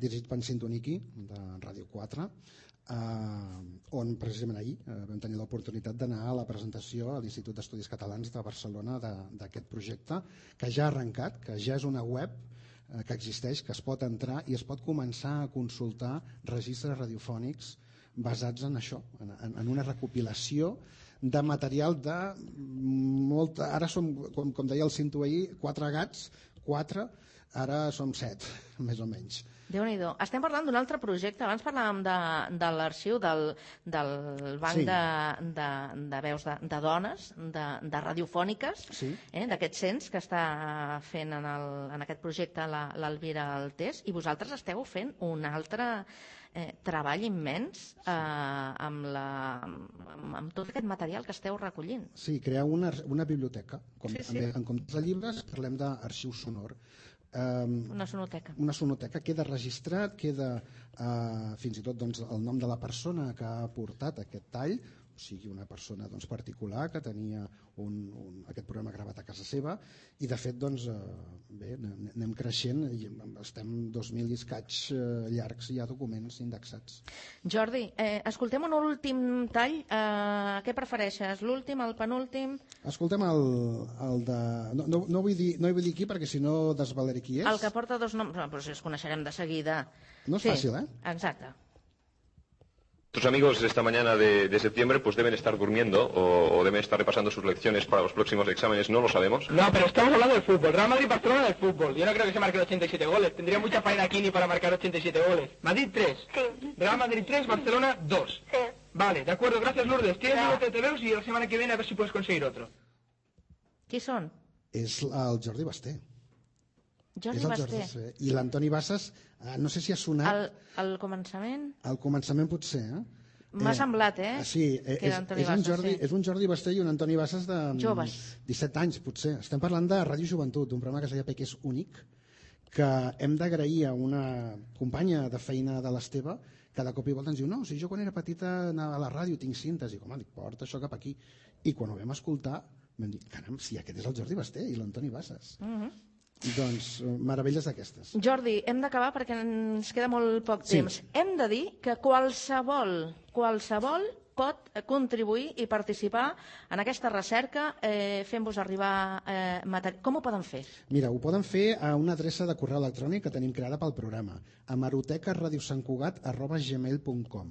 dirigit per Sintoniki de Ràdio 4, on precisament ahir vam tenir l'oportunitat d'anar a la presentació a l'Institut d'Estudis Catalans de Barcelona d'aquest projecte, que ja ha arrencat, que ja és una web que existeix, que es pot entrar i es pot començar a consultar registres radiofònics basats en això, en una recopilació de material de molta... Ara som, com deia el Cinto ahir, 4 gats, 4, ara som 7, més o menys. Déu-n'hi-do. Estem parlant d'un altre projecte. Abans parlàvem de l'arxiu del banc de veus de dones, de radiofòniques, d'aquest cens que està fent en aquest projecte l'Elvira Altés, i vosaltres esteu fent un altre treball immens amb tot aquest material que esteu recollint. Sí, crear una biblioteca. En comptes de llibres parlem d'arxiu sonor. Una sonoteca. Una sonoteca, queda registrat, queda fins i tot el nom de la persona que ha portat aquest tall, o sigui una persona particular que tenia aquest programa gravat a casa seva, i de fet bé, anem creixent i estem 2.000 i escaig llargs i hi ha documents indexats. Jordi, escoltem un últim tall. Què prefereixes, l'últim, el penúltim? Escoltem el de... No vull dir qui perquè si no desvaleré qui és. El que porta 2 noms, però si els coneixerem de seguida. No és fàcil, Exacte. Tus amigos esta mañana de septiembre pues deben estar durmiendo o deben estar repasando sus lecciones para los próximos exámenes, no lo sabemos. No, pero estamos hablando del fútbol, Real Madrid-Barcelona del fútbol. Yo no creo que se marquen 87 goles, tendría mucha faena aquí ni para marcar 87 goles. Madrid 3, sí. Real Madrid 3, Barcelona 2. Sí. Vale, de acuerdo, gracias Lourdes. Tienes un lote de TVOs y la semana que viene a ver si puedes conseguir otro. Qui són? És el Jordi Basté. Jordi Basté. I l'Antoni Bassas, no sé si ha sonat... Al començament? Al començament potser, M'ha semblat, Sí, és un Jordi Basté i un Antoni Bassas de 17 anys, potser. Estem parlant de Ràdio Joventut, un programa que es deia que és únic, que hem d'agrair a una companya de feina de l'Esteve, que de cop i volta ens diu, no, si jo quan era petita anava a la ràdio, tinc cintes, i com, porta això cap aquí. I quan ho vam escoltar, vam dir, caram, si aquest és el Jordi Basté i l'Antoni Bassas. Doncs meravelles d'aquestes. Jordi, hem d'acabar perquè ens queda molt poc temps. Hem de dir que qualsevol pot contribuir i participar en aquesta recerca fent-vos arribar material. Com ho poden fer? Mira, ho poden fer a una adreça de correu electrònic que tenim creada pel programa, hemerotecaradiosantcugat@gmail.com.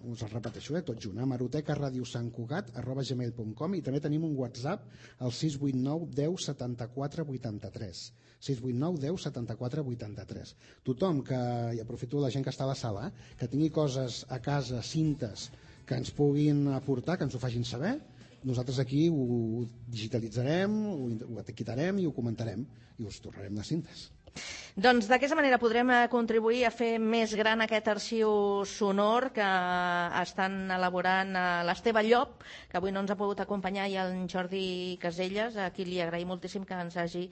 Us el repeteixo, tot junt, hemerotecaradiosantcugat@gmail.com, i també tenim un WhatsApp al 689 10 74 83. 689 10 74 83. Tothom que, i aprofito la gent que està a la sala, que tingui coses a casa, cintes, que ens puguin aportar, que ens ho facin saber, nosaltres aquí ho digitalitzarem, ho etiquetarem i ho comentarem i us tornarem les cintes. Doncs d'aquesta manera podrem contribuir a fer més gran aquest arxiu sonor que estan elaborant l'Esteve Llop, que avui no ens ha pogut acompanyar, i el Jordi Caselles, a qui li agraïm moltíssim que ens hagi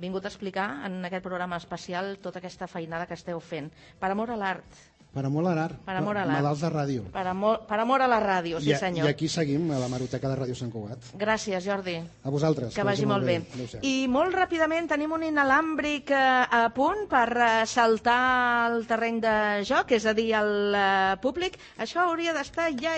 vingut a explicar en aquest programa especial tota aquesta feinada que esteu fent. Per amor a l'art. Per amor a l'art. Malalts de ràdio. Per amor a la ràdio, sí senyor. I aquí seguim a l'hemeroteca de Ràdio Sant Cugat. Gràcies, Jordi. A vosaltres. Que vagi molt bé. I molt ràpidament tenim un inalàmbric a punt per saltar al terreny de joc, és a dir, al públic. Això hauria d'estar ja,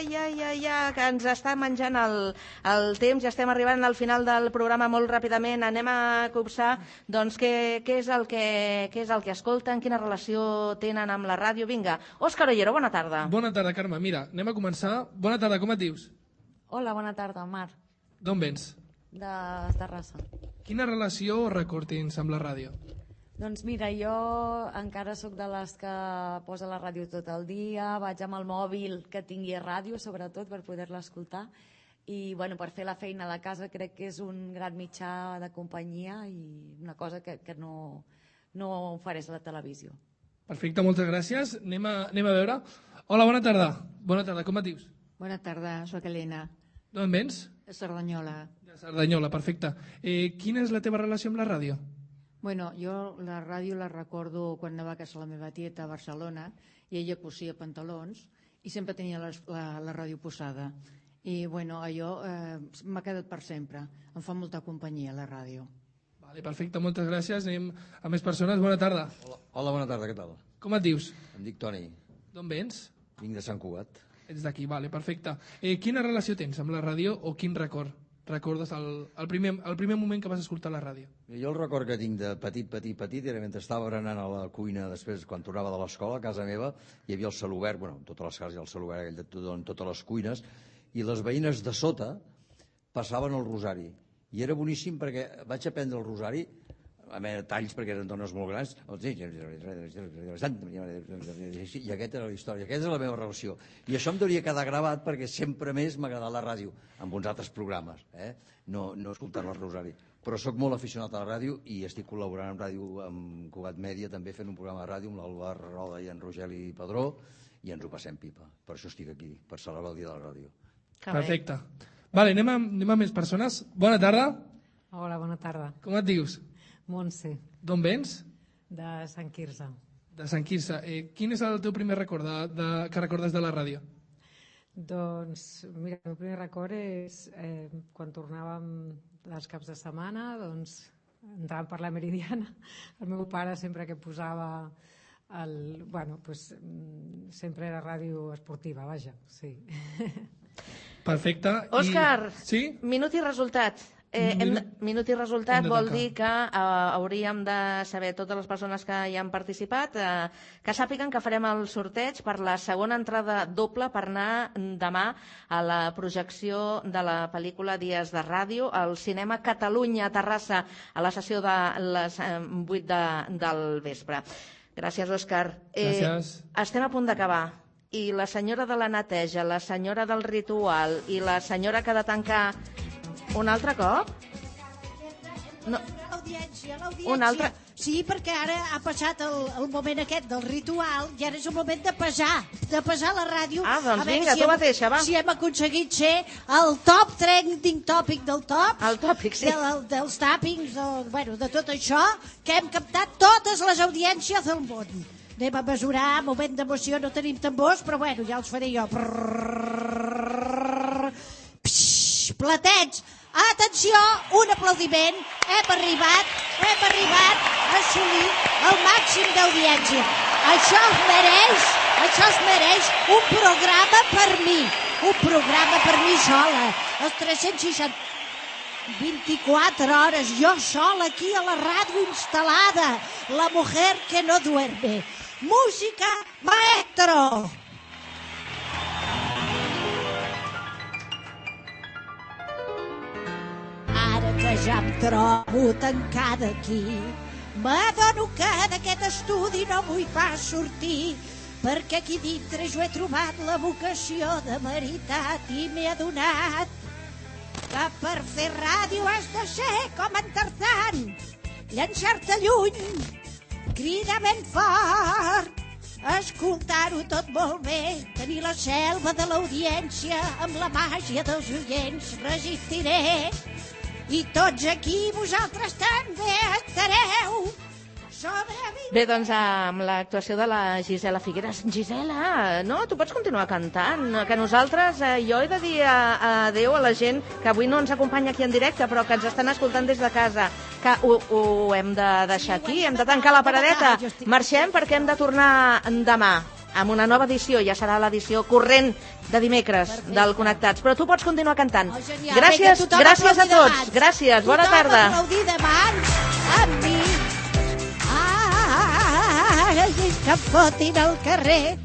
que ens està menjant el temps, ja estem arribant al final del programa molt ràpidament. Anem a copsar doncs, què és el que escolten, quina relació tenen amb la ràdio. Vinga, Òscar Ollero, bona tarda. Bona tarda, Carme. Mira, anem a començar. Bona tarda, com et dius? Hola, bona tarda, Mar. D'on vens? De Terrassa. Quina relació o record tens amb la ràdio? Doncs mira, jo encara sóc de les que posa la ràdio tot el dia, vaig amb el mòbil que tingui ràdio, sobretot, per poder-la escoltar, i bueno, per fer la feina de casa crec que és un gran mitjà de companyia i una cosa que no ofereix la televisió. Perfecte, moltes gràcies. Anem a veure. Hola, bona tarda. Bona tarda, com et dius? Bona tarda, soc Helena. D'on vens? De Cerdanyola. De Cerdanyola, perfecte. Quina és la teva relació amb la ràdio? Bueno, jo la ràdio la recordo quan anava a casa la meva tieta a Barcelona i ella cosia pantalons i sempre tenia la ràdio posada. I bueno, allò m'ha quedat per sempre. Em fa molta companyia la ràdio. Vale, perfecte, moltes gràcies. Anem a més persones. Bona tarda. Hola, bona tarda, què tal? Com et dius? Em dic Toni. D'on vens? Vinc de Sant Cugat. Ets d'aquí, vale, perfecte. Quina relació tens amb la ràdio o quin record recordes el primer moment que vas escoltar la ràdio? Jo el record que tinc de petit era mentre estava berenant a la cuina després, quan tornava de l'escola, a casa meva, hi havia el celobert, bueno, en totes les cases hi ha el celobert aquell en totes les cuines, i les veïnes de sota passaven el rosari. I era boníssim perquè vaig aprendre el rosari, a més talls perquè eren dones molt grans, i aquesta era la història, aquesta és la meva relació. I això em deuria quedar gravat perquè sempre més m'ha agradat la ràdio, amb uns altres programes, no escoltar el rosari. Però sóc molt aficionat a la ràdio i estic col·laborant amb ràdio, amb Cugat Mèdia, també fent un programa de ràdio amb l'Albert Roda i en Rogeli Padró, i ens ho passem pipa. Per això estic aquí, per celebrar el dia de la ràdio. Perfecte. Vale, anem a més persones. Bona tarda. Hola, bona tarda. Com et dius? Montse. D'on vens? De Sant Quirze. De Sant Quirze. Quin és el teu primer record que recordes de la ràdio? Doncs, mira, el meu primer record és quan tornàvem dels caps de setmana, doncs entràvem per la Meridiana. El meu pare sempre que posava sempre era ràdio esportiva, vaja, sí. Perfecte. Òscar, sí? minut i resultat. Minut i resultat vol dir que hauríem de saber, totes les persones que hi han participat, que sàpiguen que farem el sorteig per la segona entrada doble per anar demà a la projecció de la pel·lícula Dies de Ràdio al Cinema Catalunya a Terrassa a la sessió de les 8 del vespre. Gràcies, Òscar. Gràcies. Estem a punt d'acabar. I la senyora de la neteja, la senyora del ritual i la senyora que ha de tancar un altre cop? No. L'audiència. Un altre? Sí, perquè ara ha passat el moment aquest del ritual i ara és el moment de pesar la ràdio. Ah, doncs vinga, tu mateixa, va. Si hem aconseguit ser el top trending topic del top. El tòpic, sí. Dels tàpings, de tot això, que hem captat totes les audiències del món. Anem a mesurar, moment d'emoció, no tenim tambors, però bueno, ja els faré jo. Platets, atenció, un aplaudiment, hem arribat a assolir el màxim d'audiència. Això es mereix un programa per mi sola, els 360, 24 hores, jo sola aquí a la ràdio instal·lada, la mujer que no duerme. Música, maestro! Ara que ja em trobo tancada aquí, m'adono que d'aquest estudi no vull pas sortir, perquè aquí dintre jo he trobat la vocació de veritat i m'he adonat que per fer ràdio has de ser com en Tarzan, llançar-te lluny, cridar ben fort, escoltar-ho tot molt bé, tenir la selva de l'audiència amb la màgia dels oients, resistiré. I tots aquí vosaltres també estareu. Bé, doncs amb l'actuació de la Gisela Figueres. Gisela, no, tu pots continuar cantant, que nosaltres, jo he de dir adéu a la gent que avui no ens acompanya aquí en directe, però que ens estan escoltant des de casa, que ho hem de deixar aquí, hem de tancar la paradeta. Marxem perquè hem de tornar demà amb una nova edició, ja serà l'edició corrent de dimecres del Connectats, però tu pots continuar cantant. Gràcies a tots, gràcies, bona tarda. Tothom aplaudir de mans amb mi. Que em fotin al carrer